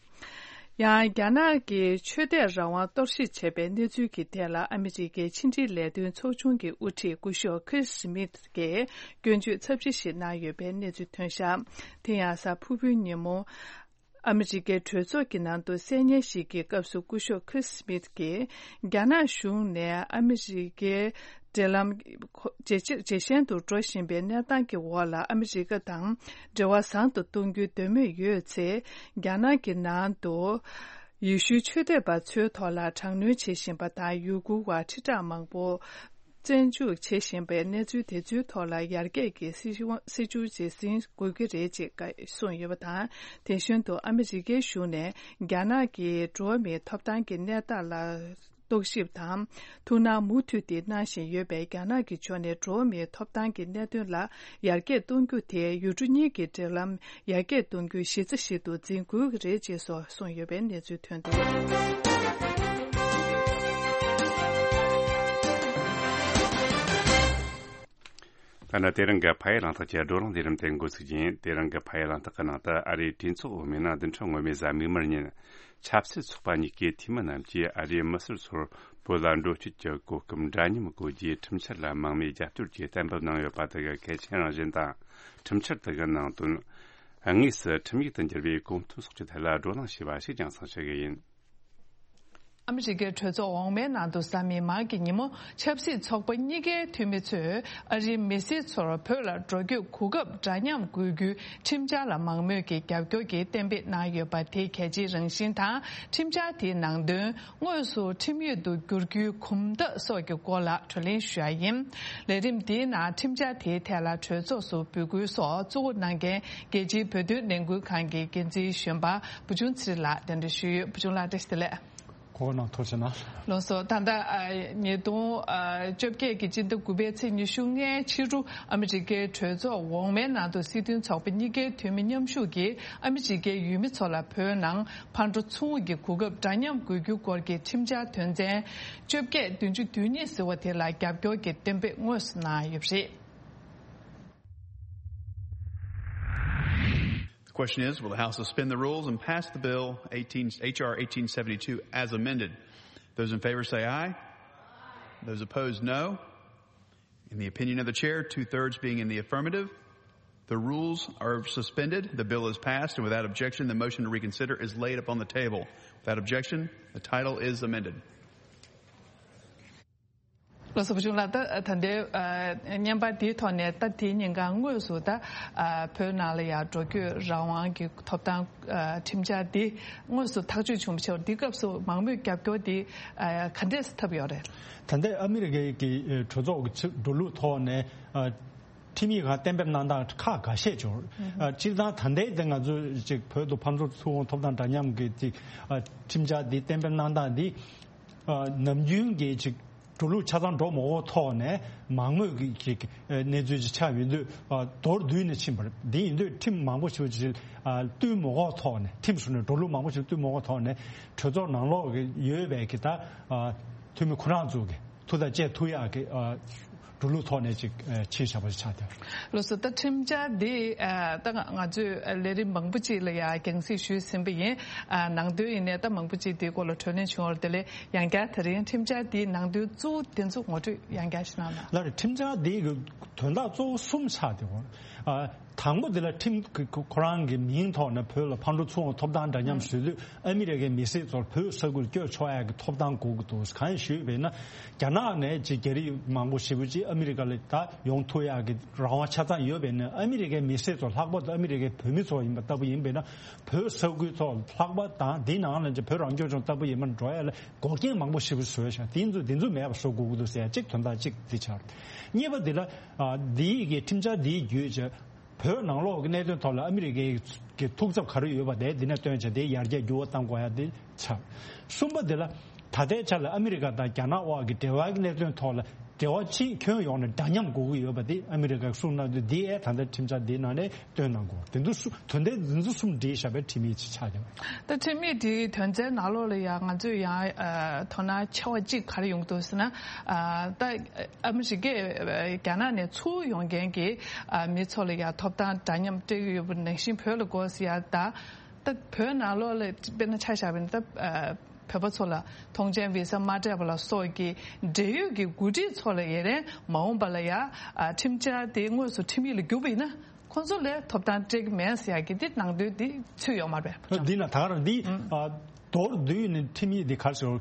ཡང་རྒྱ་ནག་གི་ཆོས་དད་རང་དབང་གཏོར་བཤིག་བྱས་པའི་གནས་ཚུལ་གྱི་ཐད་ལ་ཨ་མི་རི་ཀའི་ཕྱི་འབྲེལ་ལས་དོན་ཚོགས་ཆུང་གི་དབུ་ཁྲིད་སྐུ་ཞབས་ཁིར་སི་མིད་ཀྱིས་སྐྱོན་བརྗོད་ཚབས་ཆེ་ཞིག་གནང་ཡོད་པའི་གནས་ཚུལ་ཐོན་བཞག། དེ་ཡང་གཟའ་ཕུར་བུའི་ཉིན་མོ། ཨ་མི་རི་ཀའི་གྲོས་ཚོགས་ཀྱི་ནང་དུ་གསལ་བརྙན་ཞིག་གི་སྐབས་སུ་སྐུ་ཞབས་ཁྲིས་སི་མིད་ཀྱིས། རྒྱ་ནག་གཞུང་ནས་ཨ་མི་རི་ཀའི་འབྲེལ་ལམ་ཇེ་ཆེ་ཇེ་ཞན་དུ་འགྲོ་བཞིན་པའི་གནས་སྟངས་ཀྱི་འོག་ལ་ཨ་མི་རི་ཀ་དང་འབྲེལ་བ་བཟང་དུ་གཏོང་རྒྱུའི་འདོད་མོས་ཡོད་ཚེ། རྒྱ་ནག་གི་ནང་དུ་ཡེ་ཤུའི་ཆོས་དད་པ་ཚོའི་ཐོག་ལ་དྲག་གནོན་བྱེད་བཞིན་པ་དང་། ཡུ་གུར་བ་ཁྲི་ཕྲག་མང་པོ། བཙོན་འཇུག་བྱེད་བཞིན་པའི་གནས་ཚུལ་དེ་ཚོའི་ཐོག་ལ་ཡར་རྒྱས་ཀྱི་སྲིད་བྱུས་སྲིད་བྱུས་ཅིག་འཛིན་དགོས་ཀྱི་རེད་ཅེས་གསུངས་ཡོད་པ་དང་། དེ་བཞིན་དུ་ཨ་མི་རི་ཀའི་གཞུང་ནས་རྒྱ་ནག་གི་འགྲོ་བ་མིའི་ཐོབ་ཐང་གི་གནས་སྟངས་ལ་རྟོག་ཞིབ་དང་ཐུགས་སྣང་མུ་མཐུད་དེ་གནང་བཞིན་ཡོད་པས། རྒྱ་ནག་གི་ཕྱོགས་ནས་འགྲོ་བ་མིའི་ཐོབ་ཐང་གི་གནད་དོན་ལ་ཡར་རྒྱས་གཏོང་རྒྱུ་དེ་ཡུལ་གྲུ་གཉིས་ཀྱི་འབྲེལ་ལམ་ཡར་རྒྱས་གཏོང་རྒྱུའི་གཞི་རྩ་ཞིག་ཏུ་འཛིན་དགོས་ཀྱི་རེད་ཅེས་སོགས་གསུངས་ཡོད་པའི་གནས་ཚུལ་ཐོན་འདུག། ད་ནི་དེ་རིང་གི་ཕ་ཡུལ་གླེང་སྟེགས་ཀྱི་བགྲོ་གླེང་ལས་རིམ་དེ་འགོ་ཚུགས་ཀྱིན། དེ་རིང་གི་ཕ་ཡུལ་གླེང་སྟེགས་ཀྱི་ནང་དུ་ཨ་རིའི་གྲོས་ཚོགས་འོག་མའི་ནང་བདུན་ཕྲག་སྔོན་མའི་གཟའ་མིག་དམར་ཉིན། ཆབ་སྲིད་ཚོགས་པ་གཉིས་ཀའི་འཐུས་མི་རྣམས་ཀྱིས་ཨ་རིའི་མི་སེར་ཚོར་བོད་ལ་འགྲོ་སྐྱོད་ཀྱི་གོ་སྐབས་འདྲ་མཉམ་དགོས་རྒྱུའི་ཁྲིམས་འཆར་ལ་མང་མོས་རྒྱབ་སྐྱོར་གྱིས་གཏན་འབེབས་གནང་ཡོད་པ་དེ་གི་གལ་ཆེན་རང་བཞིན་དང་། ཁྲིམས་འཆར་དེ་གི་ནང་དོན། དངོས་སུ་ཁྲིམས་ཡིག་ཏུ་འགྱུར་བའི་གོ་དོན་སོགས་ཀྱི་ཐད་ལ་བགྲོ་གླེང་བྱས་པ་ཞིག་རྒྱང་སྲིང་ཞུ་གི་ཡིན། ཨ་མི་རི་ཀའི་གྲོས་ཚོགས་འོག་མའི་ནང་དུ་གཟའ་མིག་དམར་གྱི་ཉིན་མོ་ཆབ་སྲིད་ཚོགས་པ་གཉིས་ཀའི་འཐུས་མི་ཚོས་ཨ་རིའི་མི་སེར་ཚོར་བོད་ལ་འགྲོ་སྐྱོད་གོ་སྐབས་འདྲ་མཉམ་དགོས་རྒྱུའི་ཁྲིམས་འཆར་ལ་མང་མོས་ཀྱིས་རྒྱབ་སྐྱོར་གྱིས་གཏན་འབེབས་གནང་ཡོད་པ་དེའི་གལ་ཆེའི་རང་བཞིན་དང་། ཁྲིམས་འཆར་དེའི་ནང་དོན་དངོས་སུ་ཁྲིམས་ཡིག་ཏུ་བསྒྱུར་རྒྱུའི་གོམ་སྟབས་སོགས་ཀྱི་སྐོར་ལ་བགྲོ་གླེང་ཞུ་ཡ་ཡིན། ལས་རིམ་འདིའི་ནང་ཁྲིམས་འཆར་དེའི་ཐད་ལ་གྲོས་ཚོགས་སུ་འབོད་སྐུལ་སོགས་གཙོ་བོ་གནང་མཁན་རྒྱལ་སྤྱིའི་བོད་དོན་ལས་འགུལ་ཁང་གི་འགན་འཛིན་གཞོན་པ་བུ་ཆུང་ཚེ་རིང་ལགས་གདན་འདྲེན་ཞུས་ཡོད། བུ་ཆུང་ལགས་བཀྲ་ཤིས་བདེ་ལེགས། གོ་གནང་ཐུགས་རྗེ་གནང་། ལགས་སོ། ད་ལྟ་ཨ་ཉིས་སྟོང་ཨ་བཅོ་བརྒྱད་ཀྱི་སྤྱི་ཟླ་དགུ་པའི་ཚེས་ཉི་ཤུ་ལྔའི་ཕྱི་དྲོ་ཨ་མི་རི་ཀའི་གྲོས་ཚོགས་འོག་མའི་ནང་དུ་སྲིད་དོན་ཚོགས་པ་གཉིས་ཀའི་འཐུས་མི་མཉམ་ཞུགས་ཀྱིས་ཨ་མི་རི་ཀའི་ཡུལ་མི་ཚོ་ལ་བོད་ནང་ཕར་འགྲོ་ཚུར་འོང་གི་གོ་སྐབས་འདྲ་མཉམ་དགོས་རྒྱུ་སྐོར་གྱི་ཁྲིམས་འཆར་དོན་ཚན་བཅོ་བརྒྱད་བདུན་ཅུ་དོན་གཉིས་ཟེར་བ་དེ་ལ་རྒྱབ་སྐྱོར་གྱི་གཏན་འབེབས་དངོས་སུ་གནང་ཡོད་པ་རེད། The question is, will the House suspend the rules and pass the bill eighteen, H R eighteen seventy-two as amended? Those in favor say aye. Those opposed, no. In the opinion of the chair, two-thirds being in the affirmative, the rules are suspended. The bill is passed, and without objection, the motion to reconsider is laid upon the table. Without objection, the title is amended. ལགས་སོ། བུ་ཆུང་ལགས། ད་ད་ལྟའི་ཨ་བརྙན་པར་འདིའི་ཐོག་ནས་ད་དེའི་ཉིན་གང་དངོས་སུ་ད་ཨ་བོད་ནང་ལ་ཡང་འགྲོ་སྐྱོད་རང་དབང་གི་ཐོབ་ཐང་ཨ་ཁྲིམས་འཆར་འདི་དངོས་སུ་ཐག་གཅོད་བྱུང་བ་ཞིག་འདི་སྐབས་སུ་མང་མོས་རྒྱབ་སྐྱོར་འདི་ཨ་ག་འདྲས་ཐོབ་ཡོད་རེད། ད་ལྟའི་ཨ་མི་རི་ཀའི་གི་ཨ་གྲོས་ཚོགས་ཀྱི་ཕྱི་འགྲོ་ལུགས་ཐོག་ནས་ཨ་ཁྲིམས་ཡིག་ཁག་གཏན་འབེབས་གནང་སྟངས་ཁག་འགའ་ཤས་ཡོད། ཨ་སྤྱིར་བཏང་ད་ལྟའི་དེ་ང་ཚོས་ཅིག་བོད་དུ་ཕར་འགྲོ་ཚུར་འོང་ཐོབ་ཐང་འདྲ་མཉམ་གྱི་ཅིག་ཨ་ཁྲིམས་འཆར་འདི་གཏན་འབེབས་གནང་སྟངས་འདི་ཨ་ནམ་རྒྱུན་གྱི་ཅིག་འགྲོ་ལུགས་ཆ་ཚང་འགྲོ་མ་འོངས་ཐོག་ནས་མང་མོས་ཀྱི་ཅིག་ཨ་གནས་ཚུལ་ཅིག་ཆགས་ཡོད་དུས་ཨ་མདོར་བསྡུས་ནས་ཕྱིན་པ་རེད། འདི་ཡིན་དུས་ཁྲིམས་མང་པོ་ཞིག་ཅིག་ཨ་བསྟུན་མ་འོངས་ཐོག་ནས་ཁྲིམས་ཞུ་ནས་འགྲོ་ལུགས་མང་པོ་ཞིག་བསྟུན་མ་འོངས་ཐོག་ནས་གྲོས་ཚོགས་ནང་ལོགས་ཀྱི་ཡོད་པའི་གི་ད་ཨ་འཐུས་མི་ཁོ་རང་ཚོ་གི་ཐུགས་ཐག་བཅད་ཐུབ་ཡག་གི་ཨ་འགྲོ་ལུགས་ཐོག་ནས་ཅིག་ཨ་ཕྱིན་བཞག་པ་ཞིག་ཆགས་ཏེ། ལགས་སོ། ད་ཁྲིམས་འཆར་འདི་ཨ་ད་ང་ང་ཚོས་ལས་རིམ་མང་པོ་ཅིག་ལ་ཡང་རྒྱང་སྲིང་ཞུས་ཟིན་པ་ཡིན། ཨ་ནང་དོན་ཡིན་ནའི་ད་མང་པོ་ཅིག་འདིའི་སྐོར་ལ་གྲོས་གླེང་བྱུང་བ་རེད། དེ་ལས་ཡང་བསྐྱར་དེ་རིང་ཁྲིམས་འཆར་འདིའི་ནང་དོན་གཙོ་བོ་དེ་ཚོ་ངོ་སྤྲོད་ཡང་བསྐྱར་ཞིག་གནང་དང་། ལགས་རེད། ཁྲིམས་འཆར་འདི་གི་ དོན་དག་གཙོ་བོ་གསུམ་ཆགས་བསྡད་ཡོད། ཨ། དང་པོ་དེ་ལ་ཁྲིམས་ཁོ་རང་གི་མིང་ཐོག་ནས་བོད་ལ་ཕར་འགྲོ་ཚུར་འོང་ཐོབ་ཐང་འདྲ་མཉམ་བཟོས་དུས། ཨ་མི་རི་ཀའི་མི་སེར་ཚོར་བོད་ས་ཁུལ་སྐྱོད་ཆོག་ཡག་གི་ཐོབ་ཐང་དགོས་ཀྱི་འདུག་གང་ཞུས་པས་ན། རྒྱ་ནག་ནས་ཅིག་རྒྱ་རིགས་མང་པོ་ཞེ་པོ་ཅིག་ཨ་མི་རི་ཀ་ལ་ད་ཡོང་ཐུབ་ཡག་གི་རང་དབང་ཆ་ཚང་ཡོད་པས་ན། ཨ་མི་རི་ཀའི་མི་སེར་ཚོ་ལྷག་པར་དུ་ཨ་མི་རི་ཀའི་བོད་མི་ཚོ་ཡིན་པ་ལྟ་བུ་ཡིན་པས་ན། བོད་ས་ཁུལ་ཚོ་ལྷག་པར་དང་དེའི་ནང་ལ་ཅིག་བོད་རང་སྐྱོང་ལྗོངས་ལྟ་བུ་ཡིན་པ་འགྲོ་ཡ་ལ་འགོག་རྐྱེན་མང་པོ་ཞེ་པོ་བཟོས་ཤག་དེ་ཚོ་དེ་ཚོ་མེད་པ་བཟོ་དགོས་ཀྱི་འདུག་ཟེར་ཡ་གཅིག་དོན་དག་གཅིག་དེ་ཆགས། གཉིས་པ་དེ་ལ། ཨ། འདིའི་གི་ཁྲིམས་འཆར་འདིའི་བརྒྱུད་བྱས། བོད་ནང་ལོགས་ཀྱི་གནད་དོན་ཐོག་ལ་ཨ་མི་རི་ཀའི་གི་ཐུགས་འཚབ་ག་རེ་ཡོད་པ་དེ་འདི་ནས་བཏོན་བྱས། དེ་ཡར་རྒྱས་འགྱུར་བ་གཏང་དགོས་ཡ་དེ་ཆགས། གསུམ་པ་དེ་ལ། ད་ལྟའི་ཆ་ལ་ཨ་མི་རི་ཀ་དང་རྒྱ་ནག་དབར་གྱི་འབྲེལ་བ་གི་གནད་དོན་ཐོག་ལ་འབྲེལ་བ་ཕྱིན་ཁྱོན་ཡོངས་ནས་འདྲ་མཉམ་དགོས་ཀྱི་ཡོད་པ་དེ་ཨ་མི་རི་ཀས་གསུངས་གནང་དུས། འདི་ཨེ་ད་ལྟ་ཁྲིམས་འཆར་འདིའི་ནང་ནས་བཏོན་གནང་དགོས། དེ་ཚོ་གསུམ། དོན་ཚན་འདི་ཚོ་གསུམ་བསྒྲིལ་བཞག་པའི་ཁྲིམས་ཡིག་ཅིག་ཆགས་ཡོད། ད་ཁྲིམས་ཡིག་དེའི་དོན་ཚན་ནང་ལོགས་ལ་ཡང་ང་ཚོས་ཡང་ཨ་དོ་སྣང་ཆེ་བ་གཅིག་ག་རེ་ཡོང་གི་འདུག་ཟེར་ན། ཨ་ད་ཨ་མི་རི་ཀས་རྒྱ་ནག་ནས་ཚུར་ཡོང་མཁན་གྱི་ཨ་མི་ཚོ་ལ་ཡང་ཐོབ་ཐང་འདྲ་མཉམ་སྤྲད་ཀྱི་ཡོད་པ་ནང་བཞིན་བོད་ལ་དགོས་ཟེར་ཡ། ད་ད་བོད་ནང་ལོགས་ལ་དཔེར་ན་ཆ་བཞག་པ་ཡིན་ན། ད་ཨ་བོད་པ་ཚོ་ལ་ཐོངས་མཆན་བི་ས་མ་སྤྲད་པ་ལ་སོགས་ཀྱི་འབྲེལ་ཡོད་ཀྱི་འགོ་ཁྲིད་ཚོ་ལ་ཡ་རན་མ་འོངས་པ་ལ་ཡ་ཨ་ཁྲིམས་འཆར་དེ་དངོས་སུ་ཁྲིམས་ཡིག་ལ་བསྒྱུར་བ་ཡིན་ན། ཁོང་ཚོ་ལ་ཐོབ་ཐང་སྤྲད་ཀྱི་མེད་ཟེར་ཡག་གི་དེ་ནང་དོན་དེ་ཚུད་ཡོད་མ་རེད་པས། འདི་ན་ད་ག་རང་འདི། ཨ། མདོར་བསྡུས་ནས་ཁྲིམས་ཡིག་འདི་ག་རེ་ཟེར།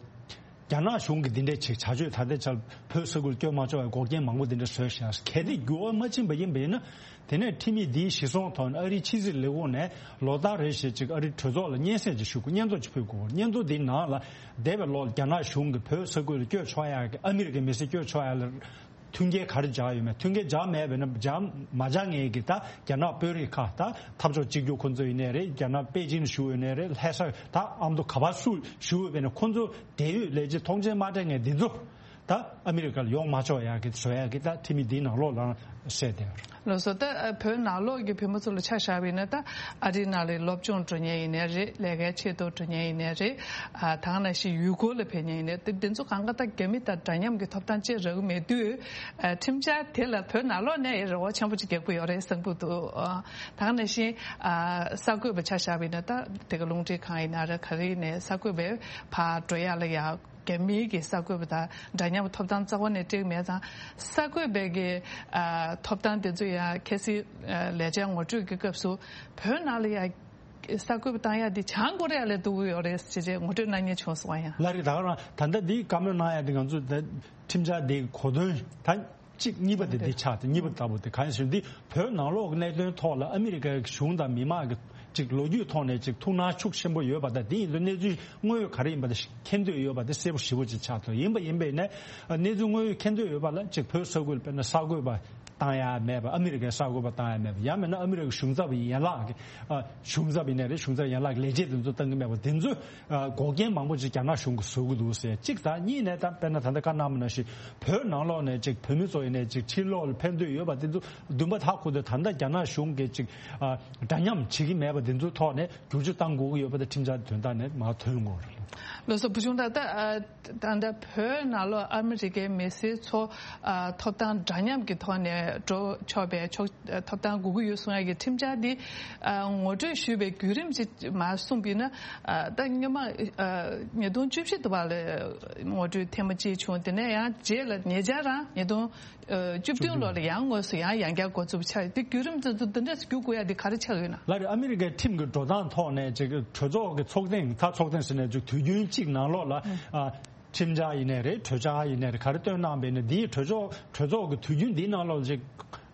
རྒྱ་ནག་གཞུང་གིས་འདི་འདྲའི་ཅིག་བྱ་སྤྱོད་ད་ལྟའི་ཆར་བོད་ས་ཁུལ་སྐྱོད་མ་ཆོག་པའི་འགོག་རྐྱེན་མང་པོ་འདི་འདྲ་བཟོས་ཤག་གལ་ཏེ་འགྱུར་བ་མ་ཕྱིན་པ་ཡིན་པ་ཡིན་ན། དེ་ནས་ཁྲིམས་ཡིག་འདིའི་གཞི་བཟུང་ཐོག་ནས་ཨ་རིའི་ཕྱི་སྲིད་ལས་ཁུངས་ནས་ལོ་ལྟར་རེ་བཞིན་ཅིག་ཨ་རིའི་གྲོས་ཚོགས་ལ་སྙན་སེང་ཅིག་ཞུ་དགོས། སྙན་ཐོ་ཅིག་ཕུལ་དགོས། སྙན་ཐོ་འདིའི་ནང་ལ་འདས་པའི་ལོར་རྒྱ་ནག་གཞུང་གིས་བོད་ས་ཁུལ་ལ་སྐྱོད་ཆོག་ཡག་གི། ཨ་མི་རི་ཀའི་མི་སེར་སྐྱོད་ཆོག་ཡག་ལ་མཐུན་རྐྱེན་ག་རེ་སྦྱར་ཡོད་མེད། མཐུན་རྐྱེན་སྦྱར་མེད་པས་ན། སྦྱར་མ་སྦྱར་མཁན་གྱི་ད་རྒྱ་ནག་དཔོན་རིགས་ཁག་ད་འཐབ་ཕྱོགས་གཅིག་གྱུར་ཁོང་ཚོ་ཡིན་ནའི་རེད། རྒྱ་ནག་པེ་ཅིན་བཞུགས་ཡོད་ནའི་རེད། ལྷ་ས་ད་ཨ་མདོ་ག་པར་སུ་བཞུགས་ཡོད་པས་ན། ཁོང་ཚོ་དེ་ཡོད་ལས་བྱེད་ཐོངས་མཆན་མ་སྤྲད་མཁན་འདི་ཚོ་ད་ཨ་མི་རི་ཀར་ཡོང་མ་ཆོག་ཡག་གི་བཟོ་ཡག་གི་ད་ཁྲིམས་ཡིག་འདིའི་ནང་ལོགས་ལ་གསལ་བསྡད་ཡོད་རེད། ལགས་སོ། ད་ཨ་བོད་ནང་ལོགས་ཀྱི་བོད་མི་ཚོ་ལ་ཆ་བཞག་པ་ཡིན་ན། ད་ཨ་རིའི་ནང་ལ་སློབ་སྦྱོང་འགྲོ་མཁན་ཡིན་ནའི་རེད། ལས་ཀའི་ཆེད་དུ་འགྲོ་མཁན་ཡིན་ནའི་རེད། ཨ་ད་ག་ནང་བཞིན་ཡུལ་སྐོར་ལ་ཕེབས་མཁན་ཡིན་ནའི། དེ་འདི་ཚོ་གང་ག་ད་རྒྱ་མི་དང་འདྲ་མཉམ་གྱི་ཐོབ་ཐང་ཅིག་རག་གི་མེད་དུས། ཨ་ཁྲིམས་འཆར་དེ་ལ་བོད་ནང་ལོགས་ནས་རེ་བ་ཆེན་པོ་ཅིག་རྒྱག་གི་ཡོད་རེད་བསམ་གྱི་འདུག་ཨ་ད་ག་ནང་བཞིན་ཨ་གསར་འགོད་པ་ཆ་བཞག་པ་ཡིན་ན། ད་དེ་ག་རླུང་འཕྲིན་ཁང་ཡིན་ན་རེད། ག་རེ་ཡིན་ནའི་གསར་འགོད་པའི་ཕར་འགྲོ་ཡག་ལ་ཡ། རྒྱ་མིའི་གི་གསར་འགོད་པ་དང་འདྲ་མཉམ་ཐོབ་ཐང་རྩ་བ་ནས་སྤྲད་མེད་ཙང་། གསར་འགོད་པའི་གི་ཨ་ཐོབ་ཐང་དེ་ཚོ་ཡང་གལ་སྲིད་ཨ་ལས་བྱ་ངོ་སྤྲོད་ཀྱི་སྐབས་སུ་བོད་ནང་ལ་ཡང་གསར་འགོད་པ་བཏང་ཡག་འདི་བྱང་ཀོ་རི་ཡ་ལས་སྡུག་གི་ཡོད་རེད་ཅེས་ཅེས་ངོ་སྤྲོད་གནང་མཁན་བྱུང་སོང་བ་ཡང་། ལགས་རེད། ད་ག་རང་ད་ལྟ་འདི་བཀའ་མོལ་གནང་ཡག་འདི་ང་ཚོ་ད་ཁྲིམས་འཆར་འདི་གོ་དོན་ད། གཅིག་གཉིས་པ་དེ་འདི་ཆགས་ཏེ། གཉིས་པ་ལྟ་བུ་དེ་གང་ཡིན་ཟེར་ན། འདི་བོད་ནང་ལོགས་ཀྱི་གནད་དོན་ཐོག་ལ་ཨ་མི་རི་ཀའི་གཞུང་དང་མི་མང་གི་ཅིག་ལོ་རྒྱུས་ཐོག་ནས་ཅིག་ཐུགས་སྣང་ཤུགས་ཆེན་པོ་ཡོད་པ་དང་། དེ་ཡིན་དུས་གནས་ཚུལ་དངོས་ཡོད་ག་རེ་ཡིན་པ་དེ་མཁྱེན་འདོད་ཡོད་པ་དེ་གསལ་པོ་ཞེ་པོ་ཅིག་ཆགས་ཐུབ། ཡིན་པ་ཡིན་པས་ནས་གནས་ཚུལ་དངོས་ཡོད་མཁྱེན་འདོད་ཡོད་པ་ལ་ཅིག་བོད་ས་ཁུལ་དཔེར་ན་གསར་འགོད་པ་བཏང་ཡ་མེད་པ། ཨ་མི་རི་ཀའི་གསར་འགོད་པ་བཏང་ཡ་མེད་པ། ཡང་མིན་ན་ཨ་མི་རི་ཀའི་གཞུང་ཚབ་ཡན་ལག་གི་ཨ་གཞུང་ཚབ་ཡིན་ནའི་རེད། གཞུང་ཚབ་ཡན་ལག་གི་ལས་བྱེད་དེ་ཚོ་བཏང་གི་མེད་པ། དེ་ཚོ་ཨ་འགོག་རྐྱེན་མང་པོ་ཅིག་རྒྱ་ནག་གཞུང་གིས་བཟོ་གི་འདུག་ཟེར་གཅིག་དང་། གཉིས་ནས་ད་དཔེར་ན་ད་ལྟ་བཀའ་གནང་བ་ནང་བཞིན་བོད་ནང་ལོགས་ནས་ཅིག་བོད་མི་ཚོ་ཡིན་ནའི་ཅིག་ཕྱིར་ལོག་ལ་ཕེབས་འདོད་ཡོད་པ་དེ་ཚོ་འདུན་པ་མཐའ་འཁོར་དུ་ད་ལྟ་རྒྱ་ནག་གཞུང་གིས་ཅིག་ཨ་འདྲ་མཉམ་བྱེད་ཀྱི་མེད་པ་དེ་ཚོའི་ཐོག་ནས་བསྒྱུར་བཅོས་གཏང་དགོས་ཀྱི་ཡོད་པ་དེ་ཁྲིམས་འཆར་དོན་དག་ནས་མར་ཐོན་དགོས་རེད། ལགས་སོ། བུ་ཆུང་ད་ལྟ་ཨ། ད་ལྟ་བོད་ནང་ལོགས་ཨ་མི་རི་ཀའི་མི་སེར་ཚོ་ཨ་ཐོབ་ཐང་འདྲ་མཉམ་གྱི་ཐོག་ནས་འགྲོ་ཆོག་པའི་ཆོག་ཐོབ་ཐང་དགོས་ཀྱི་ཡོད་གསུང་ཡ་གི་ཁྲིམས་འཆར་འདི་ཨ་ངོ་སྤྲོད་ཞུས་པའི་བརྒྱུད་རིམ་ཅིག་མར་གསུངས་པ་ཡིན་ན། ཨ་ད་སྔོན་མ་ཨ་ཉིས་སྟོང་བཅུ་བཞི་དུ་བ་ལ་ངོ་སྤྲོད་ཐེངས་མ་གཅིག་བྱུང་། དེ་ནས་ཡང་རྗེས་ལ་ཉེ་ཆར་རང་ཉིས་སྟོང་ཨ་བཅུ་བདུན་ལོ་ལ་ཡང་དངོས་སུ་ཡང་ཡང་བསྐྱར་འགོ་འཛུགས་ཆགས་ཡོད། དེ་བརྒྱུད་རིམ་དེ་ཚོ་འདི་འདྲ་ཞིག་བསྒྱུར་དགོས་ཡ་འདི་ག་རེ་ཆགས་ཡོད་ན། ལགས་རེད། ཨ་མི་རི་ཀའི་ཁྲིམས་ཀྱི་འགྲོ་སྟངས་ཐོག་ནས་ཅིག་གྲོས་ཚོགས་ཀྱི་ཚོགས་ཐེངས། ད་ཚོགས་ཐེངས་ཟེར་ནས་ཅིག་དུས་རྒྱུན་གཅིག་ནང་ལོགས་ལ་ཨ་ཁྲིམས་འཆར་ཡིན་ནའི་རེད། གྲོས་འཆར་ཡིན་ནའི་རེད། ག་རེ་བཏོན་གནང་བས་ན། འདིའི་གྲོས་ཚོགས་གྲོས་ཚོགས་ཀྱི་དུས་རྒྱུན་འདིའི་ནང་ལོགས་ཅིག་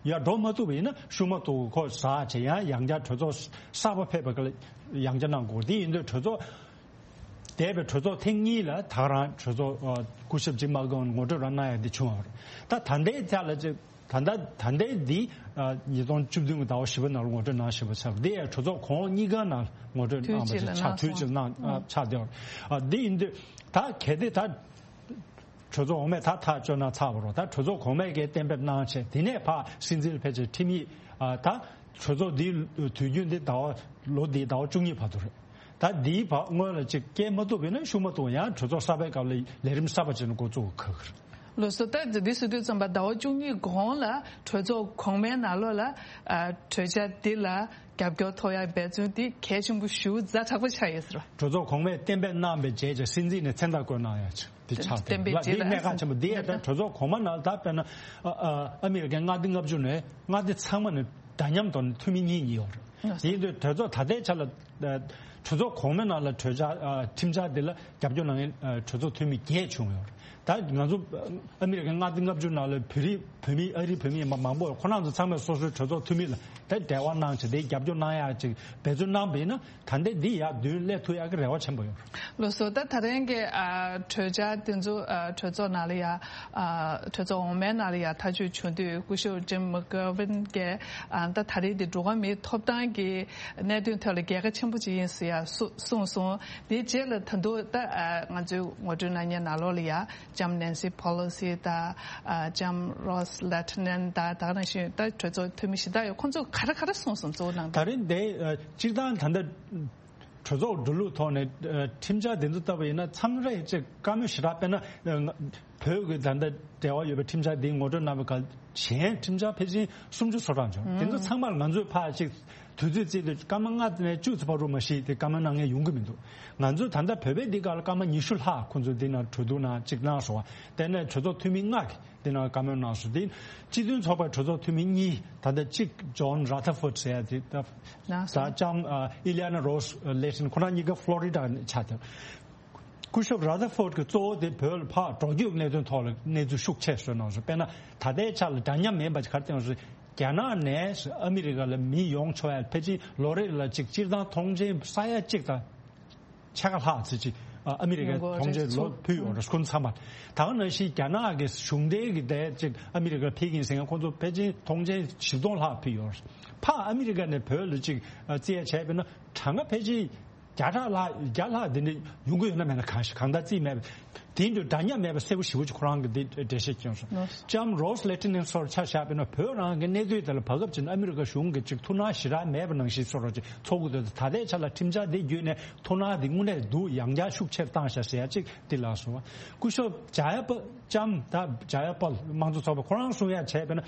ཡར་འགྲོ་མ་ཐུབ་པ་ཡིན་ན་ཤུགས་མ་ཐུབ་ཁོ་ཟ་བྱས་ཡང་ཡང་བསྐྱར་གྲོས་ཚོགས་གསར་པ་ཕེབས་པ་ག་ལ་ཡང་བསྐྱར་གནང་དགོས། དེ་ཡིན་དུས་གྲོས་ཚོགས་འདས་པའི་གྲོས་ཚོགས་ཐེངས་གཉིས་ལ་ད་རང་གྲོས་ཚོགས་ཨ་སྐུ་ཞབས་ཇིམ་མ་གྷོན་ངོ་སྤྲོད་རང་གནང་ཡ་དེ་བྱུང་བ་རེད། ད་ད་ལྟའི་ཆ་ལ་ཅིག་ད་ལྟ་ད་ལྟའི་འདི་ཨ་ཉིས་སྟོང་བཅུ་བདུན་གྱི་ཟླ་བ་བཞི་པ་ནང་ལ་ངོ་སྤྲོད་གནང་བཞིན་པ་ཆགས། འདི་ཡང་གྲོས་ཚོགས་གོང་གཉིས་ཀ་ནང་ངོ་སྤྲོད་དུས་གནང་བ་གཅིག་ལ་ཆགས། གནང་དུས་གཅིག་སོང་། གནང་ཨ་ཆགས་བསྡད་པ་རེད། ཨ་འདི་ཡིན་དུས་ད་གལ་ཏེ་ད་གྲོས་ཚོགས་འོག་མས་ད་ཐག་གཅོད་གནང་ཚར་བ་རེད། ད་གྲོས་ཚོགས་གོང་མས་ཀྱི་གཏན་འབེབས་གནང་བྱས། དེ་ནས་ཕར་སྲིད་འཛིན་ལ་ཕལ་ཆེར་ཁྲིམས་ཡིག་ཨ་ད་གྲོས་ཚོགས་འདིའི་དུས་རྒྱུན་འདི་ཟླ་བ་ལོ་འདིའི་ཟླ་བ་བཅུ་གཉིས་བར་དུ་རེད། ད་འདིའི་བར་སྔོན་ལ་ཅིག་སྐྱེལ་མ་ཐུབ་པ་ཡིན་ན་ཤུགས་མ་ཐུབ་ཡང་གྲོས་ཚོགས་གསར་པའི་སྐབས་ལ་ལས་རིམ་གསར་པ་ཅིག་ནས་འགོ་བཙུགས་ཁག་གི་རེད། ལགས་སོ། ད་འདི་ཟེར་དུས་ཙམ་པ་ཟླ་བ་བཅུ་གཉིས་གོང་ལ་གྲོས་ཚོགས་གོང་མའི་ནང་ལོགས་ལ་ཨ་གྲོས་འཆར་འདི་ལ་རྒྱབ་སྐྱོར་ཐོབ་ཡ་འབད་བརྩོན་འདི་གལ་ཆེན་པོ་ཞེ་པོ་ཛ་དྲག་པོ་ཆགས་ཡོད་ཟེར་བ། གྲོས་ཚོགས་གོང་མས་གཏན་འབེབས་གནང་བའི་རྗེས་ཀྱི་སྲིད་འཛིན་ནས་མཚན་རྟགས་བཀོད་གནང་ཡ་ཅིག་དེ་ཆགས་བསྟན་པའི་ལ་རྗེས་དེ་ལ་གནད་འགག་ཆེན་པོ་དེ་ཡང་ད་གྲོས་ཚོགས་གོང་མ་ནང་ད་དཔེར་ན་ཨ་ཨ་ཨ་མི་རི་ཀའི་མངའ་སྡེ་ལྔ་བཅུ་ནས་མངའ་སྡེ་ཚང་མ་ནས་འདྲ་མཉམ་ཐོག་ནས་འཐུས་མི་གཉིས་གཉིས་ཡོད་རེད། དེ་ཡིན་དུས་གྲོས་ཚོགས་ད་ལྟའི་ཆ་ལ་ཨ་གྲོས་ཚོགས་གོང་མའི་ནང་ལ་གྲོས་འཆར་ཨ་ཁྲིམས་འཆར་དེ་ལ་རྒྱབ་སྐྱོར་གནང་མཁན་ཨ་གྲོས་ཚོགས་འཐུས་མི་བརྒྱད་བྱུང་ཡོད་རེད། ད་ང་ཚོ་ཨ་མི་རི་ཀའི་མངའ་སྡེ་ལྔ་བཅུ་ནང་ལ་བོད་རིགས་བོད་མི་ཨ་རིའི་བོད་མི་མང་པོ་ཁོ་རང་ཚོ་ཚང་མས་སོ་སོའི་གྲོས་ཚོགས་འཐུས་མི་ལ་ད་འབྲེལ་བ་གནང་བྱས་དེ་རྒྱབ་སྐྱོར་གནང་ཡག་ཅིག་འབད་བརྩོན་གནང་བ་ཡིན་ན། ད་ལྟའི་འདི་ཡར་མདུན་སླེབས་ཐུབ་ཡག་གི་རེ་བ་ཆེན་པོ་ཡོད། ལགས་སོ། ད་ད་རིང་གི་ཨ་གྲོས་འཆར་དེ་ཚོ་ཨ་གྲོས་ཚོགས་ནང་ལ་ཡ་ཨ་གྲོས་ཚོགས་འོག་མའི་ནང་ལ་ཡ་ཐག་གཅོད་བྱུང་དུས་སྐུ་ཞབས་ཇིམ་མག་གྷོ་ཝིན་གྱིས་ཨ་ད་ད་རེས་འདི་འགྲོ་བ་མིའི་ཐོབ་ཐང་གི་གནད་དོན་ཐོག་ལ་རྒྱལ་ཁ་ཆེན་པོ་ཅིག་ཡིན་ཟེར་ཡ་གསུ་གསུངས་སོང་། དེའི་རྗེས་ལ་ད་དུང་ད་ཨ་ང་ཚོའི་ངོ་སྤྲོད་གནང་མཁན་ནང་ལོགས་ལ་ཡ་ལྕམ་ནན་སི་ཕོ་ལོ་སི་དང་ཨ་ལྕམ་རོས་ལེ་ཐི་ནན་དང་ད་ག་ནང་བཞིན་ད་གྲོས་ཚོགས་འཐུས་མི་གཞན་དག་ཡོད། ཁོང་ཚོས་ག་རེ་ག་རེ་གསུངས་སོང་། གཙོ་བོ་ནང་དོན། ད་རེས་འདི་ཨ་སྤྱིར་བཏང་ད་ལྟ་གྲོས་ཚོགས་འགྲོ་ལུགས་ཐོག་ནས་ཨ་ཁྲིམས་འཆར་འདི་ཚོ་ལྟ་བུ་ཡིན་ན་མཚམས་རེ་ཅིག་བཀའ་མོལ་ཞེ་དྲག་དཔེར་ན་ཨ་བོད་ཀྱི་ད་ལྟ་འབྲེལ་བ་ཡོད་པའི་ཁྲིམས་འཆར་འདི་ངོ་སྤྲོད་གནང་བའི་སྐབས་གཞན་ཁྲིམས་འཆར་ཕལ་ཆེར་སུམ་ཅུ་སོ་གྲངས་བྱུང་། དེ་ཚོ་ཚང་མར་ང་ཚོས་ཕར་ཅིག་དུས་ཚོད་བརྩིས་དུས་སྐར་མ་ལྔ་ནས་བཅུ་ཙམ་བར་དུ་མ་གཞི་དེ་བཀའ་མོལ་གནང་མཁན་ཡོང་གི་མི་འདུག་ང་ཚོས་ད་ལྟ་བོད་པའི་འདི་སྒང་ལ་སྐར་མ་ཉི་ཤུ་ལྷག་ཁོང་ཚོས་འདི་ནང་གྲོས་བསྡུར་ནང་ཅིག་གནང་སོང་བ། དེ་ནས་གྲོས་ཚོགས་འཐུས་མི་ལྔ་གིས་འདི་ནང་བཀའ་མོལ་གནང་སོང་། དེ་སྤྱི་མཐུན་ཚོགས་པའི་གྲོས་ཚོགས་འཐུས་མི་གཉིས་ད་ལྟ་གཅིག་ཇོན་ར་ཐར་ཕོར་ཌི་ཟེར་ཡ་དེ་ད་གནང་སོང་། ད་ལྕམ་ཨ་ཨི་ལི་ཡ་ན་རོས་ལེ་ཐི་ནན་ཁོ་རང་གཉིས་ཀ་ཕློ་རི་ཌ་ནས་ཆགས་ཏེ། སྐུ་ཞབས་ར་ཐར་ཕོར་ཌི་གི་གཙོ་བོ་དེ་བོད་ལ་ཕར་འགྲོ་སྐྱོད་གནད་དོན་ཐོག་ལ་གནས་ཚུལ་ཤུགས་ཆེ་བཟོས་གནང་སོང་། དཔེར་ན་ད་ལྟའི་ཆ་ལ་འདྲ་མཉམ་མིན་པ་ག་རེ་བསྟན་སོང་། རྒྱ་ནག་ནས་ཨ་མི་རི་ཀ་ལ་མི་ཡོང་ཆོག་ཡ་ཕལ་ཆེར་ལོ་རེ་ལ་ཅིག་སྤྱིར་བཏང་ཐོངས་མཆན་ས་ཡ་གཅིག་དང་ཕྱེད་ཀ་ལྷག་ཙམ་ཅིག་ཨ་མི་རི་ཀའི་ཡོང་གི་ཐོངས་མཆན་རེད། ལོ་ཕུལ་ཡོང་རེད། ཁོང་ཚང་མ་ད་ག་ནང་བཞིན་རྒྱ་ནག་གི་གཞུང་འབྲེལ་གྱི་དེ་ཅིག་ཨ་མི་རི་ཀར་ཕེབས་ཀྱིན་ཟེར་མཁན་ཁོང་ཚོ་ཕལ་ཆེར་ཐོངས་མཆན་བཞི་སྟོང་ལྷག་ཕུལ་ཡོང་རེད། ཕར་ཨ་མི་རི་ཀ་ནས་བོད་ལ་ཅིག་ཨ་རྩིས་ཡ་བྱས་པ་ཡིན་ན་གྲངས་ཀ་ཕལ་ཆེར་བརྒྱ་ཕྲག་ལྷག་བརྒྱ་ལྷག་དེ་འདྲ་ཡོང་གི་ཡོད་ན་མེད་ན་གང་ཞིག་གང་ལྟར་རྩིས་མེད་པ། དེ་འདྲ་འདྲ་མཉམ་མེད་པ་གསལ་པོ་ཞེ་པོ་ཅིག་ཁོ་རང་གིས་འདི་འགྲེལ་བཤད་བསྐྱོན་སོང་། ལགས། ལྕམ་རོས་ལེ་ཐི་ནན་སོགས་ཆ་བཞག་པ་ཡིན་ན་བོད་རང་གི་གནས་ཚུལ་དེ་ལ་བར་སྐབས་ཅིག་ཨ་མི་རི་ཀ་གཞུང་གིས་ཅིག་ཐུགས་སྣང་ཞེ་དྲག་མེད་པ་ནང་བཞིན་བཟོ་འདྲ་ཅིག་ཚོར་གྱི་འདུག་ད་ལྟའི་ཆ་ལ་ཁྲིམས་འཆར་འདི་བརྒྱུད་ནས་ཐུགས་སྣང་འདི་དངོས་གནས་འདུག་ཡང་བསྐྱར་ཤུགས་ཆེར་བཏང་ཤག་ཟེར་ཡ་ཅིག་འདི་ལགས་སོ། སྐུ་ཞབས་ཇ་ཡ་པ་ལྕམ་ད་ཇ་ཡ་པལ་དམངས་གཙོ་ཚོགས་པ་ཁོ་རང་གསུང་ཡ་བྱས་པ་ཡིན་ན།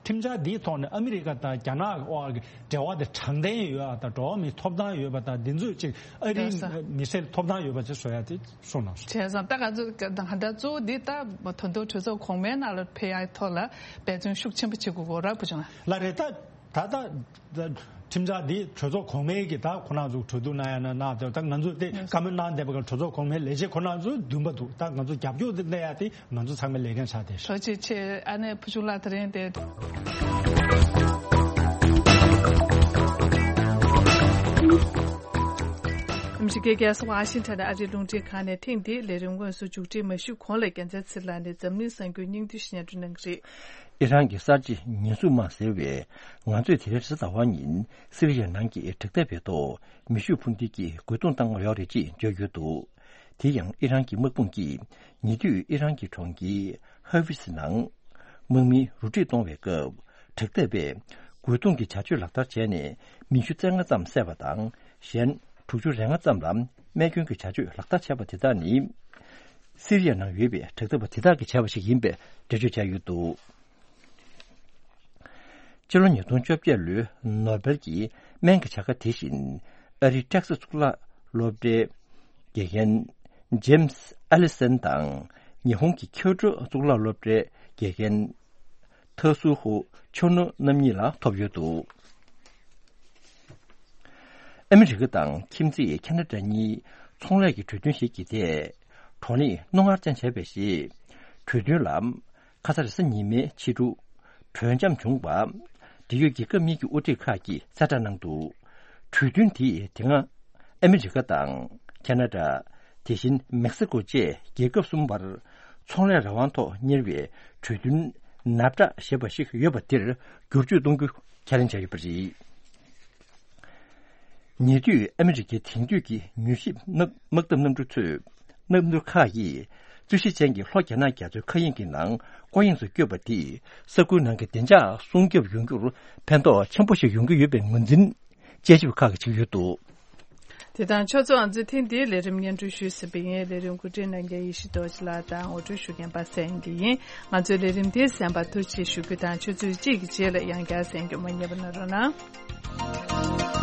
ཁྲིམས་འཆར་འདིའི་ཐོག་ནས་ཨ་མི་རི་ཀ་དང་རྒྱ་ནག་དབར་གྱི་འབྲེལ་བ་དེ་དྲང་བདེན་ཡོད་པ་དང་འགྲོ་བ་མིའི་ཐོབ་ཐང་ཡོད་པ་དང་འདི་ཚོས་ཅིག་ཨ་རིའི་ལགས་སོ། མི་སེར་ཐོབ་ཐང་ཡོད་པ་ཅིག་བཟོ་ཡ་དེ་གསུངས་གནང་སོང་། བྱས་ཙང་ད་ང་ཚོ་ག་ད་ལྟ་གཙོ་བོ་འདི་ད་ད་དུང་གྲོས་ཚོགས་གོང་མའི་ནང་ལ་ཕེབས་ཡ་ཐོག་ལ་འབད་བརྩོན་ཤུགས་ཆེན་པོ་བྱེད་དགོས་ཀྱི་རེད་བུ་ཆུང་ལགས། ལགས་རེད། ད་ད་ད་ཁྲིམས་འཆར་འདི་གྲོས་ཚོགས་གོང་མའི་གི་ད་ཁོ་རང་ཚོ་གྲོས་བསྡུར་གནང་ཡ་ན་གནང་དེ་ད་ང་ཚོ་དེ་བཀའ་མོལ་གནང་བསྡད་པ་ག་གྲོས་ཚོགས་གོང་མའི་ལས་བྱེད་ཁོ་རང་ཚོ་འདུན་པ་འདུག་ད་ང་ཚོ་རྒྱབ་སྐྱོར་དེ་གནང་ཡ་དེ། ང་ཚོ་ཚང་མའི་ལས་འགན་ཆགས་བསྡད་ཤག་ཐུགས་རྗེ་ཆེ། ཨ་ནེ་བུ་ཆུང་ལགས་དེ་རིང་དེ། ཨ་མི་རི་ཀའི་རྒྱལ་ས་ཝ་ཤིང་ཊོན་ཨ་རིའི་རླུང་འཕྲིན་ཁང་ནས་ཐེངས་འདིའི་ལས་རིམ་དངོས་སུ་མཇུག་སྒྲིལ་མ་ཞུས་གོང་ལ་རྒྱལ་མཚན་ཚེ་ལགས་ནས་འཛམ་གླིང་གསར་འགྱུར་སྙིང་བསྡུས་ཤིག་སྙན་སྒྲོན་གནང་གི་རེད། ཨི་རན་གྱི་གསར་བརྗེ་ཉེན་སྲུང་དམག་ཟེར་བས་ང་ཚོས་དེ་རིང་རེས་གཟའ་ཟླ་བ་ཉིན་སི་རི་ཡ་ནང་གི་དྲག་འཐབ་པའི་ཐོག་མེ་ཤུགས་འཕུར་མདེལ་གྱིས་རྒོལ་རྡུང་བཏང་ཡོད་རེད་ཅེས་བརྗོད་ཡོད་འདུག་དེ་ཡང་ཨི་རན་གྱི་དམག་དཔུང་གིས་ཉེ་དུས་ཨི་རན་གྱི་གྲོང་ཁྱེར་ཧ་ཝིས་ནང་དམག་མི་རུ་སྒྲིག་གཏོང་བའི་སྐབས་དྲག་འཐབ་པས་རྒོལ་རྡུང་གི་བྱ་སྤྱོད་ལག་བསྟར་བྱས་ནས་མི་བཅུ་རྩ་ལྔ་ཙམ་བསད་པ་དང་གཞན་དྲུག་ཅུ་རེ་ལྔ་ཙམ་ལ་རྨས་སྐྱོན་གྱི་བྱ་སྤྱོད་ལག་བསྟར་བྱས་པ་དེ་དག་ནི་སི་རི་ཡ་ནང་ཡོད་པའི་དྲག་འཐབ་པ་དེ་དག་གིས་བྱས་པ་ཞིག་ཡིན་པའི་འགྲེལ་བརྗོད་བྱས་ཡོད་འདུག་སྤྱི་ལོ་ཉིས་སྟོང་བཅོ་བརྒྱད་ལོའི་ནོ་སྦེལ་གྱི་སྨན་གྱི་བྱ་དགའ་དེ་བཞིན་ཨ་རིའི་ཊེག་སཱས་གཙུག་ལག་སློབ་གྲྭའི་དགེ་རྒན་ཇེམ་སི་ཨ་ལི་སན་དང་ཉི་ཧོང་གི་ཁྱོ་ཏྲོ་གཙུག་ལག་སློབ་གྲྭའི་དགེ་རྒན་ཐ་སུ་ཧུ་ཆོ་ནོ་རྣམ་གཉིས་ལ་ཐོབ་ཡོད་འདུག་ཨ་མི་རི་ཀ་དང་ཁྱིམ་མཚེས་ཁེ་ན་ཌ་གཉིས་ཚོང་ལས་ཀྱི་གྲོས་མཐུན་ཞིག་གི་ཐད་བགྲོ་གླེང་རྣོ་ངར་ཅན་བྱས་པ་རེད། གྲོས་མཐུན་ལ་ཁ་ས་རེས་གཟའ་ཉི་མའི་ཕྱི་དྲོ་གྲོས་འཆམ་བྱུང་བ། འབྲེལ་ཡོད་རྒྱལ་ཁབ་གཉིས་ཀྱི་དབུ་ཁྲིད་ཁག་གིས་གསལ་བསྒྲགས་གནང་འདུག་གྲོས་མཐུན་དེས་དེ་སྔ་ཨ་མི་རི་ཀ་དང་ཁེ་ན་ཌ། དེ་བཞིན་མེག་སི་ཀོ་བཅས་རྒྱལ་ཁབ་གསུམ་བར་ཚོང་ལས་རང་དབང་ཐོག་གཉེར་བའི་གྲོས་མཐུན་ནབ་ཊ་ཞེས་པ་ཞིག་ཡོད་པ་དེར་བསྒྱུར་བཅོས་གཏོང་རྒྱུ་ཁས་ལེན་བྱས་ཡོད་པ་རེད། ཉེ་དུས་ཨ་མི་རི་ཀའི་དེང་དུས་ཀྱི་མྱུལ་ཞིབ་དམག་དམག་འཐབ་གནམ་གྲུ་ཚོས་གནམ་གྲུ་ཁག་གིས་རྩོད་གཞི་ཅན་གྱི་ལྷོ་རྒྱ་ནག་རྒྱ་མཚོའི་མཁའ་དབྱིངས་ཀྱི་ནང་སྐོར་གཡེང་དུ་བསྐྱོད་པ་དེས་ས་ཁུལ་ནང་གི་བདེ་འཇགས་སྲུང་སྐྱོབ་ཡོང་རྒྱུར་ཕན་ཐོགས་ཆེན་པོ་ཞིག་ཡོང་གི་ཡོད་པའི་ངོས་འཛིན་དཔྱད་ཞིབ་ཁག་གིས་བྱེད་ཀྱི་ཡོད་འདུག་དེ་དང་ཕྱོགས་མཚུངས་ང་ཚོས་ཐེངས་འདིའི་ལས་རིམ་སྙན་སྒྲོན་ཞུས་ཟིན་པ་ཡིན། ལས་རིམ་གོ་སྒྲིག་གནང་མཁན་ཡེ་ཤེས་རྡོ་རྗེ་ལགས་དང་ངོ་སྤྲོད་ཞུ་མཁན་པ་སངས་སྐྱིད་ཡིན། ང་ཚོའི་ལས་རིམ་འདི་གསན་པར་ཐུགས་རྗེ་ཆེ་ཞུ་རྒྱུ་དང་ཆུ་ཚོད་གཅིག་གི་རྗེས་ལ་ཡང་བསྐྱར་གསན་རྒྱུ་མ་བསྙེལ་བ་གནང་རོགས་གནང་།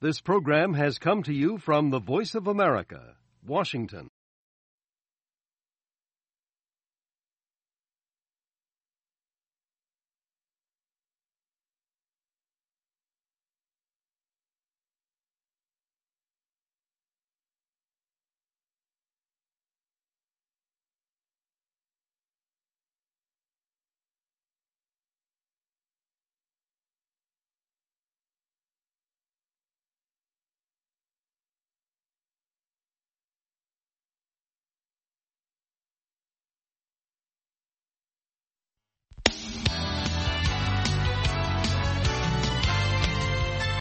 This program has come to you from the Voice of America, Washington.